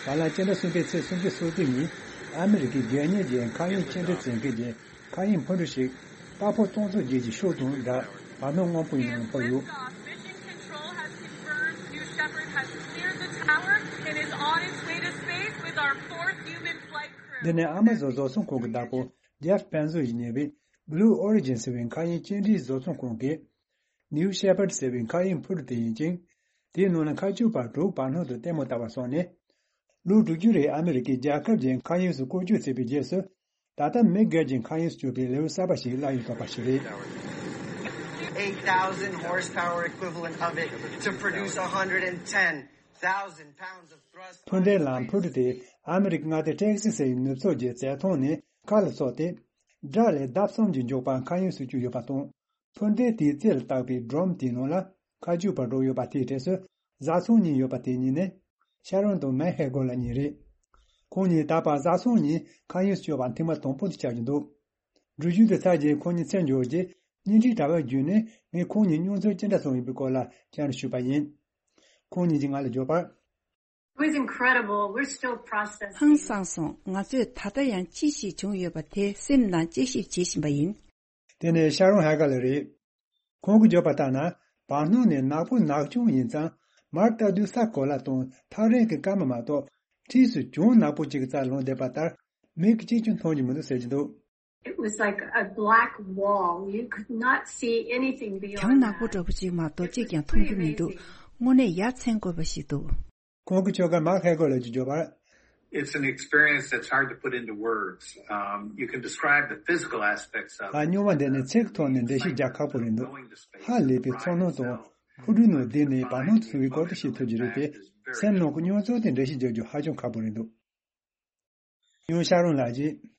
བར་ལ་སྤྱི་ཟླ་གསུམ་པའི་ཚེས་སུམ་ཅུ་སོ་བདུན་ཉིན་ཨ་མི་རི་ཀའི་སྒེར་གཉེར་གྱི་མཁའ་དབྱིངས་སྐྱེལ་འདྲེན་མཛད་མཁན་གྱི་མཁའ་དབྱིངས་འཕུར་གྲུ་ཞིག་དཔའ་བོ་སྟོང་ཚོ་བརྒྱད་ཀྱི་ཤོག་དྲུང་དང་བར་སྣང་སྔོན་པོའི་ནང་འཕུར་ཡོད། Mission Control has confirmed New Shepard has cleared the tower and is on its way to space with our fourth human flight crew. འདི་ནི་ཨ་མ་ཛོན་བཟོ་ཚོང་ཁང་གི་བདག་པོ་ཇེབ་པན་ཛོ་ཡིས་གཉེར་བའི་Blue Origin ཟེར་བའི་མཁའ་དབྱིངས་སྐྱེལ་འདྲེན་བཟོ་ཚོང་ཁང་གིས་New Shepard ཟེར་བའི་མཁའ་དབྱིངས་འཕུར་གྲུ་དེ་ཡིན་ཅིང་། དེའི་ནང་ལ་མཁའ་སྤྱོད་པ་དྲུག་བར་སྣང་དུ་ལྟད་མོ་ལྟ་བར་སོང་ནས། ལོ་དྲུག་ཅུ་རིང་ཨ་མི་རི་ཀའི་རྒྱལ་ཁབ་ཀྱི་མཁའ་དབྱིངས་སུ་བཀོལ་སྤྱོད་བྱས་པའི་རྗེས་སུ། ད་ལྟ་མི་སྒེར་གྱི་མཁའ་དབྱིངས་སུ་སྤྱོད་པའི་ལེའུ་གསར་པ་ཞིག་སླར་ཡང་ཐོགས་པ་ཞིག་རེད། Eight thousand horsepower equivalent of it to produce a hundred and ten thousand pounds of thrust. འཕུར་མདེལ་ལམ་འཕུར་གྲུ་དེ་ཨ་མི་རི་ཀ་མངའ་སྡེ་ཊེག་སི་སིའི་ནུབ་ཕྱོགས་ཀྱི་རྩེད་ཐང་ནས་མཁའ་ལ་སོང་སྟེ། སྒྲ་ལས་ལྡབ་གསུམ་གྱི་མགྱོགས་པར་མཁའ་དབྱིངས་སུ་བསྐྱོད་ཡོད་པ་དང་། འཕུར་མདེལ་དེའི་རྩེ་ལ་བཏགས་པའི་སྒྲོམ་དེའི་ནང་ལ་མཁའ་སྤྱོད་པ་དྲུག་ཡོད་པ་དེའི་གྲས་སུ་བཟའ་ཚང་གཉིས་ཡོད་པ་དེ་གཉིས་ནི་ཤ་རོན་དང་མེག་ཧེ་གོ་ལ་གཉིས་རེད། ཁོང་གཉིས་ད་བར་བཟའ་ཚང་གཉིས་མཁའ་དབྱིངས་སུ་སྐྱོད་པ་ཐེངས་མ་དང་པོ་དེ་ཆགས་ཀྱི་འདུག་འགྲུལ་བཞུད་དེ་ཚར་རྗེས་ཁོང་གཉིས་འཚོལ་འབྱོར་རྗེས་བརྙན་འཕྲིན་དྲ་བ་བརྒྱུད་ནས་ངས་ཁོང་གཉིས་མྱོང་ཚོར་ཅི་འདྲ་བྱུང་ཡོད་པའི་སྐོར་ལ་བཅར་འདྲི་ཞུས་པ་ཡིན། ཁོང་གཉིས་ཀྱིས་ང་ལ་བརྗོད་པར། It was incredible. We're still processing. ཧང་སངས་སོང་། ང་ཚོས་ད་ལྟ་ཡང་ཅི་ཞིག་བྱུང་ཡོད་པ་དེ་སེམས་ནང་དཔྱད་ཞིབ་བྱེད་བཞིན་པ་ཡིན། དེ་ནི་ཤ་རོན་ཧ་ག་ལ་རེད། ཁོང་གིས་བརྗོད་པ་ལྟར་ན། བར་སྣང་ནི་ནག་པོ་ནག་ཆུང་ཡིན་ཙང་མར་ལྟ་དུས་ས་གོ་ལ་དང་ཐག་རིང་གི་སྐར་མ་མ་གཏོགས་འཁྲིས་སུ་གྱང་ནག་པོ་གཅིག་གི་རྩར་ལངས་བསྡད་པ་ལྟར་མིག་གིས་གཅིག་ཀྱང་མཐོང་རྒྱུ་མི་འདུག་ཟེར་གྱི་འདུག It was like a black wall. You could not see anything beyond གྱང་ནག་པོ་འདྲ་པོ་ཅིག་མ་གཏོགས་གཅིག་ཀྱང་མཐོང་རྒྱུ་མི་འདུག་དངོས་གནས་ཡ་མཚན་དགོས་པ་ཞིག་འདུག་ཁོང་གི་ཁྱོ་ག་མཱག་ཧེ་གོ་ལ་གྱིས་བརྗོད་པར། It's an experience that's hard to put into words. Um, you can describe the physical aspects of it. ཨ། མྱོང་བ་འདི་ནི་ཚིག་ཐོག་ནས་འགྲེལ་བཤད་རྒྱག་ཁག་པོ་རེད་འདུག་ཧ་ལས་པའི་ཚོར་སྣང་དང་འཕུར་གྲུའི་ནང་བསྡད་ནས་བར་སྣང་དུ་སོང་བའི་སྐོར་དུ་ཤེས་ཐུབ་ཀྱི་རེད་པས། སེམས་ནང་གི་མྱོང་ཚོར་དེ་འགྲེལ་བཤད་རྒྱག་རྒྱུ་ཧ་ཅང་ཁག་པོ་རེད་འདུག་ཡང་ཤ་རོན་ལགས་ཀྱིས།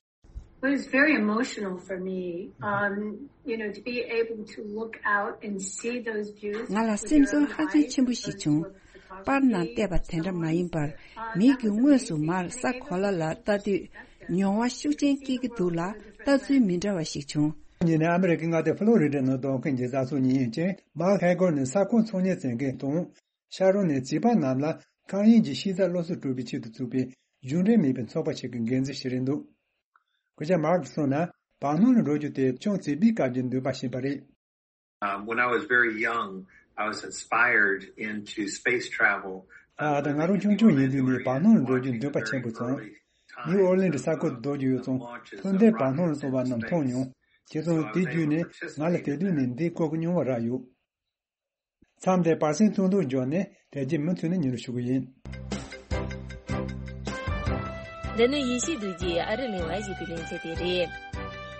It was very emotional for me, um, you know, to be able to look out and see those views. ང་ལ་སེམས་ཚོར་ཧ་ཅང་ཆེན་པོ་ཞིག་བྱུང་། པར་ནང་བལྟས་པ་དེ་འདྲ་མ་ཡིན་པར་མིག་གིས་དངོས་སུ་མར་ས་གོ་ལ་ལ་ལྟ་དུས་མྱོང་བ་ཤུགས་ཆེན་སྐྱེ་གི་འདུག་ལ་ལྟ་ཚུལ་མི་འདྲ་བ་ཞིག་བྱུང་། ཉིན་ནས་ཨ་མི་རི་ཀའི་མངའ་སྡེ་ཕ་ལོ་རི་ཌ་ནང་བསྡད་མཁན་གྱི་བཟའ་ཚང་གཉིས་ཡིན་ཅིང་། མཱག་ཧེ་གོར་ནི་ས་ཁོངས་ཚོང་གཉེར་བྱེད་མཁན་དང་། ཤ་རོན་ནི་བྱིས་པ་རྣམས་ལ་ཁང་དབྱིངས་ཀྱི་ཤེས་ཚད་སློབ་གསོ་སྤྲོད་པའི་ཆེད་དུ་བཙུགས་པའི་གཞུང་འབྲེལ་མིན་པའི་ཚོགས་པ་ཞིག་གི་འགན་འཛིན་ཞིག་རེད་འདུག་སྐུ་ཞབས་མཱག་གིས་གསུངས་ན། བར་སྣང་ལ་འགྲོ་རྒྱུ་དེ་ཅུང་བྱིས་པའི་སྐབས་ཀྱི་འདུན་པ་ཞིག་ཡིན་པ་རེད། Um, when I was very young, I was inspired into space travel. ད་ང་རང་ཆུང་ཆུང་ཡིན་དུས་ནས་བར་སྣང་ལ་འགྲོ་རྒྱུའི་འདུན་པ་ཆེན་པོ་བྱུང་། ནིའུ་ཨོར་ལིན་གྱི་ས་ཁུལ་དུ་སྡོད་ཀྱི་ཡོད་ཙང་། ཐུན་ཏེ་བར་སྣང་ལ་སོང་བ་རྣམས་མཐོང་མྱོང་། བྱས་ཙང་དེ་བརྒྱུད་ནས་ང་ལ་དེ་དུས་ནས་འདི་སྐོར་གྱི་མྱོང་བ་རག་ཡོད། མཚམས་འདིར་བར་གསེང་ཐུང་ཐུང་འབྱོར་ནས་དེ་རྗེས་མུ་མཐུད་ནས་ཉན་རོགས་ཞུ་གི་ཡིན། འདི་ནི་ཡེ་ཤེས་རྡོ་རྗེས་ཨ་རི་གླེང་བ་ཞེས་པའི་ལེ་ཚན་དེ་རེད།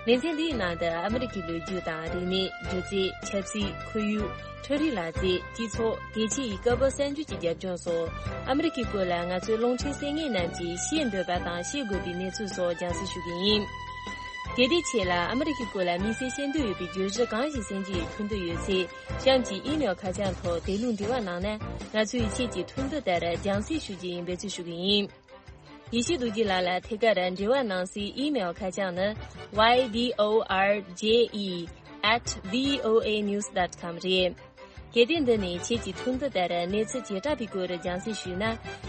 ལེ་ཚན་འདིའི་ནང་དུ་ཨ་མི་རི་ཀའི་ལོ་རྒྱུས་དང་རིག་གནས། སྒྱུ་རྩལ། ཆབ་སྲིད། ཁོར་ཡུག་འཕྲུལ་རིག་ལག་རྩལ། སྤྱི་ཚོགས། རྒྱལ་སྤྱི་ཡི་སྐབས་བབ་གསར་འགྱུར་གྱི་རྒྱབ་ལྗོངས་སོགས། ཨ་མི་རི་ཀའི་སྐོར་ལ་ང་ཚོའི་རླུང་འཕྲིན་གསན་མཁན་རྣམས་ཀྱིས་ཤེས་འདོད་པ་དང་ཤེས་དགོས་པའི་གནས་ཚུལ་སོགས་རྒྱང་སྲིང་ཞུ་གི་ཡིན། གལ་ཏེ་ཁྱེད་ལ་ཨ་མི་རི་ཀའི་སྐོར་ལ་དམིགས་བསལ་ཤེས་འདོད་ཡོད་པའི་བརྗོད་གཞི་གང་ཞིག་གསན་རྒྱུ་ཡི་འཕྲོ་འདོད་ཡོད་ཚེ། གཤམ་གྱི་ཨི་མེལ་ཁ་བྱང་ཐོག་དེ་ལུགས་འབྲེལ་བ་གནང་ན། ང་ཚོས་ཁྱེད་ཀྱི་འཕྲོ་འདོད་ལྟར་རྒྱང་སྲིང་ཞུ་རྒྱུ་ཡིན་པའི་ཚུལ་ཞུ་གི་ཡིན། ཡེ་ཤེས་རྡོ་རྗེ་ལགས་ལ་ཐད་ཀར་འབྲེལ་བ་གནང་སའི་ཨི་མེལ་ཁ་བྱང་ནི། ཡ་ཌི་ཨོ་ཨར་ཇེ་ཨི་ཨེཊ་བྷི་ཨོ་ཨེ་ནིའུ་སི་ཌོཊ་ཀོམ་རེད། གལ་ཏེ་འདི་ནས་ཁྱེད་ཀྱི་འཕྲོ་འདོད་ལྟར་གནས་ཚུལ་བྱེ་བྲག་པའི་སྐོར་རྒྱང་སྲིང་ཞུས་ན།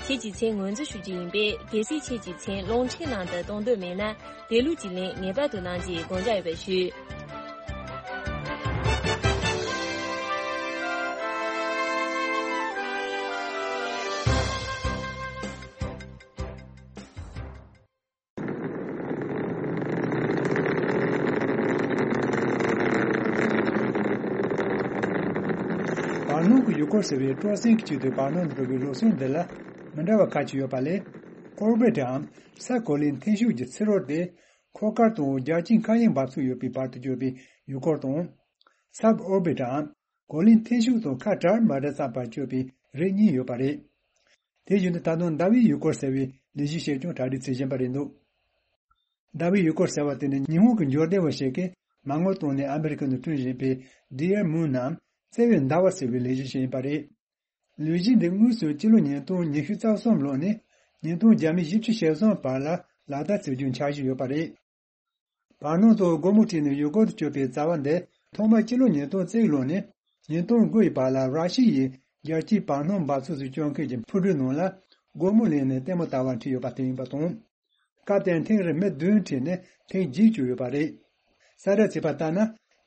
ཁྱེད་ཀྱི་མཚན་ངོས་འཛིན་ཞུ་རྒྱུ་ཡིན་པས། གལ་སྲིད་ཁྱེད་ཀྱི་མཚན་རླུང་འཕྲིན་ནང་དུ་གཏོང་འདོད་མེད་ན། དེ་ལུགས་ཀྱི་ལན་ངེས་པར་དུ་གནང་རྒྱུའི་དགོངས་འཇགས་ཡོད་པ་ཞུ། བར་སྣང་གི་ཡུལ་སྐོར་ཟེར་བའི་སྤྲོ་གསེང་གི་ཆེད་དུ་བར་སྣང་དུ་འགྲོ་བའི་ལུགས་སྲོལ་འདི་ལ་མི་འདྲ་བ་ཁ་ཅིག་ཡོད་པ་ལས། ཨོར་བྷིཊ་འམ་ས་གོ་ལའི་འཐེན་ཤུགས་ཀྱི་ཚུར་རོལ་ཏེ། འཁོར་སྐར་དང་རྒྱལ་སྤྱིའི་མཁའ་དབྱིངས་འབབ་ཚུགས་ཡོད་པའི་བར་དུ་གྱུར་པའི་ཡུལ་སྐོར་དང་། སབ་ཨོར་བྷིཊ་འམ་གོ་ལའི་འཐེན་ཤུགས་དང་ཁ་བྲལ་མ་བྲལ་ཙམ་བར་གྱུར་པའི་རིགས་གཉིས་ཡོད་པ་རེད། དེ་བཞིན་དུ་ད་དུང་ཟླ་བའི་ཡུལ་སྐོར་ཟེར་བའི་ལས་གཞི་ཞིག་ཀྱང་གྲ་སྒྲིག་བྱེད་བཞིན་པ་རེད་འདུག་ཟླ་བའི་ཡུལ་སྐོར་ཟེར་བ་དེ་ནི་ཉི་ཧོང་གི་འབྱོར་ལྡན་པ་ཞིག་གིས་མ་དངུལ་བཏོན་ནས་ཨ་མི་རི་ཀ་ནང་བསྐྲུན་བཞིན་པའི་Dear Moon ནམ་བརྩེ་བའི་ཟླ་བ་ཟེར་བའི་ལས་གཞི་ཞིག་ཡིན་པ་རེད། ལས་གཞི་འདི་དངོས་སུ་སྤྱི་ལོ་ཉིས་སྟོང་ཉི་ཤུ་རྩ་གསུམ་ལོ་ནས་ཉིས་སྟོང་བརྒྱ་མེད་བཞི་བཅུ་ཞེ་གསུམ་བར་ལ་ལག་བསྟར་བྱེད་རྒྱུའི་འཆར་གཞི་ཡོད་པ་རེད། བར་སྣང་དུ་སྒོར་མོ་བྲིས་ནས་ཡུལ་སྐོར་དུ་བསྐྱོད་པའི་རྩ་བ་འདི་ཐོག་མར་སྤྱི་ལོ་ཉིས་སྟོང་རྩ་གཅིག་ལོ་ནས་ཉིས་སྟོང་དགུ་ཡི་བར་ལ་ར་ཤི་ཡའི་རྒྱལ་སྤྱིའི་བར་སྣང་འབབ་ཚུགས་སུ་བསྐྱོད་མཁན་གྱི་འཕུར་གྲུའི་ནང་ལ་སྒོར་མོ་ལེན་ནས་ལྟད་མོ་ལྟ་བར་ཁྲིད་ཡོད་པ་དེ་ཡིན་པ་དང་། སྐབས་དེར་ཐེངས་རེར་མི་བདུན་ཁྲིད་ནས་ཐེངས་བརྒྱད་བསྐྱོད་ཡོད་པ་རེད། གསལ་བསྒྲགས་བྱས་པ་ལྟར་ན།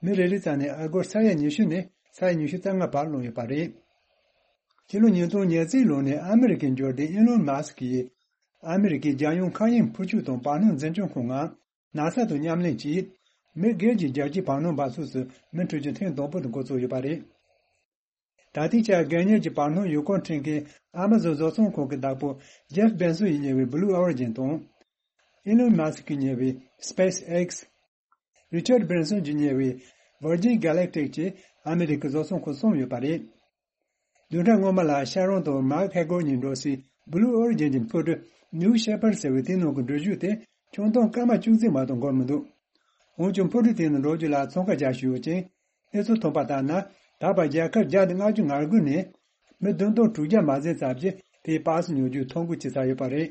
མི་རེ་རེའི་རྩ་ནས་ཨ་སྒོར་ས་ཡ་ཉི་ཤུ་ནས་ས་ཡ་ཉི་ཤུ་རྩ་ལྔ་བར་ལོངས་ཡོད་པ་རེད། སྤྱི་ལོ་ཉིས་སྟོང་ཉེར་གཅིག་ལོ་ནས་ཨ་མི་རི་ཀའི་འབྱོར་ལྡན་ཨི་ལོན་མཱ་སི་ཀི་ཡིས། ཨ་མི་རི་ཀའི་རྒྱལ་ཡོངས་མཁའ་དབྱིངས་འཕུར་སྐྱོད་དང་བར་སྣང་འཛིན་སྐྱོང་ཁང་ནང་། ནཱ་ས་དང་མཉམ་ལེན་གྱིས། མི་སྒེར་གྱི་རྒྱལ་སྤྱིའི་བར་སྣང་འབབ་ཚུགས་སུ་མི་འཕྲོད་རྒྱུ་ཐེངས་དང་པོ་དེ་འགོ་བཙུགས་ཡོད་པ་རེད། ད་ལྟའི་ཆར་སྒེར་གཉེར་གྱི་བར་སྣང་ཡུལ་སྐོར་འཁྲིད་མཁན་ཨ་མ་ཟོན་བཟོ་ཚོང་ཁང་གི་བདག་པོ་ཇེབ་བེ་སོ་ཡིས་གཉེར་བའི་Blue Origin དང་། ཨི་ལོན་མཱ་སི་ཀིས་གཉེར་བའི་SpaceX། རི་ཆར་བྷེན་སོན་གྱིས་གཉེར་བའི་Virgin Galactic བཅས་ཨ་མི་རི་ཀའི་བཟོ་ཚོང་ཁང་གསུམ་ཡོད་པ་རེད། བདུན་ཕྲག་སྔོན་མ་ལ་ཤ་རོན་དང་མཱག་ཧེ་གོར་གཉིས་འགྲོ་སའི་Blue Origin གྱི་འཕུར་གྲུ་New Shepard ཟེར་བའི་དེའི་ནང་གི་འགྲུལ་བཞུད་དེ་ཆུང་མཐོང་སྐར་མ་བཅུ་གཅིག་མ་གཏོགས་འགོར་མི་འདུག་འོན་ཀྱང་འཕུར་གྲུ་དེའི་ནང་འགྲོ་རྒྱུ་ལ་ཚོང་ཁང་རྒྱག་བཞིན་ཡོད་ཅིང་། གནས་ཚུལ་ཐོན་པ་ལྟར་ན། ད་བར་རྒྱལ་ཁབ་བརྒྱ་དང་ལྔ་བཅུ་ང་དགུ་ནས་མི་བདུན་སྟོང་དྲུག་བརྒྱ་མ་ཟིན་ཙམ་ཞིག་དེའི་པར་སུ་ཉོ་རྒྱུའི་ཐོ་འགོད་བྱས་ཚར་ཡོད་པ་རེད།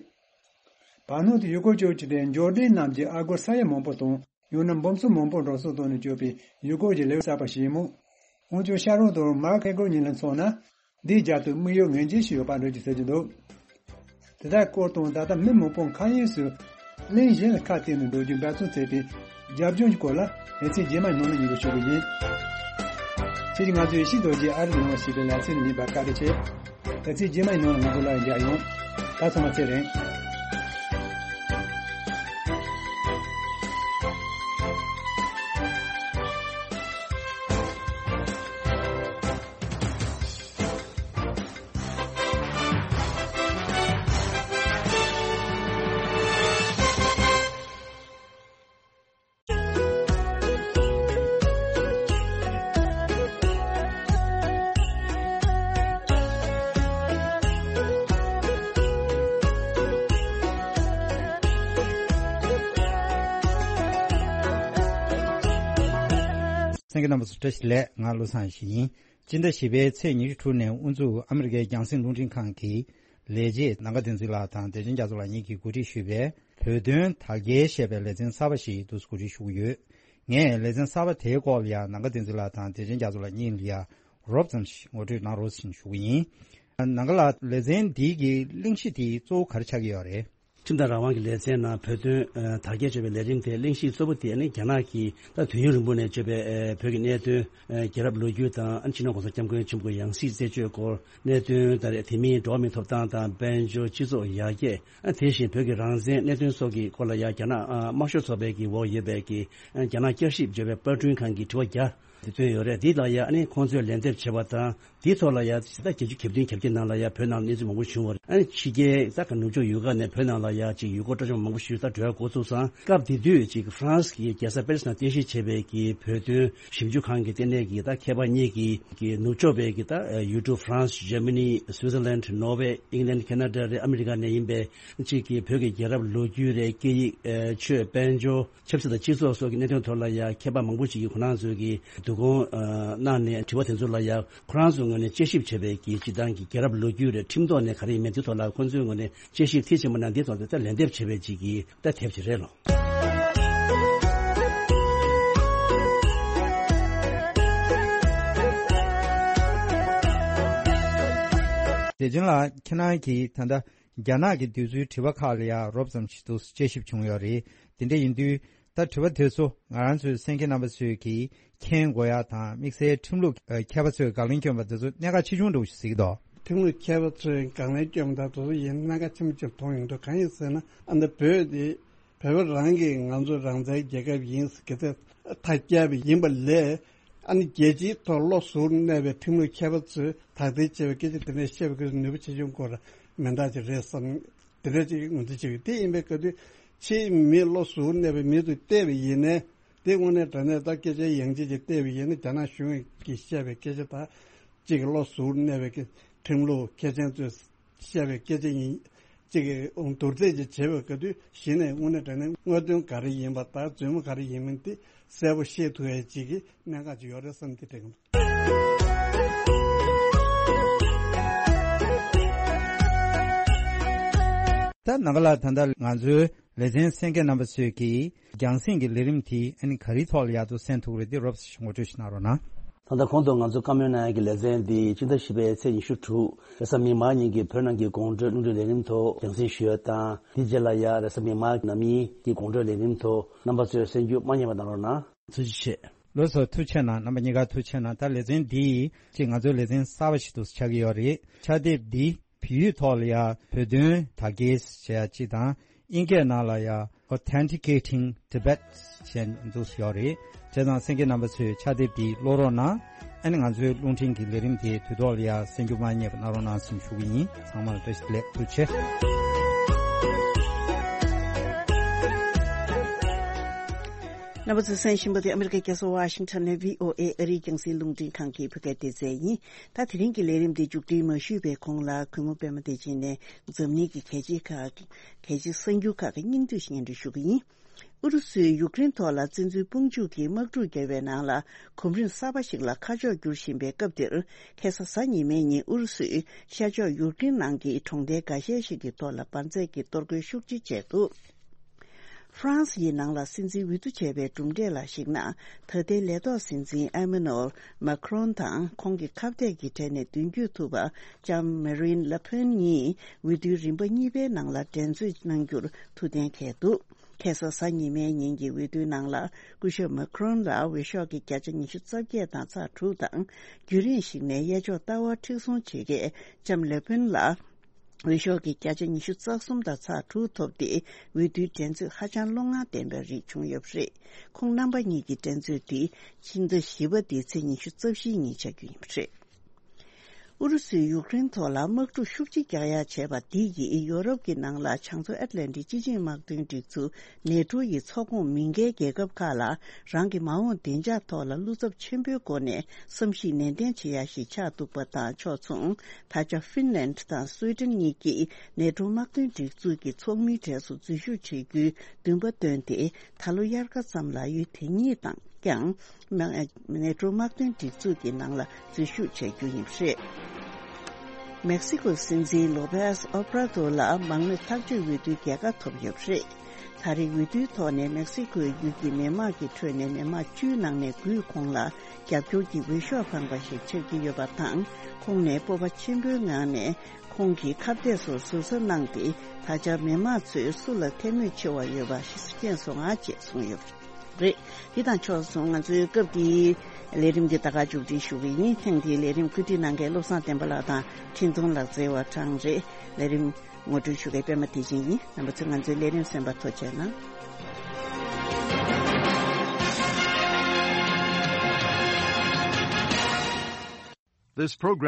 བར་སྣང་དུ་ཡུལ་སྐོར་སྤྱོད་རྒྱུ་དེ་འབྱོར་ལྡན་རྣམས་ཀྱིས་ཨ་སྒོར་ས་ཡ་མང་པོ་དང་། ཡང་ན་འབུམ་སོ་མང་པོ་འགྲོ་སོང་བཏང་ནས་སྤྱོད་པའི་ཡུལ་སྐོར་གྱི་ལེའུ་གསར་པ་ཞིག་ཡིན་མོད། འོན་ཀྱང་ཤ་རོན་དང་མཱག་ཧེ་གོར་གཉིས་ལ་མཚོན་ན། འདིའི་རྒྱབ་ཏུ་དམིགས་ཡུལ་ངེས་ཅན་ཞིག་ཡོད་པ་འདྲ་ཅིག་ཟེར་གྱི་འདུག་དེ་དག་སྐོར་དང་། ད་ལྟ་མི་མང་པོ་མཁའ་དབྱིངས་སུ་གླིང་གཞན་ལ་ཁ་གཏད་ནས་འགྲོ་རྒྱུའི་འབད་བརྩོན་བྱེད་པའི་རྒྱབ་ལྗོངས་ཀྱི་སྐོར་ལ་ལེ་ཚན་རྗེས་མའི་ནང་ལ་ཉན་རོགས་ཞུ་གི་ཡིན། ཁྱེད་ཀྱིས་ང་ཚོའི་ཡེ་ཤེས་རྡོ་རྗེ་ཨ་རི་ནང་ཞེས་པའི་ལེ་ཚན་ཉན་པར་བཀའ་དྲིན་ཆེ། ལེ་ཚན་རྗེས་མའི་ནང་ལ་ང་ཚོ་སླར་མཇལ་ཡོང་། ད་ཚང་མ་ཚེ་རིང་། གསན་མཁན་རྣམ་པ་ཚོ་བཀྲ་ཤིས་བདེ་ལེགས། ང་བློ་བཟང་ཡེ་ཤེས་ཡིན། སྤྱི་ཟླ་བཞི་པའི་ཚེས་ཉི་ཤུ་དྲུག་ནས་དབུ་འཛུགས་ཨ་མི་རི་ཀའི་རྒྱང་སྲིང་རླུང་འཕྲིན་ཁང་གི་ལས་བྱེད་ནམ་མཁའ་བསྟན་འཛིན་ལགས་དང་བདེ་ཆེན་རྒྱ་མཚོ་ལགས་གཉིས་ཀྱིས་གོ་སྒྲིག་ཞུས་པའི་བོད་དོན་དར་རྒྱས་ཞེས་པའི་ལེ་ཚན་གསར་པ་ཞིག་འདུག་སེ་གོ་སྒྲིག་ཞུ་གི་ཡོད། ངས་ལེ་ཚན་གསར་པ་དེའི་སྐོར་ལ་ཡང་ནམ་མཁའ་བསྟན་འཛིན་ལགས་དང་བདེ་ཆེན་རྒྱ་མཚོ་ལགས་གཉིས་ལ་ཡང་རོབ་ཙམ་ཞིག་ངོ་སྤྲོད་གནང་རོགས་ཞེས་ཞུ་གི་ཡིན། ནམ་མཁའ་ལགས། ལེ་ཚན་འདི་གི་གླེང་གཞི་དེ་གཙོ་བོ་ག་རེ་ཆགས་ཀྱི་ཡོད་རེད། ཁྲིམས་དང་རང་དབང་གི་ལེ་ཚན་ནང་བོད་དོན་ཨ་དར་རྒྱས་བྱུང་བའི་ལས་རིམ་དེ་གླེང་གཞི་གཙོ་བོ་དེ་ནི་རྒྱ་ནག་གིས་ད་དུས་ཡུན་རིང་པོ་ནས་བརྗོད་པའི་ཨ་བོད་ཀྱི་གནད་དོན། ཨ་རྒྱལ་རབས་ལོ་རྒྱུས་དང་ཨ་སྤྱི་ནོར་༸གོང་ས་༸སྐྱབས་མགོན་ཆེན་པོ་ཡང་སྲིད་རྩད་གཅོད་སྐོར་གནད་དོན་ད་རེས། དེ་མིན་འགྲོ་བ་མིའི་ཐོབ་ཐང་དང་དཔལ་འབྱོར་སྤྱི་ཚོགས་ཡར་རྒྱས། ཨ་དེ་བཞིན་བོད་ཀྱི་རང་བཙན་གནད་དོན་སོགས་ཀྱི་སྐོར་ལ་ཡང་རྒྱ་ནག་ཨ་དམར་ཤོག་ཚོགས་པའི་གི་འོག་ཡོད་པའི་གི་ཨ་རྒྱ་ནག་བསྐྱར་ཞིབ་བརྗོད་པའི་པར་སྐྲུན་ཁང་གིས་དྲི་བ་བརྒྱ་དེ་བཏོན་ཡོད་རེད། འདི་ལ་ཡང་ཨ་ནི་ཁོང་ཚོས་ལན་འདེབས་བྱས་པ་དང་། དེའི་ཐོག་ལ་ཡང་ད་བརྒྱད་ཅུ་གྱ་བདུན་གྱ་བརྒྱད་ནང་ལ་ཡང་བོད་ནང་གནས་ཚུལ་མང་པོ་བྱུང་བ་རེད། ཨ་ནི་ཕྱི་རྒྱལ་ས་ཁ་ནུབ་ཕྱོགས་ཡུལ་ཁག་ནས་བོད་ནང་ལ་ཡང་ཅིག་ཡུལ་སྐོར་སྤྲོ་འཆམ་མང་པོ་ཞིག་ད་འགྲོ་ཡ་འགོ་ཚུགས་སོང་། སྐབས་དེ་དུས་ཅིག་ཧྥ་རན་སི་གི་རྒྱལ་ས་པེ་རི་སི་ནང་རྟེན་གཞི་བྱས་པའི་གི་བོད་དོན་ཞིབ་འཇུག་ཁང་གི་ལྟེ་གནས་ཀྱི་ད་མཁས་པ་གཉིས་ཀྱིས་གི་ནུབ་ཕྱོགས་པའི་གི་ད་ཡུལ་གྲུ་ཧྥ་རན་སི། ཇར་མ་ནི། སུའི་ཛར་ལན། ནོར་ཝེ། ཨིང་ལན། ཁེ་ན་ཌ་རེད། ཨ་མི་རི་ཀ་ནས་ཡིན་པའི་ཅིག་གི་བོད་ཀྱི་རྒྱལ་རབས་ལོ་རྒྱུས་རེད། སྐད་ཡིག་ཨ་ཆོས། དཔལ་འབྱོར། ཆབ་སྲིད་དང་སྤྱི་ཚོགས་སོགས་ཀྱི་གནད་དོན་ཐོག་ལ་ཡང་མཁས་པ་མང་པོ་ཞིག་གིས་ཁོ་རང་ཚོའི་གི་བསྡུ་སྐོང་ཨ་གནང་ནས་དྲི་བ་དེ་ཚོ་ལ་ཡང་ཁོ་རང་ཚོའི་ངོས་ནས་དཔྱད་ཞིབ་བྱས་པའི་གི་སྤྱིར་བཏང་གི་རྒྱལ་རབས་ལོ་རྒྱུས་རེད། ཁྲིམས་ཐོག་ནས་ག་རེ་ཡིན་མིན་དེ་ཐོག་ལ་ཁོ་ཚོའི་ངོས་ནས་དཔྱད་ཞིབ་མཐིལ་ཕྱིན་པ་ན་འདི་ཐོག་ཏུ་ད་ལན་འདེབས་བྱས་པའི་ཅིག་གི་ད་དེབ་ཅིག་རེད་ལོ། བདེ་ཆེན་ལགས། ཁྱེད་རང་གིས་ད་ལྟ་རྒྱ་ནག་གི་འདོད་ཚུལ་དྲི་བ་ཁག་ལ་ཡང་རོབ་ཙམ་ཞིག་ཏུ་དཔྱད་ཞིབ་བྱུང་ཡོད་རེད། དེ་འདྲ་ཡིན་དུས་ད་དྲི་བ་དེ་ཚོ་ང་རང་ཚོའི་གསན་མཁན་རྣམ་པ་ཚོས་ཀྱིས་མཁྱེན་དགོས་ཡ་དང་། དམིགས་བསལ་ཁྲིམས་ལུགས་མཁས་པ་ཚོས་དགག་ལན་བསྐྱོན་པ་དེ་ཚོ་གནད་འགག་ཆེ་ཆུང་འདྲ་བོ་ཞིག་གཟིགས་འདུག་ཁྲིམས་ལུགས་མཁས་པ་ཚོས་དགག་ལན་བསྐྱོན་པ་དང་དེ་ཚོ་ཡིན་གནད་འགག་ཆེན་པོ་ཅིག་མཐོང་ཡོང་འདུག་གང་ཡིན་ཟེར་ན། ཨ་ནི་བོད་དེ་བོད་པ་རང་གིས་ང་ཚོ་རང་བཙན་རྒྱལ་ཁབ་ཡིན་ཟེར་གི་ཚད་ཐག་བཅད་པ་ཡིན་པ་ལས། ཨ་ནི་རྒྱལ་སྤྱིའི་ཐོག་བློ་གཟུར་གནས་པའི་ཁྲིམས་ལུགས་མཁས་པ་ཚོས་དག་ཐེར་བྱས་པའི་སྐད་ཆ་དེ་འདྲ་བཤད་པའི་སྐད་ཆ་ནུས་པ་ཆེ་ཆུང་སྐོར་མི་འདྲ་ཅིག་རེད་བསམ། དེ་འདྲ་ཅིག་ངོས་འཛིན་བྱེད་ཀྱི། དེ་ཡིན་པའི་སྐབས་དུས་ཕྱིའི་མི་བློ་གཟུར་གནས་པའི་མི་ཚོས་བལྟས་པ་ཡིན་ནའི། དེ་དངོས་གནས་དྲང་གནས་ད་སྐད་ཆ་ཡང་ཅིག་ཅིག་བལྟས་པ་ཡིན་ན། རྒྱ་ནག་གཞུང་གིས་བཤད་པའི་སྐད་ཆ་དང་། གཅིག་གི་བློ་གཟུར་གནས་པའི་ཁྲིམས་ལུགས་མཁས་ཅན་ཚོས་བཤད་པའི་སྐད་ཆ་ཡིན། གཅིག་གི་བསྡུར་ཚད་ཅིག་བྱེད་པའི་སྐབས་དུས་གཞི་ནས་དངོས་གནས་དྲང་གནས་དངོས་དོན་ག་རེ་ཡིན་པ་དང་རྫུན་མ་ག་རེ་ཡིན་མིན་དེ་གསལ་པོ་ཤེས་ཐུབ་ཡ་གཅིག་གི་གནད་འགག་ཅིག་ཡོད་རེད་བསམ། དེ་དྲན་གྱི་འདུག་ད་ནམ་མཁའ་ལགས། ད་ལྟ་ང་ཚོའི་ལེ་ཚན་གསན་མཁན་རྣམ་པ་ཚོས་ཀྱིས་རྒྱང་སྲིང་གི་ལས་རིམ་དེ་ཨ་ནི་ག་རེའི་ཐོག་ལ་ཡག་ཏུ་གསན་ཐུབ་རེད། དེ་རོབ་ཙམ་ཞིག་ངོ་སྤྲོད་ཞིག་གནང་རོགས་གནང་། ད་ལྟ་གོང་དུ་ང་ཚོ་བཀའ་མོལ་གནང་ཡག་གི་ལེ་ཚན་འདི་སྤྱི་ཟླ་བཞི་པའི་ཚེས་ཉི་ཤུ་དྲུག་རེས་གཟའ་མིག་དམར་ཉིན་གྱི་བོད་ནང་གི་དགོང་དྲོའི་རླུང་འཕྲིན་ལས་རིམ་ཐོག་རྒྱང་སྲིང་ཞུ་ཡག་དང་། དེའི་རྗེས་ལ་ཡང་རེས་གཟའ་མིག་དམར་ནམ་ཉིན་གྱི་དགོང་དྲོའི་ལས་རིམ་ཐོག་རྣམ་པ་ཚོས་གསན་རྒྱུ་མ་བསྙེལ་བ་གནང་རོགས་གནང་། ཐུགས་རྗེ་ཆེ། ལགས་སོ། ཐུགས་རྗེ་གནང་། རྣམ་པ་གཉིས་ཀར་ཐུགས་རྗེ་གནང་། ད་ལེ་ཚན་འདི་ཅིག་ང་ཚོའི་ལེ་ཚན་གསར་པ་ཞིག་ཏུ་ཆགས་ཀྱི་ཡོད་རེད། ཕྱག་དེབ་འདི་བོད་ཡིག་ཐོག་ལ་ཡང་བོད་དོན་དར་རྒྱས་ཟེར་ཡ་གཅིག་དང་། ཨིན་སྐད་ནང་ལ་ཡང་Authenticating Tibet ཞེས་འདུག་ཡོད་རེད། བྱས་ཙང་གསན་མཁན་རྣམ་པ་ཚོས་ཕྱག་དེབ་འདི་ཀློག་རོགས་གནང་། ཨ་ནི་ང་ཚོའི་རླུང་འཕྲིན་གྱི་ལས་རིམ་དེ་དུས་ཐོག་ལ་ཡང་གསན་རྒྱུ་མ་བསྙེལ་བ་གནང་རོགས་གནང་ཞེས་ཞུ་གི་ཡིན། ཚང་མར་བཀྲ་ཤིས་བདེ་ལེགས། ཐུགས་རྗེ་ཆེ། རྣམ་པ་ཚོས་གསན་བཞིན་པ་དེ་ཨ་མི་རི་ཀའི་རྒྱལ་ས་ཝ་ཤིང་ཊོན་ནས་བྷི་ཨོ་ཨེ་ཨ་རིའི་རྒྱང་སྲིང་རླུང་འཕྲིན་ཁང་གི་བོད་སྐད་སྡེ་ཚན་ཡིན། ད་དེ་རིང་གི་ལས་རིམ་འདི་མཇུག་སྒྲིལ་མ་ཞུས་པའི་གོང་ལ་གུས་མོ་པད་མ་བདེ་ཆེན་ནས་འཛམ་གླིང་གི་གལ་ཆེའི་ཁག་གལ་ཆེའི་གསར་འགྱུར་ཁག་གི་སྙིང་བསྡུས་ཤིག་སྙན་སྒྲོན་ཞུ་གི་ཡིན། ཨུ་རུ་སུས་ཡུཀ་རེན་ཐོག་ལ་བཙན་འཛུལ་དཔུང་འཇུག་གིས་དམག་འཁྲུག་བརྒྱབ་པའི་ནང་ལ་གོམ་རིམ་གསར་པ་ཞིག་ལ་ཁ་ཕྱོགས་བསྒྱུར་བཞིན་པའི་སྐབས་འདིར། ཁ་སང་གཟའ་ཉི་མའི་ཉིན་ཨུ་རུ་སུས་ཤར་ཕྱོགས་ཡུཀ་རེན་ནང་གི་གྲོང་རྡལ་འགའ་ཤས་ཤིག་གི་ཐོག་ལ་འབར་རྫས་ཀྱི་གཏོར་རྒོལ་ཤུགས་ཆེ་བྱས་འདུག་ཧྥ་རན་སི་ཡི་ནང་ལ་སྲིད་འཛིན་འོས་བསྡུ་བྱས་པའི་གྲུབ་འབྲས་ལ་གཞིགས་ན། ད་ལྟའི་ལས་ཐོག་སྲིད་འཛིན་ཨེ་མ་ནུ་ཨེལ་མཱ་ཁི་རོན་དང་ཁོང་གི་ཁ་གཏད་ཀྱི་གྲས་ནས་མདུན་སྐྱོད་ཐུབ་པ་ལྕམ་མེ་རིན་ལེ་ཕེན་གཉིས་འོས་བསྡུའི་རིམ་པ་གཉིས་པའི་ནང་ལ་འགྲན་རྩོད་གནང་རྒྱུར་ཐུགས་གཏན་འཁེལ་འདུག་ཁ་སང་གཟའ་ཉི་མའི་ཉིན་གྱི་འོས་བསྡུའི་ནང་ལ་སྐུ་ཞབས་མཱ་ཁི་རོན་ལ་འོས་ཤོག་གི་བརྒྱ་ཆ་ཉི་ཤུ་རྩ་བརྒྱད་དང་ཚེག་དྲུག་དང་། རྒྱུན་རིང་ཞིག་ནས་གཡས་ཕྱོགས་ལྟ་བ་མཁྲེགས་བཟུང་བྱེད་མཁན་ལྕམ་ལེ་ཕེན་ལ་འོས་ཤོག་གི་བརྒྱ་ཆ་ཉི་ཤུ་རྩ་གསུམ་དང་ཚེག་དྲུག་ཐོབ་སྟེ། འོས་བསྡུའི་འགྲན་རྩོད་ཧ་ཅང་བློ་ངར་ལྡན་པའི་རིགས་བྱུང་ཡོད་པ་རེད། ཁོང་རྣམ་པ་གཉིས་ཀྱི་འགྲན་རྩོད་འདི་ཕྱི་ཟླ་བཞི་པ་འདིའི་ཚེས་ཉི་ཤུ་རྩ་བཞིའི་ཉིན་ཆགས་རྒྱུ་ཡིན་པ་རེད། ཨུ་རུ་སུས་ཡུཀ་རེན་ཐོག་ལ་དམག་འཁྲུག་ཤུགས་ཆེ་རྒྱག་ཡ་བྱས་པ་འདི་ཡིས་ཡོ་རོབ་ཀྱི་ནང་ལ་བྱང་མཚོ་ཨེཊ་ལན་ཊིག་སྤྱི་ཆིངས་དམག་དོན་སྒྲིག་འཛུགས་ནེ་ཊོ་ཡི་ཚོགས་ཁོངས་མིན་པའི་རྒྱལ་ཁབ་ཁག་ལ་རང་གི་མ་འོངས་བདེ་འཇགས་ཐོག་ལ་བློ་འཚབ་ཆེན་པོའི་སྒོ་ནས་བསམ་གཞིག་ནན་ཏན་བྱེད་ཡ་ཞིག་ཆགས་འདུག་པ་དང་ཕྱོགས་མཚུངས། ད་ཆ་ཧྥིན་ལན་དང་སུའེ་ཏན་གཉིས་ཀྱིས་ནེ་ཊོ་དམག་དོན་སྒྲིག་འཛུགས་ཀྱི་ཚོགས་མིའི་གྲས་སུ་འཛུལ་ཞུགས་བྱེད་རྒྱུའི་འདུན་པ་བཏོན་ཏེ། ད་ལོ་དབྱར་ཁ་ཙམ་ལ་ཡུལ་དེ་གཉིས་དང་ཀྱང་ནེ་ཊོ་དམག་དོན་སྒྲིག་འཛུགས་ཀྱི་ནང་ལ་འཛུལ་ཞུགས་བྱ་རྒྱུ་ཡིན་པ་རེད། མེག་སི་ཀོའི་སྲིད་འཛིན་ལོ་པེས་ཨོ་བྷ་ར་དོ་ལ་མང་མོས་ཐག་གཅོད་འོས་བསྡུའི་རྒྱལ་ཁ་ཐོབ་ཡོད་པ་རེད། ད་རེས་འོས་བསྡུའི་ཐོག་ནས་མེག་སི་ཀོའི་ཡུལ་གྱི་མི་མང་གི་ཁྲོད་ནས་མི་མང་བཅུའི་ནང་ནས་དགུས་ཁོང་ལ་རྒྱབ་སྐྱོར་གྱི་འོས་ཤོག་འཕངས་པ་ཞིག་ཆགས་ཀྱི་ཡོད་པ་དང་། ཁོང་ནས་སྤོབས་པ་ཆེན་པོའི་ངང་ནས་ཁོང་གི་ཁ་གཏད་སོགས་ཟུར་ཟ་གནང་སྟེ། ད་ཆ་མི་མང་ཚོས་སུ་ལ་ཐལ་མོ་ཆེ་བ་ཡོད་པ་ཞིག་སྐྱེས་སོང་ང་ཅེས་གསུངས་ཡོད་པ་རེད། འདི་དང་ཕྱོགས་མཚུངས་ང་ཚོའི་སྐབས་འདིའི་ལས་རིམ་འདི་ད་ག་མཇུག་སྒྲིལ་ཞུ་གི་ཡིན། ཐེངས་འདིའི་ལས་རིམ་བཀོད་སྒྲིག་གནང་མཁན་བློ་བཟང་བསྟན་པ་ལགས་དང་འཕྲིན་གཏོང་ལག་རྩལ་བ་གྲངས་རེད། ལས་རིམ་ངོ་སྤྲོད་ཞུ་མཁན་པད་མ་བདེ་ཆེན་ཡིན། རྣམ་པ་ཚོས་ང་ཚོའི་ལས་རིམ་གསན་པར་ཐུགས་རྗེ་གནང་། This program